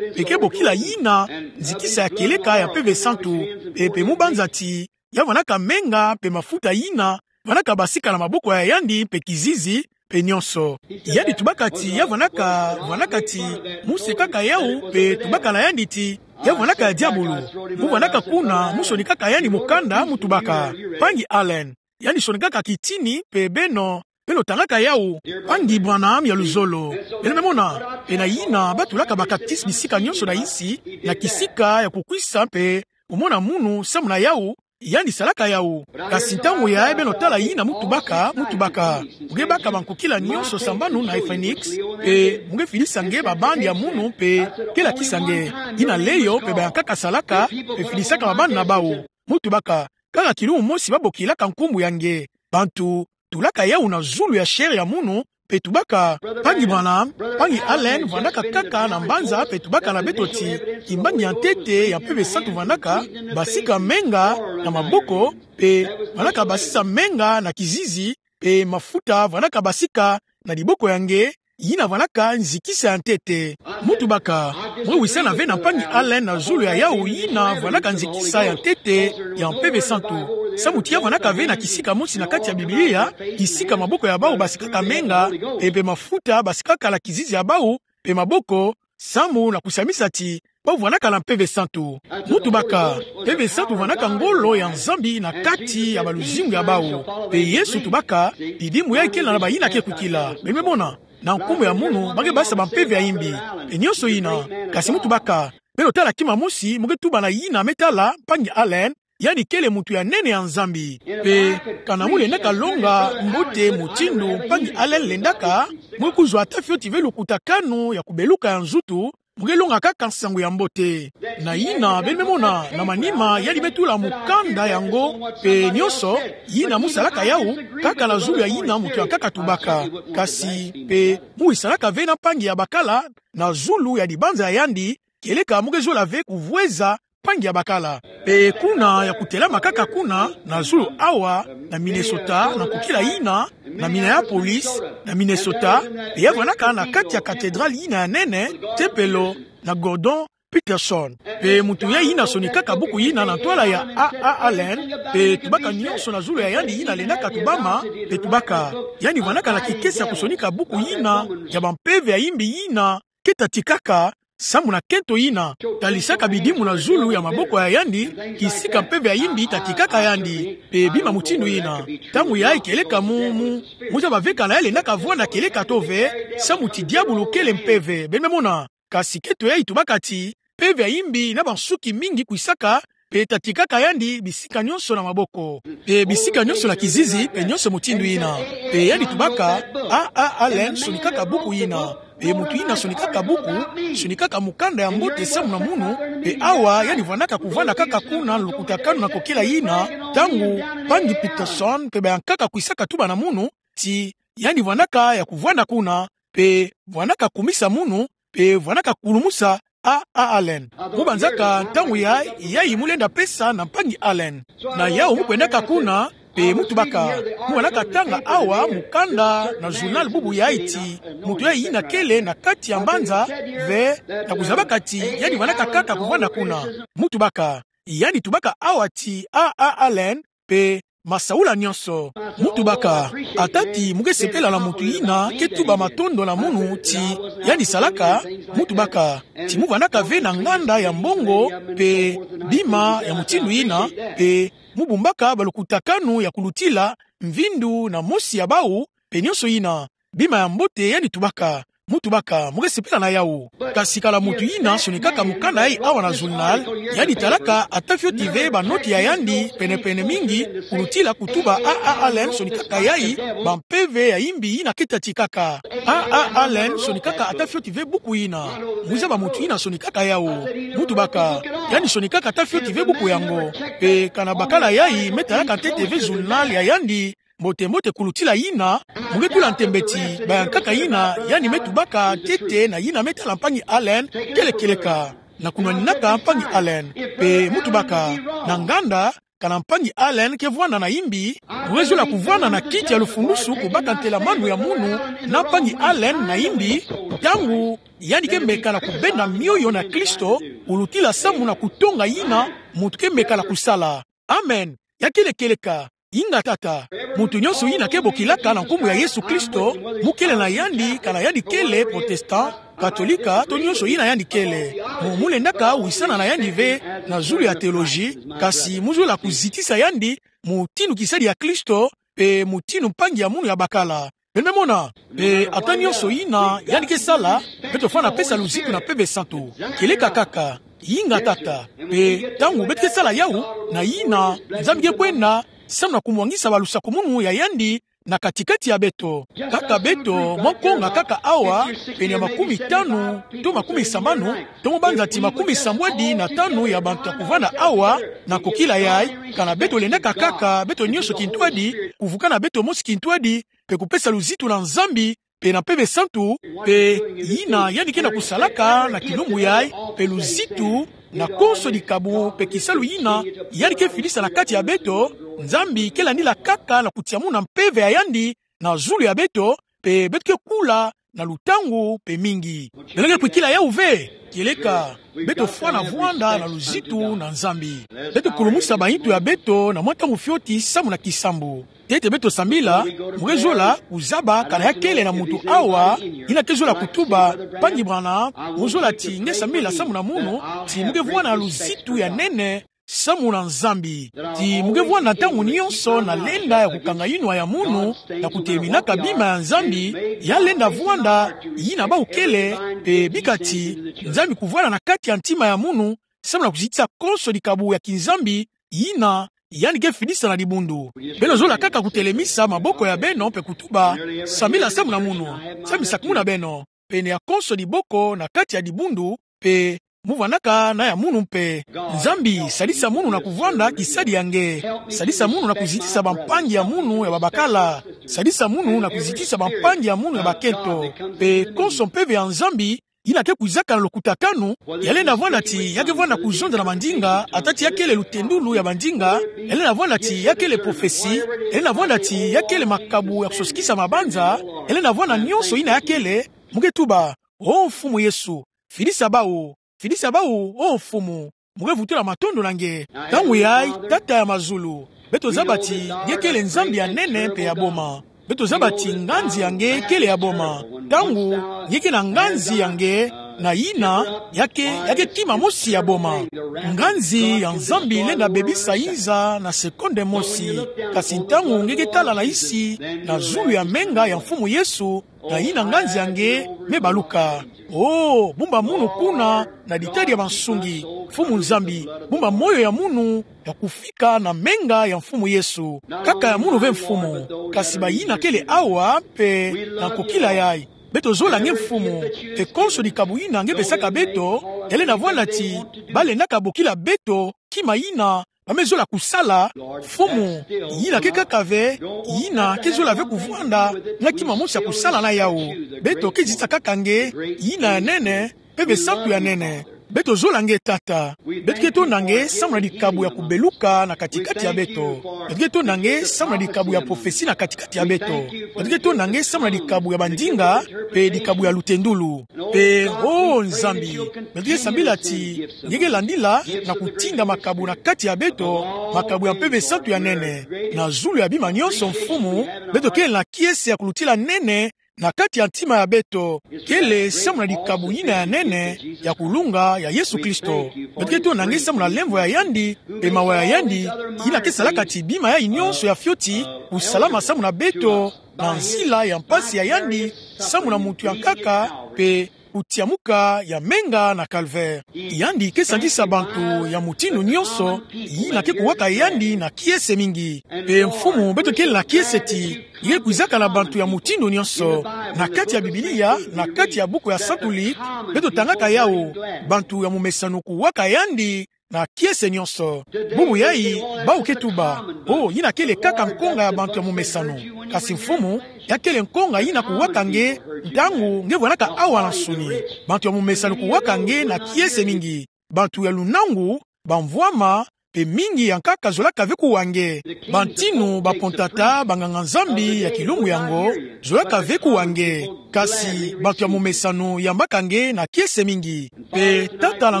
pe ke bokila yina nzikisa ya kieleka ya Mpeve Santu. Pe, pe mu banza ti ya vwandaka menga pe mafuta yina vwandaka basika na maboko ya yandi pe kizizi, pe nionso. Yandi tubaka ti ya vwandaka, vwandaka ti mu sekaka yawu, pe tubaka na yandi ti ya vwandaka ya diabulu. Mu vwandaka kuna, mu sonikaka yandi mukanda, mu tubaka: Mpangi Allen, yandi sonikaka kitini, pe beno, beno tangaka yawu. Mpangi Branham ya luzolo, beno me mona? Pe na yina ba tulaka ba catéchisme bisika nionso na nsi, na kisika ya kukwisa pe kumona munu samu na yawu, yandi salaka yawu. Kasi ntangu yai beno tala yina mu tubaka, mu tubaka: Mu ke baka bankokila nionso sambanu na Phoenix, pe mu ke fidisa nge ba bande ya munu, pe ke lakisa nge. Yina leyo pe bayankaka salaka, pe fidisaka ba bande na bawu. Mu tubaka: Kaka kilumbu mosi ba bokilaka nkumbu ya nge. Bantu tulaka yawu na zulu ya chair ya munu, pe tubaka: Mpangi Branham, Mpangi Allen vwandaka kaka na mbanza, pe tubaka na beto ti kimbangi ya ntete ya Mpeve Santu vwandaka basika menga na maboko, pe vwandaka basisa menga na kizizi, pe mafuta vwandaka basika na diboko ya nge, yina vwandaka nzikisa ya ntete. Mu tubaka: Mu wisana ve na Mpangi Allen na zulu ya yawu yina vwandaka nzikisa ya ntete ya Mpeve Santu. Samu ti ya vwandaka ve na kisika mosi na kati ya Biblia, kisika maboko ya bawu basikaka menga, pe, pe mafuta basikaka na kizizi ya bawu, pe maboko, samu na kusamisa ti bawu vwandaka na Mpeve Santu. Mu tubaka: Mpeve Santu vwandaka ngolo ya Nzambi na kati ya baluzingu ya bawu. Pe Yesu tubaka: Bidimbu yai kele na bayina ke kukila. Beno me mona? Na nkumbu ya munu ba ke basisa bampeve ya imbi, pe nionso yina. Kasi mu tubaka: Beno tala kima mosi, mu ke tuba na yina me tala, Mpangi Allen, yandi kele muntu ya nene ya Nzambi. Pe kana mu lendaka longa mbote mutindu Mpangi Allen lendaka, mu ke kuzwa ata fioti ve lukutakanu ya kubeluka ya nzutu, mu ke longa kaka nsangu ya mbote. Na yina, beno me mona, na manima yandi me tula mukanda yango, pe nionso yina mu salaka yawu, kaka na zulu ya yina muntu yankaka tubaka. Kasi pe mu wisanaka ve na mpangi ya bakala na zulu ya dibanza ya yandi, kieleka mu ke zola ve kuvweza mpangi ya bakala. Pe kuna ya kutelama kaka kuna, na zulu awa, na Minnesota, na nkokila yina, na Minneapolis, na Minnesota, pe ya vwandaka na kati ya cathédrale yina ya nene, tempelo, na Gordon, Peterson. Pe moto yai yina sonikaka buku yina na ntwala ya A A Allen, pe tubaka nionso na zulu ya yandi yina lendaka tubama, pe tubaka. Yandi vwandaka na kikesi ya kusonika buku yina, ya bampeve ya imbi yina, ke tatikaka, samu na kento yina, talisaka bidimu na zulu ya maboko ya yandi, kisika mpeve ya imbi tatikaka yandi, pe bima mutindu yina. Ntangu yai kieleka mu, mu, mu zaba ve kana yai lendaka vwanda kieleka to ve, samu ti diabulu kele mpeve, beno me mona. Kasi kento yai tubaka ti, mpeve ya imbi na bansuki mingi kwisaka, pe tatikaka yandi bisika nionso na maboko, pe bisika nionso na kizizi, pe nionso mutindu yina. Pe yandi tubaka, A A Allen sonikaka buku yina. Pe moto yina sonikaka buku, sonikaka mukanda ya mbote samu na munu, pe awa yandi vwandaka kuvwanda kaka kuna na lukutakanu na kokila yina, ntangu mpangi Peterson, pe bayankaka kwisaka tuba na munu, ti yandi vwandaka ya kuvwanda kuna, pe vwandaka kumisa munu, pe vwandaka kulumusa A A Allen. Mu banzaka ntangu yai, yai mu lenda pesa na mpangi Allen. Na yau mu kwendaka kuna, pe mu tubaka. Mu vwandaka tanga awa mukanda na journal bubu yai ti, moto yai yina kele na kati ya mbanza, ve, na kuzabaka ti, yandi vwandaka kaka kuvwanda kuna. Mu tubaka. Yandi tubaka awa ti A A Allen, pe masaula nionso. Mu tubaka, ata ti mu ke sepela na moto yina ke tuba matondo na munu ti yandi salaka, mu tubaka, ti mu vwandaka ve na nganda ya mbongo, pe bima ya mutindu yina, pe mu bumbaka balukutakanu ya kulutila mvindu na mosi ya bau, pe nionso yina. Bima ya mbote yandi tubaka, mu tubaka, mu ke sepela na yau. Kasi kana moto yina sonikaka mukanda yai awa na journal, yandi talaka ata fioti ve banoti ya yandi, pene-pene mingi, kulutila kutuba A A Allen sonikaka yai, bampeve ya imbi yina ke tatikaka. A A Allen sonikaka ata fioti ve buku yina. Mu zaba moto yina sonikaka yau. Mu tubaka, yandi sonikaka ata fioti ve buku yango. Pe kana bakala yai me talaka ntete ve journal ya yandi, mbote-mbote kulutila yina, mu ke tula ntembe ti, bayankaka yina, yandi me tubaka ntete na yina me tala mpangi Allen, kele kieleka. Na kunwaninaka mpangi Allen, pe mu tubaka, na nganda, kana mpangi Allen ke vwanda na imbi, mu ke zola kuvwanda na kiti ya lufundusu kubaka ntelamanu ya munu, na mpangi Allen na imbi, ntangu, yandi ke meka na kubenda mioyo na Kristo, kulutila samu na kutonga yina, moto ke meka na kusala. Amen. Ya kele kieleka. Inga tata. Moto nionso yina ke bokilaka na nkumbu ya Yesu Kristo, mu kele na yandi, kana yandi kele protestant, katolika, to nionso yina yandi kele. Mu, mu lendaka wisana na yandi ve, na zulu ya théologie, kasi mu zola kuzitisa yandi, mutindu kisadi ya Kristo, pe mutindu mpangi ya munu ya bakala. Beno me mona, pe ata nionso yina, yandi ke sala, beto fwana pesa luzitu na Mpeve Santu. Kieleka kaka, inga tata, pe ntangu beto ke sala yau, na yina, Nzambi ke kwenda, samu na kumwangisa balusakumunu ya yandi, na kati-kati ya beto. Kaka beto, mwa konga kaka awa, pene ya makumi tanu, to makumi sambanu, to mwa banza ti makumi sambwadi na tanu ya bantu ya kuvwanda awa, na kokila yai, kana beto lendaka kaka, beto nionso kintwadi, kuvukana beto mosi kintwadi, pe kupesa luzitu na Nzambi, pe na Mpeve Santu, pe yina yandi ke na kusalaka na kilumbu yai, pe luzitu, na konso dikabu, pe kisalu yina, yandi ke fidisa na kati ya beto, Nzambi ke landila kaka na kutia muna mpeve ya yandi, na zulu ya beto, pe beto ke kula, na lutangu, pe mingi. Beno ke kwikila yau ve, kieleka, beto fwana vwanda na luzitu na Nzambi. Beto kulumusa bayitu ya beto na mwa ntangu fioti samu na kisambu. Ntete beto sambila, mu ke zola, kuzaba, kana ya kele na muntu awa, yina ke zola kutuba, mpangi Branham, mu zola ti nge sambila samu na munu, ti mu ke vwanda na luzitu ya nene, samu na Nzambi. Ti mu ke vwanda ntangu nionso na lenda ya kukanga yinwa ya munu, na kuteminaka bima ya Nzambi, ya lenda vwanda, yina bau kele, pe bika ti, Nzambi kuvwanda na kati ya ntima ya munu, samu na kuzitisa konso dikabu ya kinzambi, yina, yandi ke fidisa na dibundu. Beno zola kaka kutelemisa maboko ya beno pe kutuba, sambila samu na munu, Nzambi sakumuna beno, pene ya konso diboko na kati ya dibundu, pe mu vwandaka na ya munu mpe. Nzambi, sadisa munu na kuvwanda kisadi ya nge. Sadisa munu na kuzitisa bampangi ya munu ya babakala. Sadisa munu na kuzitisa bampangi ya munu ya bakento. Pe konso mpeve ya Nzambi, yina ke kwizaka na lukutakanu, ya lenda vwanda ti, ya ke vwanda kuzonza na mandinga, ata ti ya kele lutendulu ya mandinga, ya lenda vwanda ti, ya kele prophetie, ya lenda vwanda ti, ya kele makabu ya kusosikisa mabanza, ya lenda vwanda nionso yina ya kele, mu ke tuba, O Mfumu Yesu, fidisa bau, Fidisa bawu, O Mfumu. Mo ke vutula matondo na nge. Ntangu yayi, Tata ya mazulu, beto zaba ti nge kele Nzambi ya nene mpe ya boma. Beto zaba ti nganzi ya nge kele ya boma. Ntangu nge ke na nganzi ya nge na yina, ya ke, ya ke kima mosi ya boma. Nganzi ya Nzambi lenda bebisa yinza na sekonde mosi. Kasi ntangu nge ke tala na yisi, na zulu ya menga ya Mfumu Yesu, na yina nganzi ya nge me baluka. O, bumba munu kuna na ditadi ya bansungi, Mfumu Nzambi, bumba moyo ya munu ya kufika na menga ya Mfumu Yesu. Kaka ya munu ve, Mfumu, kasi bayina kele awa mpe na nkokila yayi. Beto zola nge, Mfumu, mpe konso dikabu yina nge pesaka beto, ya lenda vwanda ti ba lendaka bokila beto kima yina ba me zola kusala. Mfumu, yina ke kaka ve, yina ke zola ve kuvwanda nga kima mosi ya kusala na yawu. Beto ke zitisa kaka nge, yina ya nene, mpe ve santu ya nene. Beto zola nge, Tata. Beto ke tonda nge samu na dikabu ya kubeluka na kati-kati ya beto. Beto ke tonda nge samu na dikabu ya profesi na kati-kati ya beto. Beto ke tonda nge samu na dikabu ya bandinga, mpe dikabu ya lutendulu. Mpe, O Nzambi, beto ke sambila ti nge ke landila na kutinda makabu na kati ya beto, makabu ya mpeve santu ya nene. Na zulu ya bima nyonso, Mfumu, beto kele na kiese ya kulutila nene na kati ya ntima ya beto. Kele samu na dikabu yina ya nene ya kulunga ya Yesu Kristo. Beto ke tonda nge samu na lemvo ya yandi, mpe mawa ya yandi, yina ke salaka ti bima yayi nyonso ya fioti kusalama samu na beto, na nzila ya mpasi ya yandi, samu na muntu ya nkaka, mpe kutiamuka ya menga na Calvaire. Yandi ke sangisa bantu ya mutindu nyonso yina ke kuwaka yandi na kiese mingi. Mpe Mfumu, beto kele na kiese ti nge ke kwizaka na bantu ya mutindu nyonso. Na kati ya Biblia, na kati ya buku ya Santu Lik, beto tangaka yawu, bantu ya momesano kuwaka yandi na kiese nyonso. Bubu yayi, bawu ke tuba: O, yina kele kaka nkonga ya bantu ya momesano. Kasi Mfumu, ya kele nkonga yina kuwaka nge ntangu nge vwanaka awa na nsoni. Bantu ya momesano kuwaka nge na kiese mingi. Bantu ya lunangu, bamvwama, mpe mingi ya nkaka zolaka ve kuwa nge. Bantinu, bakontata, banganga-Nzambi ya kilumbu yango zolaka ve kuwa nge. Kasi bantu ya momesano yambaka nge na kiese mingi. Mpe Tata, na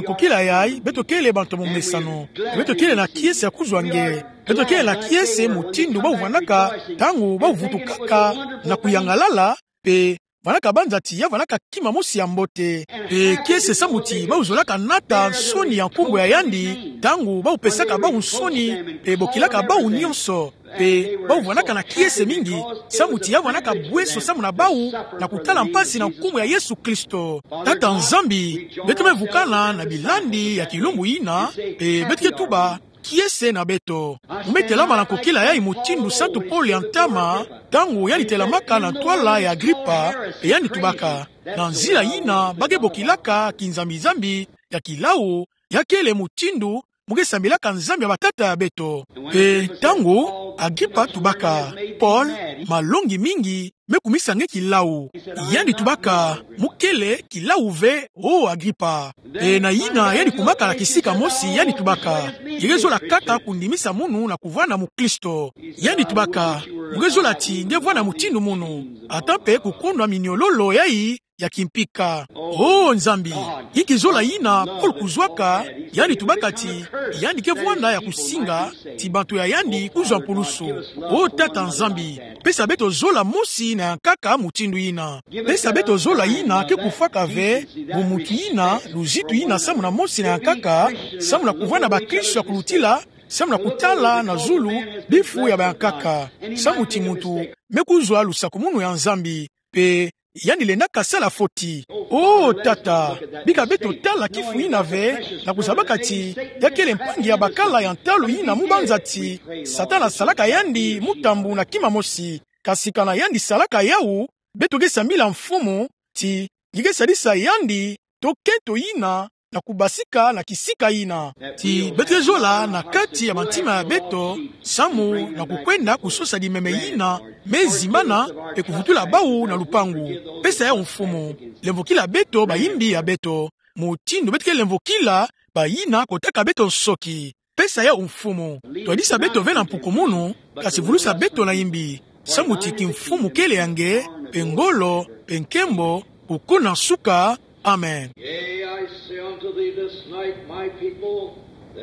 nkokila yayi, beto kele bantu ya momesano. Beto kele na kiese ya kuzwa nge. Beto kele na kiese mutindu bawu vwanaka ntangu bawu vutukaka na kuyangalala, mpe vwanaka banza ti ya vwanaka kima mosi ya mbote. Mpe kiese samu ti bawu zolaka nata nsoni ya nkumbu ya yandi, ntangu bawu pesaka bawu nsoni, mpe bokilaka bawu nyonso. Mpe bawu vwanaka na kiese mingi, samu ti ya vwanaka bweso samu na bawu, na kutala mpasi na nkumbu ya Yesu Kristo. Tata Nzambi, beto me vukana na bilandi ya kilumbu yina, mpe beto ke tuba: Kiese na beto. Mo me telama na nkokila yayi mutindu Santu Paul ya ntama, ntangu yandi telamaka na ntwala ya Agripa, mpe yandi tubaka: Na nzila yina ba ke bokilaka kinzambi-nzambi ya kilawu, ya kele mutindu mo ke sambilaka Nzambi ya batata ya beto. Mpe ntangu Agripa tubaka: Paul, malongi mingi me kumisa nge kilawu. Yandi tubaka: Mo kele kilawu ve, O Agripa. Mpe na yina yandi kumaka na kisika mosi, yandi tubaka: Nge ke zola kaka kundimisa munu na kuvwanda mukristo. Yandi tubaka: Mo ke zola ti nge vwanda mutindu munu, ata mpe kukondwa miniololo yayi ya kimpika. O Nzambi, inki zola yina Paul kuzwaka? Yandi tubaka ti yandi ke vwanda ya kusinga ti bantu ya yandi kuzwa mpulusu. O Tata Nzambi, pesa beto zola mosi na ya nkaka mutindu yina. Pesa beto zola yina ke kufwaka ve, bo muntu yina, luzitu yina samu na mosi na ya nkaka, samu na kuvwanda bakristo ya kulutila, samu na kutala na zulu bifu ya bayankaka, samu ti muntu me kuzwa lusakumunu ya Nzambi, mpe yandi lendaka sala foti. O Tata, bika beto tala kifu yina ve, na kuzabaka ti ya kele mpangi ya bakala ya ntalu yina mu banza ti Satana salaka yandi mutambu na kima mosi. Kasi kana yandi salaka yawu, beto ke sambila Mfumu ti nge ke sadisa yandi to kento yina na kubasika na kisika yina. Ti beto ke zola na kati ya bantima ya beto, samu na kukwenda kusosa dimeme yina me zimbana, mpe kuvutula bawu na lupangu. Pesa yawu Mfumu. Lemvokila beto bayimbi ya beto, mutindu beto ke lemvokila bayina kotaka beto nsoki. Pesa yawu Mfumu. Twadisa beto ve na mpukumunu, kasi vulusa beto na yimbi. Samu ti kimfumu kele ya nge, mpe ngolo, mpe nkembo, kukuna nsuka. Amen. Yea, I say unto thee,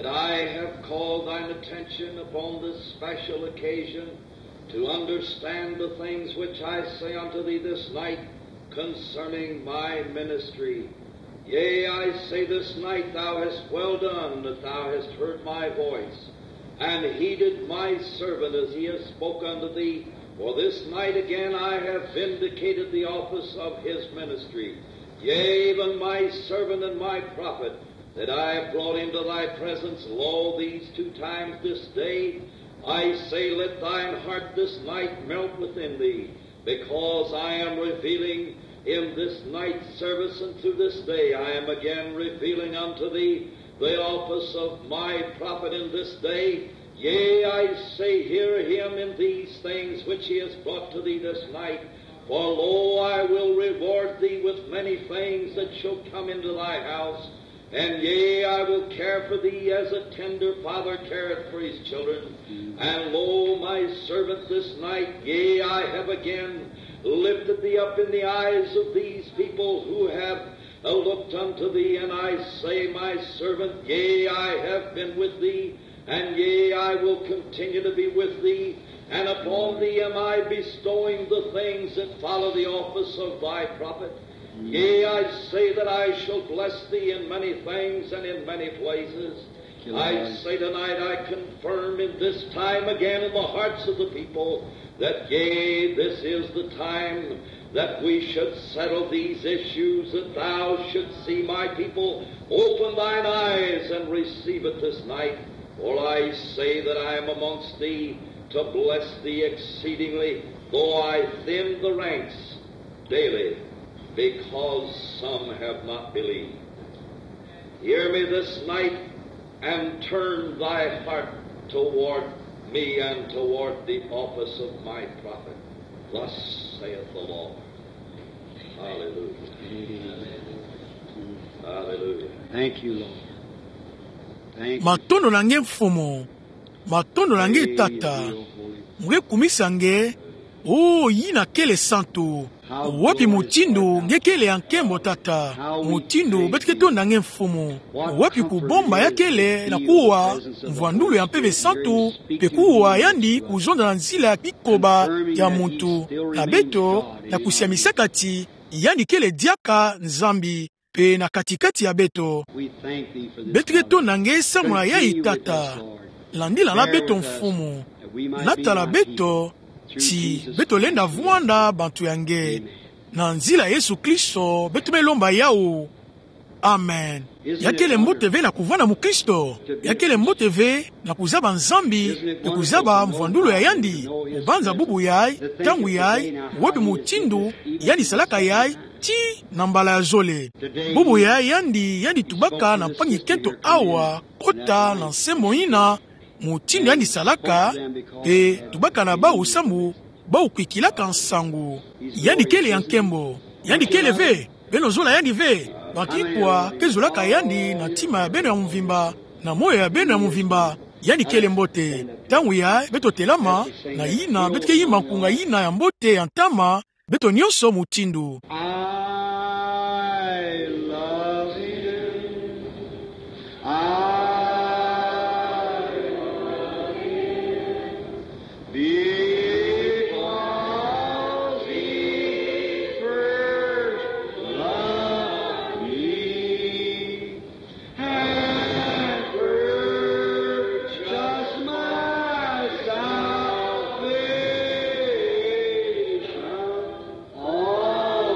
I have called thine attention upon this special occasion to understand the things which I say unto thee this night concerning my ministry. Yea, I say this night, thou hast well done that thou hast heard my voice, and heeded my servant as he has spoke unto thee. For this night again I have vindicated the office of his ministry, yea, even my servant and my prophet, that I have brought into thy presence, lo, these two times this day. I say, let thine heart this night melt within thee, because I am revealing in this night's service, and through this day I am again revealing unto thee the office of my prophet in this day. Yea, I say, hear him in these things which he has brought to thee this night. For lo, I will reward thee with many things that shall come into thy house, and yea, I will care for thee as a tender father careth for his children. And lo, my servant, this night, yea, I have again lifted thee up in the eyes of these people who have looked unto thee. And I say, my servant, yea, I have been with thee, and yea, I will continue to be with thee, and upon thee am I bestowing the things that follow the office of thy prophet. Yea, I say that I shall bless thee in many things and in many places. I say tonight, I confirm in this time again in the hearts of the people that, yea, this is the time that we should settle these issues, that thou shouldst see my people. Open thine eyes and receive it this night. For I say that I am amongst thee to bless thee exceedingly, though I thin the ranks daily, because some have not believed. Hear me this night, and turn thy heart toward me and toward the office of my prophet. Thus saith the Lord. Hallelujah. Hallelujah. Thank you, Lord. Thank you. Matondo na nge Mfumu. Matondo na nge Tata. Mo nge kumisa nge. O, yina kele santu. Wapi mutindu nge kele ya nkembo, Tata. Mutindu beto ke tonda nge, Mfumu. Wapi kubomba ya kele na kuwa mvwandulu ya Mpeve Santu, mpe kuwa yandi kuzonza na nzila ya kikoba ya muntu, na beto, na kusiamisaka ti yandi kele diaka Nzambi mpe na kati-kati ya beto. Beto ke tonda nge samu na yayi, Tata. Landila na beto, Mfumu. Natala beto, ti beto lenda vwanda bantu ya nge. Na nzila Yesu Kristo beto me lomba yawu. Amen. Ya kele mbote ve na kuvwanda mukristo? Ya kele mbote ve na kuzaba Nzambi mpe kuzaba mvwandulu ya yandi? Kubanza bubu yayi, ntangu yayi, wapi mutindu yandi salaka yayi, ti na mbala ya zole. Bubu yayi yandi, yandi tubaka na mpangi-kento awa, kota na nsembo yina, mutindu yandi salaka, mpe tubaka na bawu samu bawu kwikilaka nsangu. Yandi kele ya nkembo. Yandi kele ve. Beno zola yandi ve. Bantu ikwa ke zolaka yandi na ntima ya beno ya mvimba, na moyo ya beno ya mvimba. Yandi kele mbote. Ntangu yayi beto telama, na yina beto ke yimba nkunga yina ya mbote ya ntama, beto nyonso mutindu. I love you. I love you. Because he first loved me. And purchased my salvation on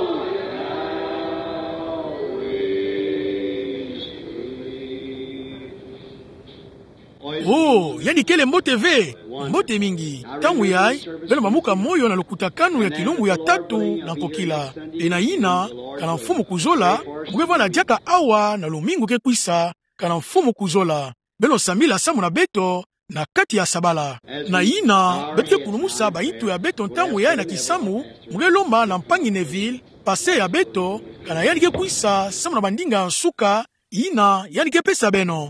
Calvary's tree. Oh, yandi kele mbote ve, mbote mingi. Ntangu yayi, beno mamuka moyo na lukutakanu ya kilumbu ya tatu na nkokila. Mpe na yina, kana Mfumu kuzola, mo ke vwanda diaka awa na lumingu ke kwisa, kana Mfumu kuzola. Beno sambila samu na beto, na kati ya sabala. Na yina, beto ke kulumusa bayintu ya beto ntangu yayi na kisambu, mo ke lomba na mpangi Neville, pasteur ya beto, kana yandi ke kwisa samu na bandinga ya nsuka, yina yandi ke pesa beno.